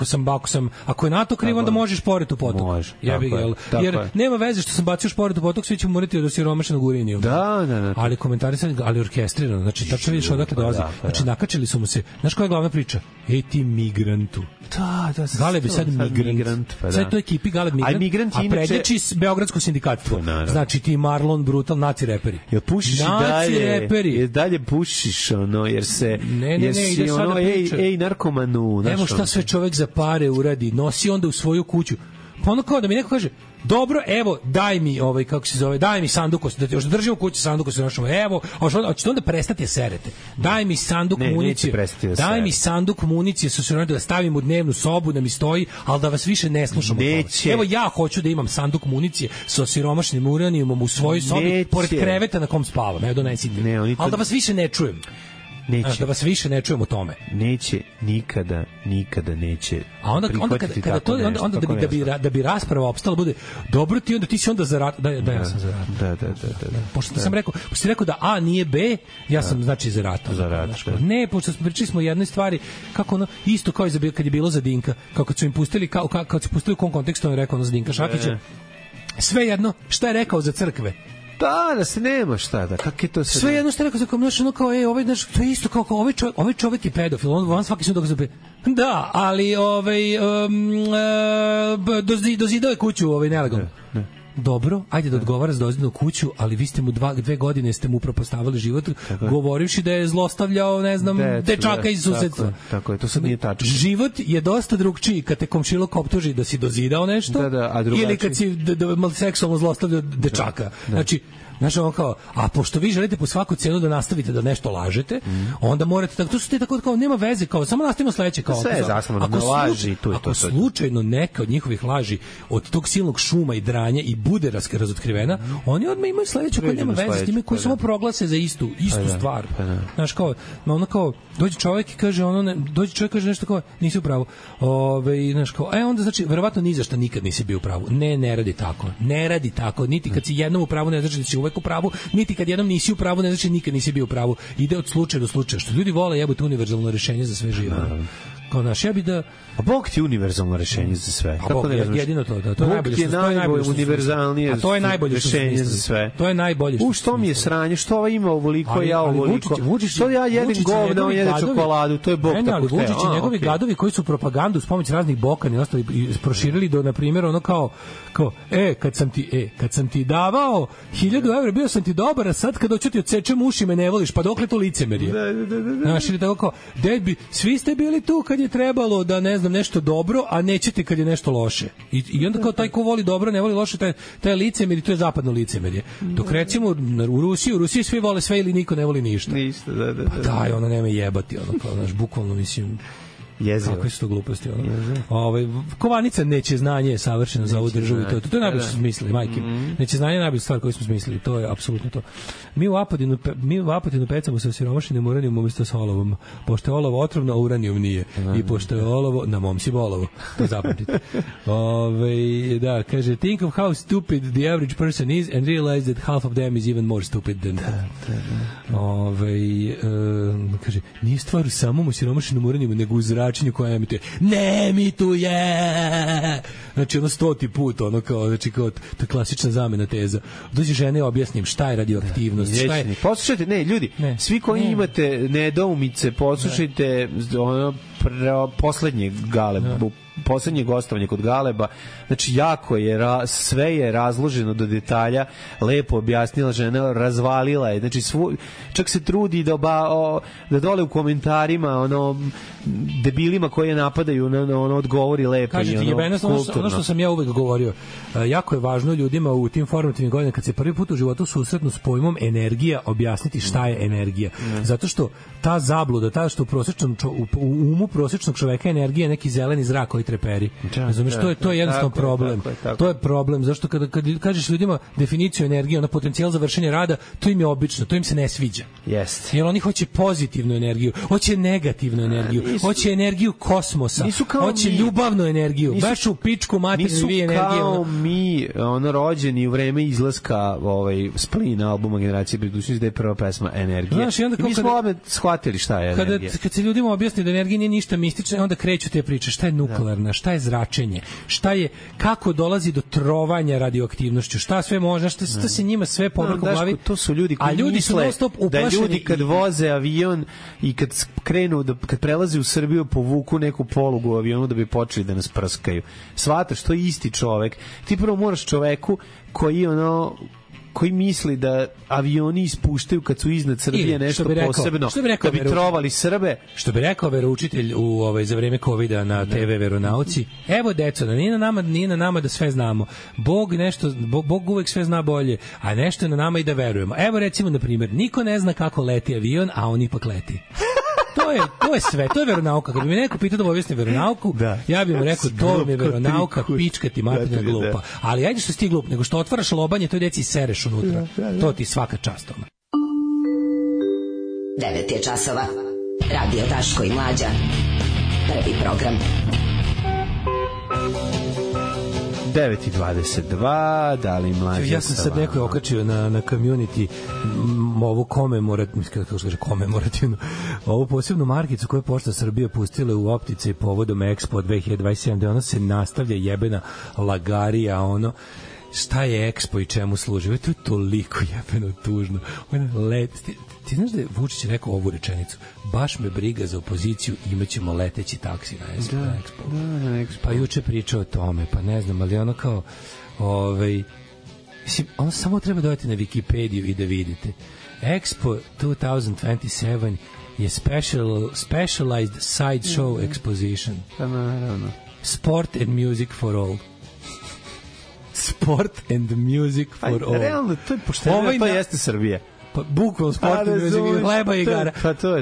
ako je NATO kriv, onda možeš šporet u potok. Može. Jebi ga, jer nema veze što sam bacio šporet u potok, svi ćemo morati od osiromašenog uranijuma. Da. Ali komentarisani, ali orkestrirano, znači tačno vidiš odakle dolazi. Znači nakačili su mu se. Znaš koja je glavna priča? Ej ti migrantu. Da, Galeb je sad migrant. Sad to ekipi Galeb migrant, a prednjači Beogradsko sindikatstvo. Znači ti Marlon Brutal, naci reperi. Jel pušiš i dalje? Jel dalje pušiš ono, jer se... Ne, ide sada priča. Ej, narkomanu. Evo šta sve čovek za pare uradi, nosi onda u svoju kuću. Pa ono kao da mi neko kaže, dobro, evo, daj mi daj mi sandukos, da još držimo u kući sandukos, evo, hoćete onda prestati serete. Daj mi sanduk municije. Daj mi sanduk municije da stavim u dnevnu sobu, da mi stoji, ali da vas više ne slušamo. Evo, ja hoću da imam sanduk municije sa osiromašenim uranijumom u svojoj sobi, pored kreveta na kom spavam. Evo, donesite. Ali da vas više ne čujem. Neće. Da vas više ne čujemo o tome. Neće, nikada neće. A onda da bi rasprava opstala bude, dobro ti si onda za rat. Da, ja sam za rat. Da. Pošto sam rekao da A nije B, ja sam znači za rat. Ne, pošto pričali smo o jednoj stvari, kako ono, isto kao i kad je bilo za Dinka, kako su im pustili, kad su pustili u kom kontekstu, on je rekao ono za Dinka Šakića, sve jedno, šta je rekao za crkve? Da se nema šta da, kako je to sve jedno što je rekao, kao, to je isto kao ovaj čovjek je pedofil, on svaki sud dokaz da, ali dozidao je kuću nelegalno. Dobro, ajde da odgovara za dozidnu kuću, ali vi ste mu 2 godine ste mu upropastavili život, govorivši da je zlostavljao, ne znam, dečaka iz susedstva. Tako je, to sad nije tačno. Život je dosta drugčiji kad te komšiluk optuži da si dozidao nešto, ili kad si seksualno zlostavljao dečaka. Znači, ono kao, a pošto vi želite po svaku cenu da nastavite da nešto lažete, onda morate, to su te tako kao, nema veze, kao, samo nastavimo sledeće, kao, sve je zasnovano na laži, tu je to. Ako slučajno neka od njihovih laži od tog silnog šuma i dranja i bude razotkrivena, oni odmah imaju sledeće koja nema veze s time, koji samo proglase za istu stvar. Znaš, kao, ono kao, dođe čovjek i kaže, kaže nešto kao, nisi u pravu. Znaš, kao, onda znači, verovatno ni za šta nikad nisi bio u pravu. Ne radi tako. Niti kad si jednom u pravu, ne znači da si uvek u pravu, niti kad jednom nisi u pravu, ne znači nikad nisi bio u pravu. Ide od slučaja do slučaja. Što ljudi vole jebote univerzalno rješenje za sve živo. Kao naš, ja bi da... A Bog ti je univerzalno rešenje za sve. A Bog je jedino to, da. To je Bog ti je najbolje univerzalnije rešenje za sve. To je najbolje što... Što mi je sranje, što ova ima ovoliko, ja ovoliko. Što ja jedem govna, on jede čokoladu, to je Bog tako ali Vučić i njegovi gadovi koji su propagandu s pomoć raznih Bokan i ostali proširili do, na primjer, ono kao kad sam ti davao 1000 evra, bio sam ti dobar, a sad kad hoću ti odsečem uši me ne voliš, pa dokle to licemerje? Znaš, ili tako kao, svi ste bili tu kad je trebalo da, ne znam, nešto dobro, a nećete kad je nešto loše. I onda kao taj ko voli dobro, ne voli loše, taj licemerje, to je zapadno licemerje. Dok recimo u Rusiji svi vole sve ili niko ne voli ništa. Ništa, da. Pa daj, ono nema jebati, ono kao, znaš, bukvalno mislim... Jezivo. Kakve su to gluposti, ono. Kovanica neće znanje je savršeno za ovu državu i to je najbolje što smo smislili, majke. Neće znanje je najbolja stvar koju smo smislili, to je apsolutno to. Mi u Apatinu pecamo sa osiromašenim uranijom umjesto sa olovom. Pošto je olovo otrovno, a uranijum nije. I pošto je olovo, na mom si bolovo. To zapamtite. Da, kaže, think of how stupid the average person is and realize that half of them is even more stupid than that. Kaže, nije stvar u samom osiromašenom uranijumu, nego u zračenju koja emituje. Ne emituje! Znači, 100. put, ono kao, znači, kao, to je klasična zamena teza. Dođe žene, objasnim šta je radioaktivnost, šta je... Poslušajte, ne, ljudi, svi koji imate nedoumice, poslušajte ono poslednje poslednje gostovanje kod Galeba, znači jako je, sve je razloženo do detalja, lepo objasnila žena, razvalila je, znači čak se trudi da dole u komentarima debilima koje napadaju ono odgovori lepo. Kažete, i ono što sam ja uvek govorio, jako je važno ljudima u tim formativnim godinama kad se prvi put u životu susretnu s pojmom energija, objasniti šta je energija. Zato što ta zabluda, što u umu prosječnog čoveka energija je neki zeleni zrak koji treperi. Razumeš, to je jednostavno problem. To je problem, zašto kada kažeš ljudima definiciju energije, ona potencijal za vršenje rada, to im je obično, to im se ne sviđa. Jeste. Jer oni hoće pozitivnu energiju, hoće negativnu energiju, hoće energiju kosmosa, hoće ljubavnu energiju, baš u pičku materinu vi energije. Nisu kao mi, rođeni u vreme izlaska Splina albuma Generacije budućnosti, da je prva pesma Energija. Znaš, i mi smo odmah shvatili šta je energija. Kad se ljudima objasni da energija nije ništa mistično, onda kreću te priče, šta je nuklearna, šta je zračenje, kako dolazi do trovanja radioaktivnošću, šta sve može, šta se njima sve povrko glavi. To su ljudi koji misle da ljudi kad voze avion i kad prelaze u Srbiju povuku neku polugu u avionu da bi počeli da nas prskaju. Shvataš, to je isti čovek. Ti prvo moraš čoveku koji misli da avioni ispuštaju kad su iznad Srbije nešto posebno, da bi trovali Srbe. Što bi rekao veroučitelj za vreme covida na TV veronauci, evo deco, nije na nama da sve znamo. Bog uvek sve zna bolje, a nešto je na nama i da verujemo. Evo recimo, na primjer, niko ne zna kako leti avion, a on ipak leti. To je sve, to je veronauka. Kad bi mi neko pitao da objasni veronauku, ja bih mu rekao, to mi je veronauka, pička ti materna glupa. Ali ajde što si ti glup, nego što otvaraš lobanje, to deci sereš unutra. To ti svaka čast. 9 je časova. Radio Daško i Mlađa. Prvi program. 9:22, da li Mlađa? Ja sam sad neko okačio na community ovu komemorativnu, ovu posebnu markicu koju je Pošta Srbije pustila u optice povodom Expo 2027, gde ona se nastavlja jebena lagarija, šta je Expo i čemu služi? To je toliko jebeno tužno. Ti znaš da je Vučić rekao ovu rečenicu? Baš me briga za opoziciju, imaćemo leteći taksi na Expo. Expo. Pa juče pričao o tome, pa ne znam, ali ono kao mislim, ono samo treba dodati na Wikipediju i da vidite. Expo 2027 je specialized sideshow exposition. Pa naravno. Sport and music for all. Sport and music for all. Realno, to je pošteno, to jeste Srbija. Pa bukvalno sport and music, hleba i igara.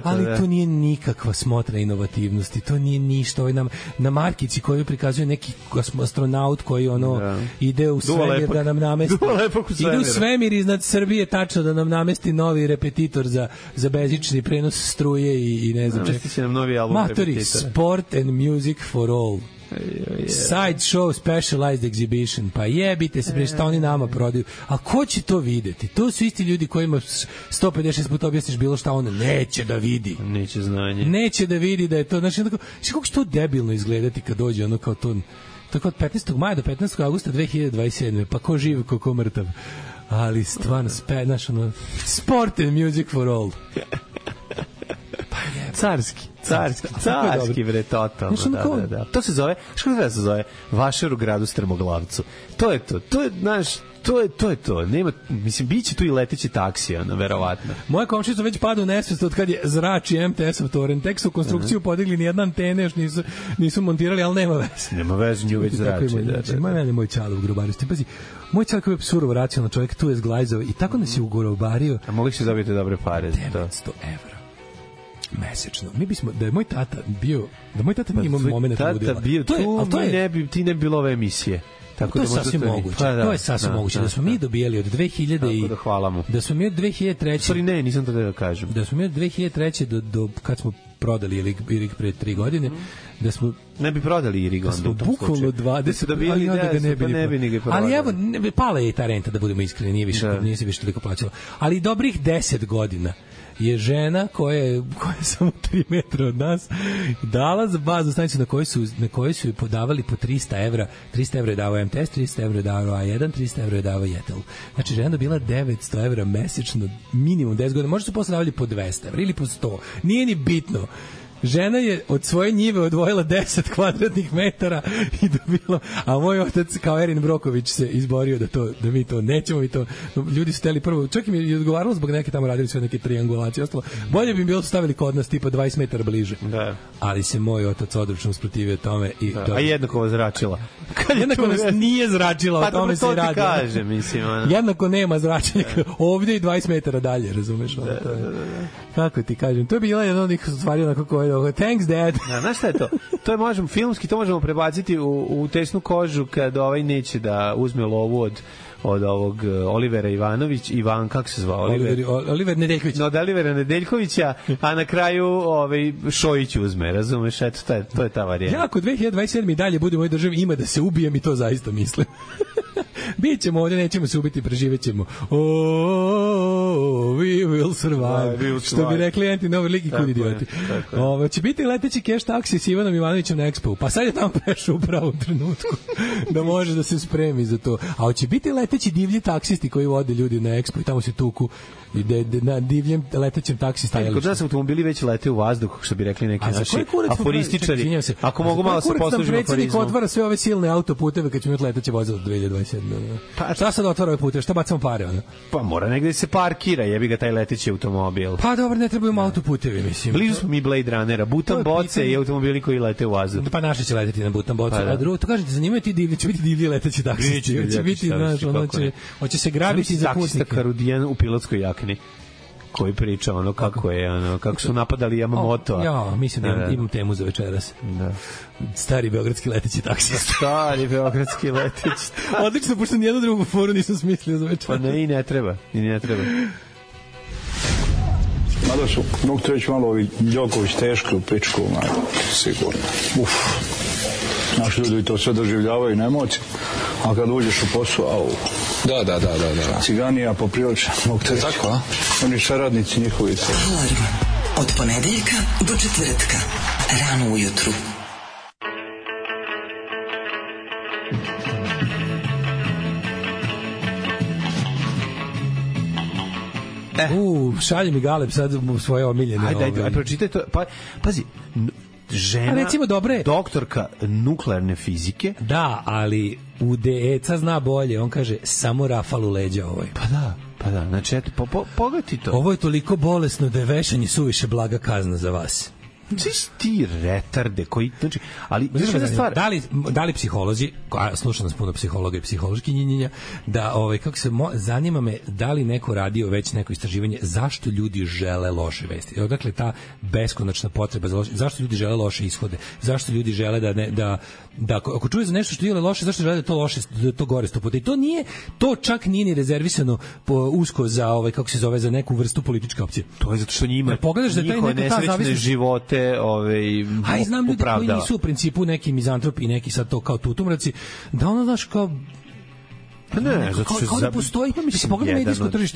Ali to nije nikakva smotra inovativnosti, to nije ništa. Na markici koju prikazuje neki astronaut koji ide u svemir da nam namesti. Ide u svemir iznad Srbije tačno da nam namesti novi repetitor za bežični prenos struje i ne znam čega. Namesti će nam novi album repetitor. Sport and music for all. Side show specialized exhibition. Pa jebite se, bre, šta oni nama prodaju. A ko će to videti? To su isti ljudi kojima 156 puta objasniš bilo šta, on neće da vidi. Neće znanje. Neće da vidi da je to, znači, kako će to debilno izgledati kad dođe ono kao to, tako od 15. maja do 15. augusta 2027. Pa ko živ, ko mrtav. Ali stvarno, znaš, ono, sport and music for all. Carski, bre, totalno, da. To se zove, što da se zove? Vašar u gradu Strmoglavcu. To je znaš, to je to. Nema, mislim, biće tu i leteći taksi, ono, verovatno. Moja komšica već pada u nesvest od kad je zrači MTS-ov toren. Tek su konstrukciju podigli ni jedna antene, još nisu montirali, ali nema veze. Nema veze, nju već zrači. Moj čalo u grobaristi. Pazi, moj čalo koji je surovo racionalno čovjek, tu je zglajzao i tako nas je ugrobario. A mogli se dobiti dobre pare za to? 900 evra mesečno. Mi bismo, da je moj tata nije imao momenta ludila. Ti ne bi bilo ove emisije. Tako to je sasvim moguće. To je sasvim moguće. Da smo mi dobijali od 2000 i... Da, hvala mu. Da smo mi od 2003... Sorry, nisam to da kažem. Da smo mi od 2003 do kad smo prodali Irig pre 3 godine, da smo... Ne bi prodali Irig onda. Da smo bukvalno 20... Ali onda ga ne bi ni ga prodali. Ali evo, pala je i ta renta, da budemo iskreni, nije se više toliko plaćalo. Ali dobrih 10 godina je žena koja je samo 3 metra od nas dala za baznu stanicu na kojoj su podavali po 300 evra. 300 evra je dao MTS, 300 evra je dao A1, 300 evra je dao Jetel. Znači, žena dobila 900 evra mesečno, minimum 10 godina. Možda su posle davali po 200 evra ili po 100. Nije ni bitno. Žena je od svoje njive odvojila 10 kvadratnih metara i dobila, a moj otac kao Erin Broković se izborio da mi to nećemo, mi to, ljudi su teli prvo, čak im je odgovaralo zbog neke tamo radili sve neke triangulacije, ostalo, bolje bi im bilo stavili kod nas tipa 20 metara bliže, da. Ali se moj otac odručno usprotivio tome i da. A jednako vas zračila. Jednako nas nije zračila, o tome se i radi. Pa to ti kaže, mislim. Jednako nema zračenja, ovdje i 20 metara dalje, razumeš? Da. Kako ti kažem, to je bila jedna od njih stvari onako koje thanks dad. Znaš šta je to? To je možemo filmski, to možemo prebaciti u tesnu kožu kad ovaj neće da uzme lovu od ovog Olivera kako se zvao? Oliver Nedeljković. Od Olivera Nedeljkovića, a na kraju Šojić uzme, razumeš? Eto, to je ta varijanta. Ja, ako 2027. i dalje budemo u ovoj državi, ima da se ubijem i to zaista mislim. Bićemo ovdje, nećemo se ubiti, preživećemo. We will survive. Što bi rekli Anti-Novi Lig i kud idioti. Će biti leteći cash taksi s Ivanom Ivanovićem na Expo. Pa sad je tamo prešao u pravom trenutku da može da se spremi za to. A će biti leteći divlji taksisti koji vode ljudi na Expo i tamo se tuku i na divljem letećem taksi stajalištu. Kod nas automobili već lete u vazduh, što bi rekli neki naši aforističari. Ako mogu malo se poslužimo aforizmom. Predsjednik otvara sve ove silne autoputeve kad ćemo imati leteće vozilo 2027. Pa šta sad otvara ove puteve? Šta bacamo pare? Ono? Pa mora negde se parkira, jebi ga taj leteći automobil. Pa dobro, ne trebaju autoputevi, mislim. Blizu smo mi Blade Runnera, Butan boce i automobili koji lete u vazduh. Pa naši će leteti na Butan boce. A drugo, to kažete, zanimaju ti divlji, će biti divlji leteći taksisti. Će biti, znaš, ono će se grabiti za putnike. Taksista Karudijan u pilotskoj jakni koji priča kako su napadali Yamamoto. Ja, mislim da imam temu za večeras. Da. Stari beogradski leteći taksista. Stari beogradski leteći. Odlično, pošto nijednu drugu foru nisam smislio za večeras. Pa ne, i ne treba. Mada su, mogu te reći malo ovi Đoković teški u pičku, sigurno. Naši ljudi to sve doživljavaju na emocije, a kad uđeš u posao, Da. Ciganija poprilično. Tako, a? Oni saradnici njihovi. Alarm. Od ponedeljka do četvrtka. Rano ujutru. Šalje mi Galeb sad svoje omiljene. Ajde, pročitaj to. Pazi, žena, recimo, doktorka nuklearne fizike. Da, ali UDECA zna bolje. On kaže, samo rafal u leđa ovoj. Pa da, znači, eto, pogledaj to. Ovo je toliko bolesno da je vešanje suviše blaga kazna za vas. Ti retarde koji, znači, ali stvar, da li psiholozi, slušam nas puno psihologa i psihološki njinjenja, da zanima me da li neko radio već neko istraživanje zašto ljudi žele loše vesti. Odakle ta beskonačna potreba za loše, zašto ljudi žele loše ishode, zašto ljudi žele da ako čuje za nešto što je loše, zašto žele da to loše, da to gore 100 puta. I to čak nije ni rezervisano usko za za neku vrstu političke opcije. To je zato što njima pogledaš da taj neka ta zavisnost živote se Aj, znam ljudi koji nisu u principu neki mizantropi, neki sad to kao tutumraci, da ono, znaš, kao pa ne, zato što da postoji, mislim, pogledaj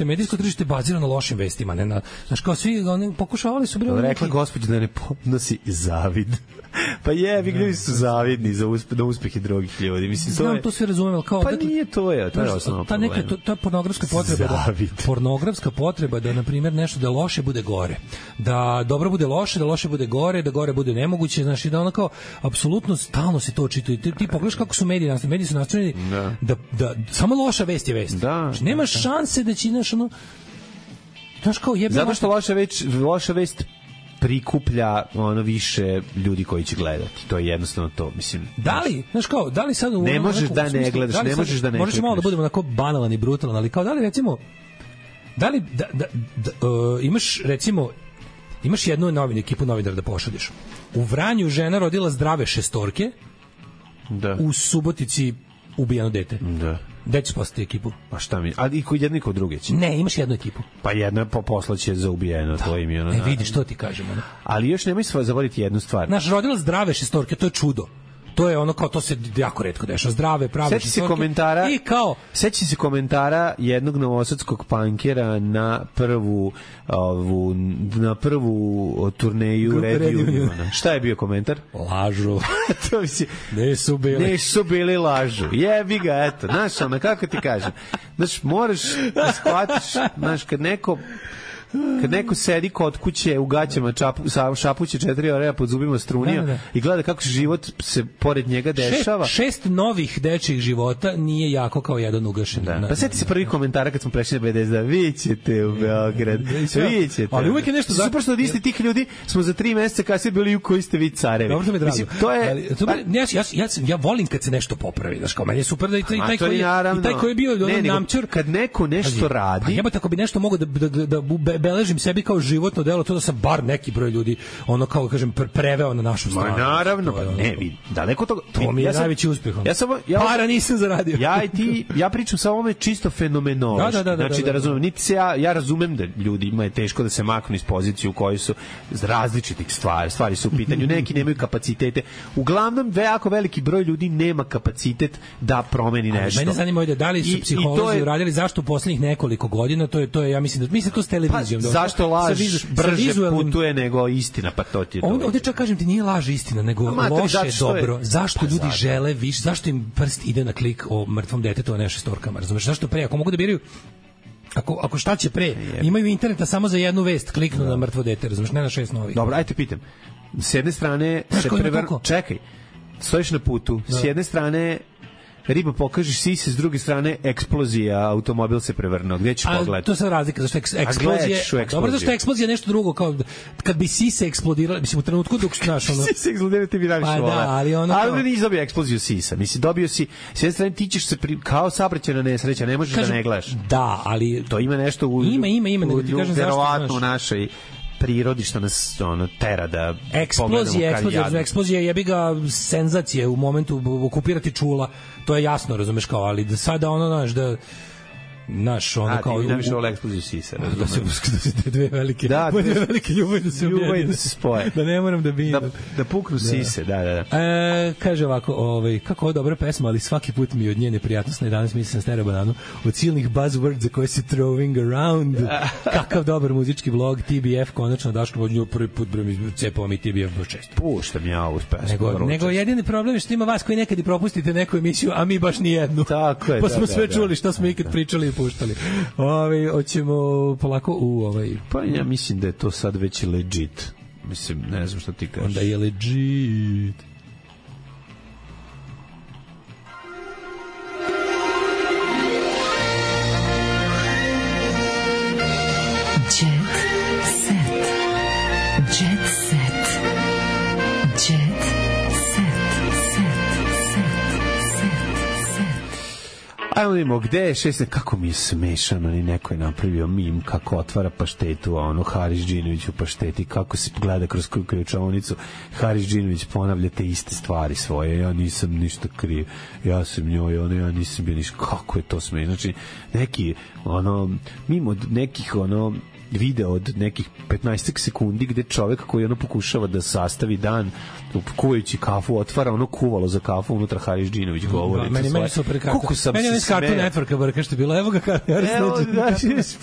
medijsko tržište bazirano na lošim vestima, ne na, znaš, kao svi oni pokušavali su rekla gospođa da ne podnosi zavid. Pa ljudi su zavidni na uspehe drugih ljudi. Mislim, znam, to se razumem, kao pa nije to je osnovno problem. Ta pornografska potreba da, na primjer, nešto da loše bude gore, da dobro bude loše, da loše bude gore, da gore bude nemoguće, znaš, i da ono kao apsolutno stalno se to očituje. Ti pogledaš kako su mediji su nastrojeni da samo loša vest je vest. Znači, nema šanse da će, znaš, ono, znaš, kao jebe. Zato što loša vest prikuplja više ljudi koji će gledati. To je jednostavno to, mislim. Da li, znaš, kao, da li sad ne možeš da ne gledaš, ne možeš da ne. Možeš malo da budemo onako banalan i brutalan, ali kao da li recimo imaš recimo jednu ekipu novinara da pošalješ. U Vranju žena rodila zdrave 6. Da. U Subotici ubijeno dete. Da. Gde će poslati ekipu? Pa šta mi? A i kod jedni kod druge će? Ne, imaš jednu ekipu. Pa jedna poslaće za ubijeno, to im je ono. Vidi što ti kažemo. Ne? Ali još nemoj zaboraviti jednu stvar. Naš rodila zdrave 6, to je čudo. To je ono kao, to se jako retko dešava. Zdrave, prave 6. Seći se komentara jednog novosadskog pankera na prvu turneju Red Uniona. Šta je bio komentar? Lažu. Nisu bili lažu. Jebi ga, eto. Znaš, ono, kako ti kažem? Znaš, moraš da shvatiš, znaš, kad neko sedi kod kuće u gaćama, šapuće 4 oreja pod zubima strunija i gleda kako život se pored njega dešava. 6 novih dečjih života nije jako kao jedan ugašen. Pa sjeti se prvi komentara kad smo prešli na BDS, vi ćete u Beograd, vi ćete. Ali uvijek je nešto super što od istih tih ljudi smo za 3 meseca kasnije bili u koji ste vi carevi. Dobro, to mi drago. Ja volim kad se nešto popravi, znaš, kao meni je super da i taj koji je bio namčur. Kad neko nešto radi. Jebote, tako bi nešto mogao da beležim sebi kao životno delo, to da sam bar neki broj ljudi, ono, kao kažem, preveo na našu stranu. Naravno, ne, vidi, daleko toga. To mi je najveći uspeh. Para nisam zaradio. Ja pričam sa ovome čisto fenomenološki. Znači, da razumem, niti se ja razumem da ljudima je teško da se maknu iz pozicije u kojoj su iz različitih stvari su u pitanju, neki nemaju kapacitete. Uglavnom, jako veliki broj ljudi nema kapacitet da promeni nešto. Mene zanima da li su psiholozi uradili zašto u poslednjih nekoliko godina, to je, ja mislim to s televizijom. Zašto laž brže putuje nego istina, pa to ti je to. Ovdje čak kažem ti, nije laž istina, nego loše je dobro. Zašto ljudi žele više, zašto im prst ide na klik o mrtvom detetu, a ne 6, razumeš? Zašto pre, ako mogu da biraju, ako šta će pre, imaju interneta samo za jednu vest, kliknu na mrtvo dete, razumeš, ne na 6 novih. Dobro, ajte pitam. S jedne strane se čekaj, stojiš na putu, s jedne strane riba pokažeš sise, s druge strane eksplozija, automobil se prevrnuo. Gde ćeš pogledati? To je razlika, zašto eksplozija. Dobro, zašto eksplozija je nešto drugo, kao kad bi sise eksplodirala, mislim u trenutku dok znaš ono. Sise eksplodirala, ti bi najviše voleo. Ali nisi dobio eksploziju sisa. Mislim, dobio si, s jedne strane ti ćeš se kao saobraćajna nesreća, ne možeš da ne gledaš. Da, ali to ima nešto u nego ti kažem verovatno u našoj prirodi što nas tera da eksplozija jebi ga senzacije u momentu okupirati čula, to je jasno, razumeš, kao, ali da sada ono, znaš, da naš ono kao ti najviše vole eksploziju sisa, da se te dve velike ljubavi da se spoje, da ne moram da bi da puknu sise, da. Kaže ovako, kako je dobra pesma, ali svaki put mi od nje neprijatnost. Na 11 mislim Stera Bananu od silnih buzzwords koje se throwing around. Kakav dobar muzički vlog, TBF, konačno Daško od nju prvi put mi cepao mi TBF baš često. Puštam ja ovu pesmu. Nego jedini problem je što ima vas koji nekad i propustite neku emisiju, a mi baš ni jednu. Tako je. Pa smo sve čuli što smo ikad pričali i puštali. Hoćemo polako u Pa ja mislim da je to sad već legit. Mislim, ne znam što ti kažeš. Onda je legit. Ajmo vidimo, gde je 6, kako mi je smešano, ni neko je napravio mim kako otvara paštetu, a ono Haris Džinović u pašteti, kako se gleda kroz ključavnicu, Haris Džinović ponavlja te iste stvari svoje, ja nisam ništa kriv, ja sam njoj, ja nisam bio ništa, kako je to smešno, znači neki, mimo nekih, video od nekih 15 sekundi gde čovek koji ono pokušava da sastavi dan kuvajući kafu, otvara ono kuvalo za kafu, unutra Haris Džinović govori. Meni super karton. Meni je Cartoon Networka brka što je bilo, evo ga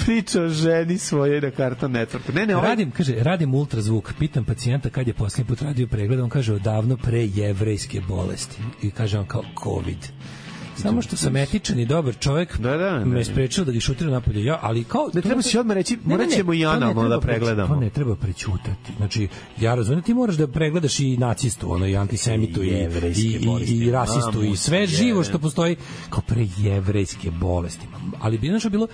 priča o ženi svoje na Cartoon Networku. Radim ultrazvuk, pitam pacijenta kad je posljednji put radio pregled, on kaže odavno pre jevrejske bolesti. I kaže on kao COVID. Samo što sam etičan i dobar čovjek, me sprečio da ga šutiram napolje. Ja, ali kao ne treba se odmah reći, morat ćemo i analno da pregledamo. To ne treba prećutati. Znači, ja razumem, ti moraš da pregledaš i nacistu, ono, i antisemitu, i rasistu, i sve živo što postoji kao pre jevrejske bolesti. Ali bi znaš bilo,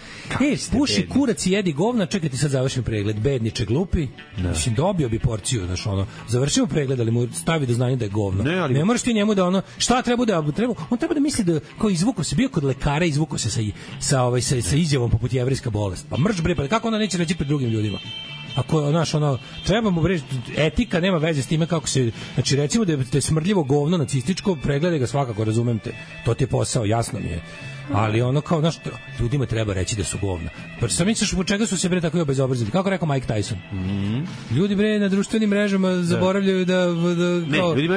puši kurac i jedi govna, čekaj ti sad završim pregled, bedniče glupi, mislim, dobio bi porciju, znaš, ono, završimo pregled, ali mu stavi do znanja da je govno. Ne moraš ti njemu da ono, šta treba da, on treba da misli da kao izvuko se, bio kod lekara, izvuko se sa izjavom poput jevrejska bolest. Pa mrš bre, pa kako ona neće reći pred drugim ljudima? Ako, znaš, ono, trebamo bre, etika nema veze s time kako se, znači recimo da je smrdljivo govno nacističko, pregledaj ga svakako, razumem te, to ti je posao, jasno mi je. Ali ono kao, znaš, ljudima treba reći da su govna. Pa sam misliš po čega su se bre tako i obezobrazili? Kako rekao Mike Tyson? Ljudi bre na društvenim mrežama zaboravljaju da ne, ljudi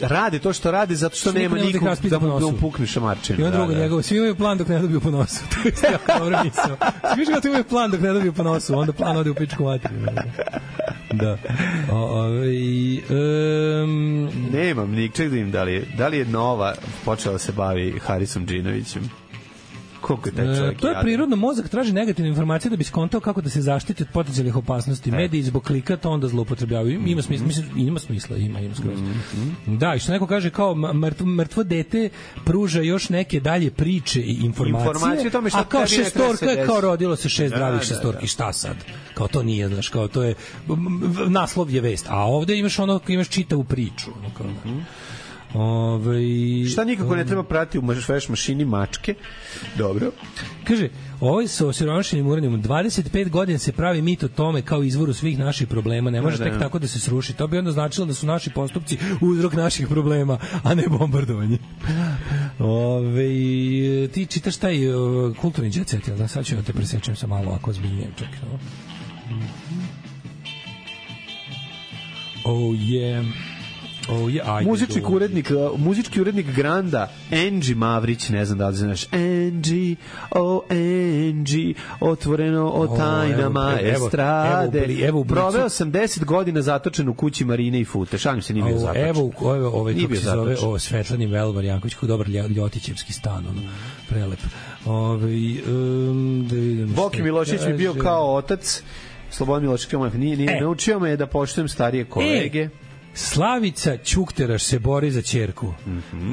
rade to što rade zato što nema nikog da mu pukne šamarčinu. I on drugo njegovo, svi imaju plan dok ne dobiju po nosu. To je jako dobro misao. Svi imaju plan dok ne dobiju po nosu, onda plan ode u pičku materiju. Da. Nemam nikčeg da im da li je Nova počela da se bavi Harisom Džinovićem. Koliko je taj čovjek to je prirodno, mozak traži negativne informacije da bi skontao kako da se zaštiti od potencijalnih opasnosti. Mediji zbog klika to onda zloupotrebljavaju. Ima smisla, ima skroz. Da, i što neko kaže kao mrtvo dete pruža još neke dalje priče i informacije tome šta, a kao šestorka je kao rodilo se 6 zdravih šestorki, šta sad? Kao to nije, znaš, kao to je naslov je vest, a ovde imaš čitavu priču. Kao, šta nikako ne treba pratiti u veš mašini mačke. Dobro. Kaže, ovo je sa osiromašenim uranijumom. 25 godina se pravi mit o tome kao izvoru svih naših problema. Ne može tek tako da se sruši. To bi onda značilo da su naši postupci uzrok naših problema, a ne bombardovanje. Ti čitaš taj kulturni jet set, da sad ću da te presečem sa malo ako ozbiljnijem. Čekaj. Oh yeah. Muzički urednik Granda, Angie Mavrić, ne znam da li znaš, Angie, otvoreno o tajnama estrade. Proveo sam 10 godina zatočen u kući Marine i Fute. Šalim se, nije bio zatočen. Evo, kako se zove, Svetlani Velvar Janković, kako dobar Ljotićevski stan, prelep. Boki Milošević mi bio kao otac, Slobodan Milošević nije naučio me da poštujem starije kolege. Slavica Ćukteraš se bori za ćerku.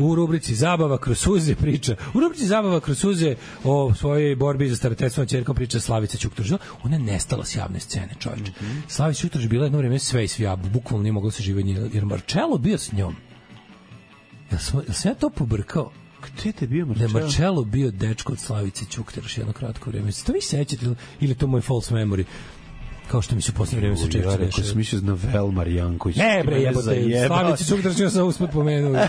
U rubrici Zabava kroz suze priča. U rubrici Zabava kroz suze o svojoj borbi za starateljstvo ćerkom priča Slavica Ćukteraš. Ona je nestala s javne scene, čovječe. Slavica Ćukteraš bila jedno vrijeme sve i svi, bukvalno nije mogla se živjeti, jer Marcello bio s njom. Jel sam ja to pobrkao? Gde te bio Marcello? Da je Marcello bio dečko od Slavice Ćukteraš jedno kratko vrijeme. To vi sećate ili to moj false memory? Kao što mi se posle vreme se češće rekao sam mislio na Velmar Janković. Ne bre, jebote, Slavica Ćukteraš sam usput pomenuo.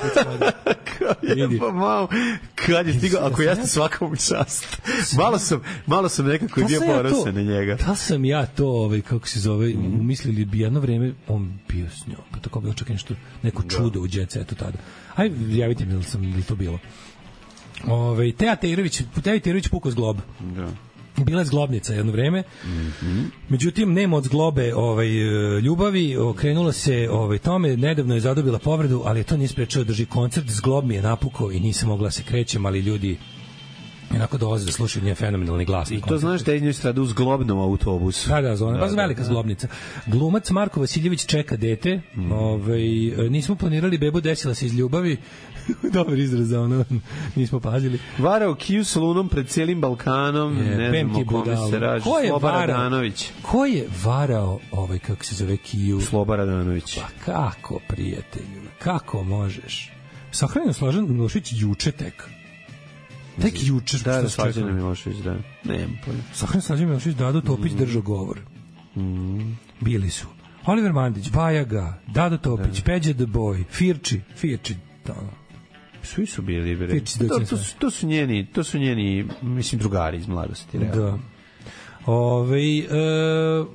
Pa malo, kad je stigao, ako jeste svakom čast. Malo sam nekako bio ponosan na njega. Da sam ja to, kako se zove, umislili bi jedno vreme, on bio s njom. Pa tako bi očekao nešto, neko čudo u Jet Setu tada. Aj, javite mi li to bilo. Teja Tejerović pukao s glob. Da. Bila je zglobnica jedno vreme. Međutim, nema od zglobe ljubavi, okrenula se tome, nedavno je zadobila povredu, ali to nije sprečao da drži koncert, zglob mi je napukao i nisam mogla se krećem, ali ljudi onako dolaze da slušaju njen fenomenalni glas. I to znaš da je njoj strada u zglobnom autobusu. Da, baš velika zglobnica. Glumac Marko Vasiljević čeka dete. Nismo planirali bebu, desila se iz ljubavi. Dobar izraz za ono, nismo pazili. Varao Kiju sa Lunom pred cijelim Balkanom, ne znam o kome se raži. Sloba Radanović. Ko je varao kako se zove Kiju? Sloba Radanović. Pa kako, prijatelju, kako možeš? Sahranjen Slađan Milošević juče tek. Tek juče. Da, Slađan Milošević, da. Nemam pojma. Sahranjen Slađan Milošević, Dado Topić držao govor. Bili su Oliver Mandić, Bajaga, Dado Topić, Peđa the Boy, Firči, svi su bili, to su njeni, mislim, drugari iz mladosti. Da.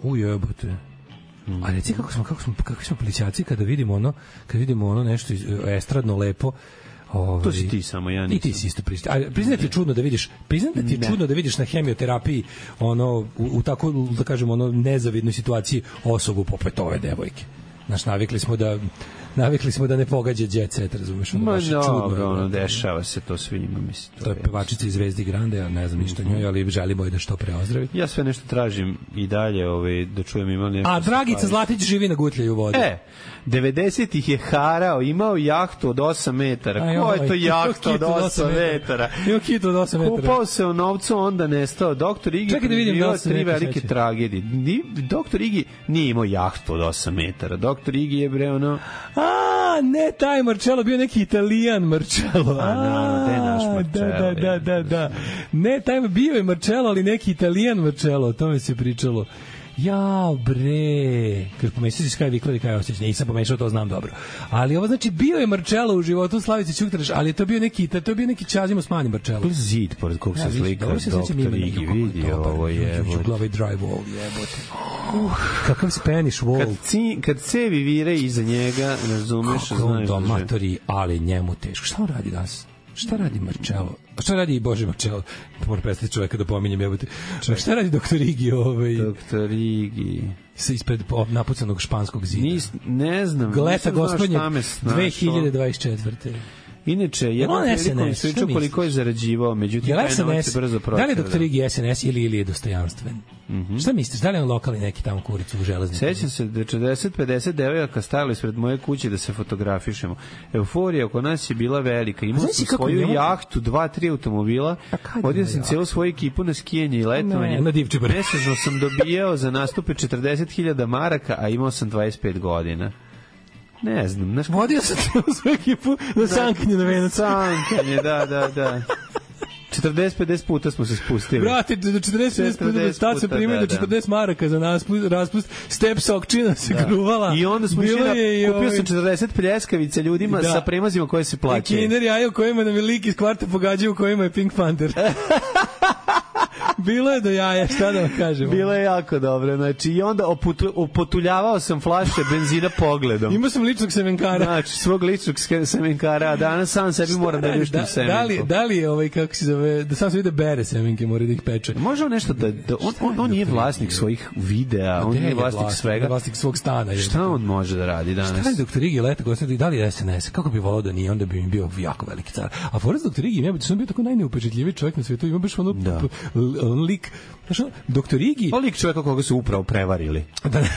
Ujebote. A reci kako smo plićaci kada vidimo ono nešto estradno lepo. To si ti samo, ja nisam. I ti si isto priznaj ti je čudno da vidiš, čudno da vidiš na hemioterapiji u tako, da kažemo, nezavidnoj situaciji osobu poput ove devojke. Znaš, navikli smo da ne pogađa jet set, razumeš? Dobro, dešava se to svima, mislim. To je pevačica iz Zvezdi Grande, ja ne znam ništa njoj, ali želimo je da što pre ozdravi. Ja sve nešto tražim i dalje, da čujem ima nešto. A Dragica Zlatić živi na Gutljaju vodi. 90-ih je harao, imao jahtu od 8 metara. Ko je to jahta od 8 metara? Imao kitu od 8 metara. Kupao se u novcu, onda nestao. Doktor Igi preživio 3 velike tragedije. Doktor Igi nije imao jahtu od 8 metara. Doktor Igi je ne taj Marcello, bio neki Italijan Marcello. Gde je naš Marcello? Da. Ne, taj bio je Marcello, ali neki Italijan Marcello, o tome se pričalo. Jao, bre. Kad pomešao si Sky Vikler i Kaj Osjeć, nisam pomešao, to znam dobro. Ali ovo znači bio je Marcello u životu Slavice Ćuktraš, ali je to bio neki Čazimo Smani Marcello. Zid pored kog se slika doktor Igi, vidi ovo je. Glavi dry wall, jebote. Kakav Spanish wall. Kad cevi vire iza njega, razumeš, znaš. Kako domatori, ali njemu teško. Šta on radi danas? Šta radi Marcello? Šta radi Bože Marcello? Moram prestati čoveka da pominjem, jebote. Šta radi doktor Igi? Doktor Igi ispred napucanog španskog zida. Ne znam. Gleta gospodnje 2024. Inače, jednom prilikom pričao koliko je zarađivao, međutim, taj novac se brzo pročeo. Da li je doktor Igi SNS ili je dostojanstven? Šta misliš, da li je on lokalni neki tamo kuricu u železniku? Sećam se da 40-50 devojaka stajali ispred moje kuće da se fotografišemo. Euforija oko nas je bila velika. Imao sam svoju jahtu, 2-3 automobila. Vodio sam cijelu svoju ekipu na skijanje i letovanje. Mesečno sam dobijao za nastupe 40.000 maraka, a imao sam 25 godina. Ne znam. Vodio sam svoju ekipu na sankanje na Venac. Sankanje, da. 40-50 puta smo se spustili. Brate, do 40-50 puta tad se primaju do 40 maraka za raspust. Step Sokčina se gruvala. I onda smo kupio sam 40 pljeskavica ljudima sa premazima koje se plaćaju. I Kinder jaje u kojima nam je lik iz kvarta pogađaju u kojima je Pink Panther. Bilo je do jaja, šta da vam kažemo. Bilo je jako dobro. Znači, i onda opotuljavao sam flaše benzina pogledom. Imao sam ličnog semenkara. Znači, svog ličnog semenkara, a danas sam sebi moram da ljuštim semenku. Da li je kako se zove, da sam se vide bere semenke, mora da ih peče. Može nešto da on nije vlasnik svojih videa, on nije vlasnik svega. Vlasnik svog stana. Šta on može da radi danas? Šta je doktor Igi leta gospodin, da li je SNS? Kako bi volao da nije, onda bi mi bio jako veliki car. A forest doktor Igi, ja bih bio tako najneupečetljiviji čovjek na svijetu, ima baš on lik, znači, doktor Igi... lik čovjeka koga su upravo prevarili. Da ne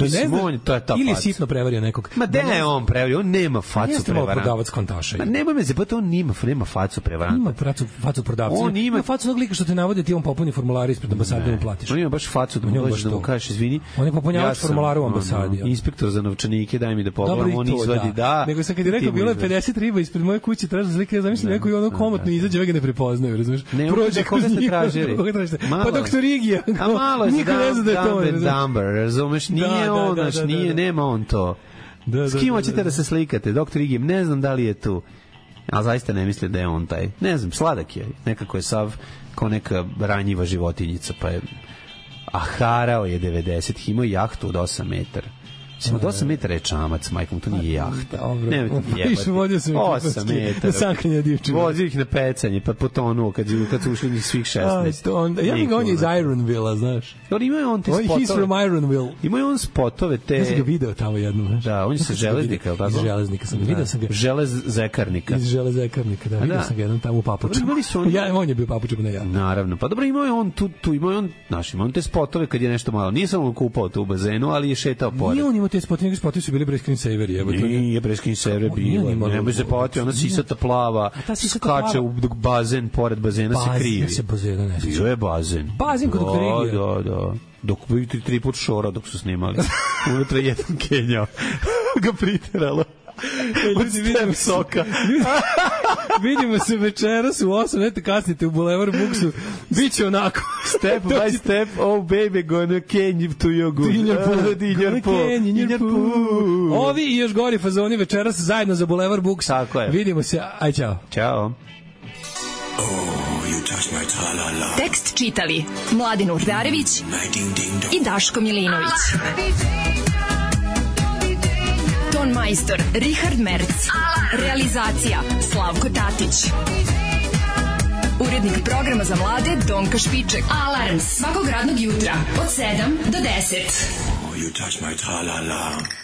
znam, ili je sitno prevario nekog. Ma da je on prevario, on nema facu prevaranta. Prodavac kontaša. Ma nemoj me zebati, on nema facu prevaranta. Ima facu prodavca. On ima facu onog lika što te navode, ti on popuni formular ispred ambasade da mu platiš. On ima baš facu da mu dođeš da mu kažeš, izvini. On je popunjavač formulara u ambasadi. Inspektor za novčanike, daj mi da pogledam, on izvadi, da. Nego sam kad je rekao, bilo je 50 riba ispred moje kuće, tražio slike, ja zamislim neko i ono komotno izađe, vega ne prepoznaju, razumeš? Prođe koga ste tražili. Pa doktor Igi. A malo je Dumber, razumeš? Nije on, nema on to. S kim hoćete da se slikate? Doktor Igi, ne znam da li je tu. Ali zaista ne misli da je on taj. Ne znam, sladak je. Nekako je sav kao neka ranjiva životinjica, pa je... A harao je 90, imao jahtu od 8 metara. Mislim, od 8 metara je čamac, majkom, to nije jahta. Nemojte mi jebati. 8 metara. Sankanje divčine. Vozio ih na pecanje, pa potonuo kad su ušli njih svih 16. Ja mi on je iz Ironville, znaš. Imao on te spotove. He's from Ironville. Imao on spotove te... Ja sam ga video tamo jednom, znaš. Da, on je sa železnika, je li tako? Iz železnika sam ga, video sam ga. Železekarnika. Iz železekarnika, da, vidio sam ga jednom tamo u papučama. On je bio papučama, ne ja. Naravno, pa dobro, imao je on tu, imao je on te spotove kad je nešto malo. Nije samo kupao tu u bazenu, ali je šetao pored. Nije on imao te spotove, spotove su bili bre screensaveri, jebote. Nije bre screensaveri bilo. Nemoj se poti, ona sisata plava, skače u bazen, pored bazena se krivi. Ja se bazena ne sjećam. Bio je bazen. Bazen kod doktora Igija. Da. Dok bi 3 put šora dok su snimali. Unutra jedan Kenjao ga priteralo. Od step soka. Vidimo se večeras u 8, nete kasnite u Boulevard Booksu. Biće onako. Step by step, oh baby, gonna can to your good. In your pool. Ovi i još gori fazoni večeras zajedno za Boulevard Books. Tako je. Vidimo se, aj čao. Ćao. Oh, you touch my Tekst čitali Mladin Urdarević i Daško Milinović. Ton majstor Richard Merc. Realizacija Slavko Tatić. Urednik programa za mlade Donka Špiček. Alarms svakog radnog jutra od 7 do 10. You touch my tra-la-la.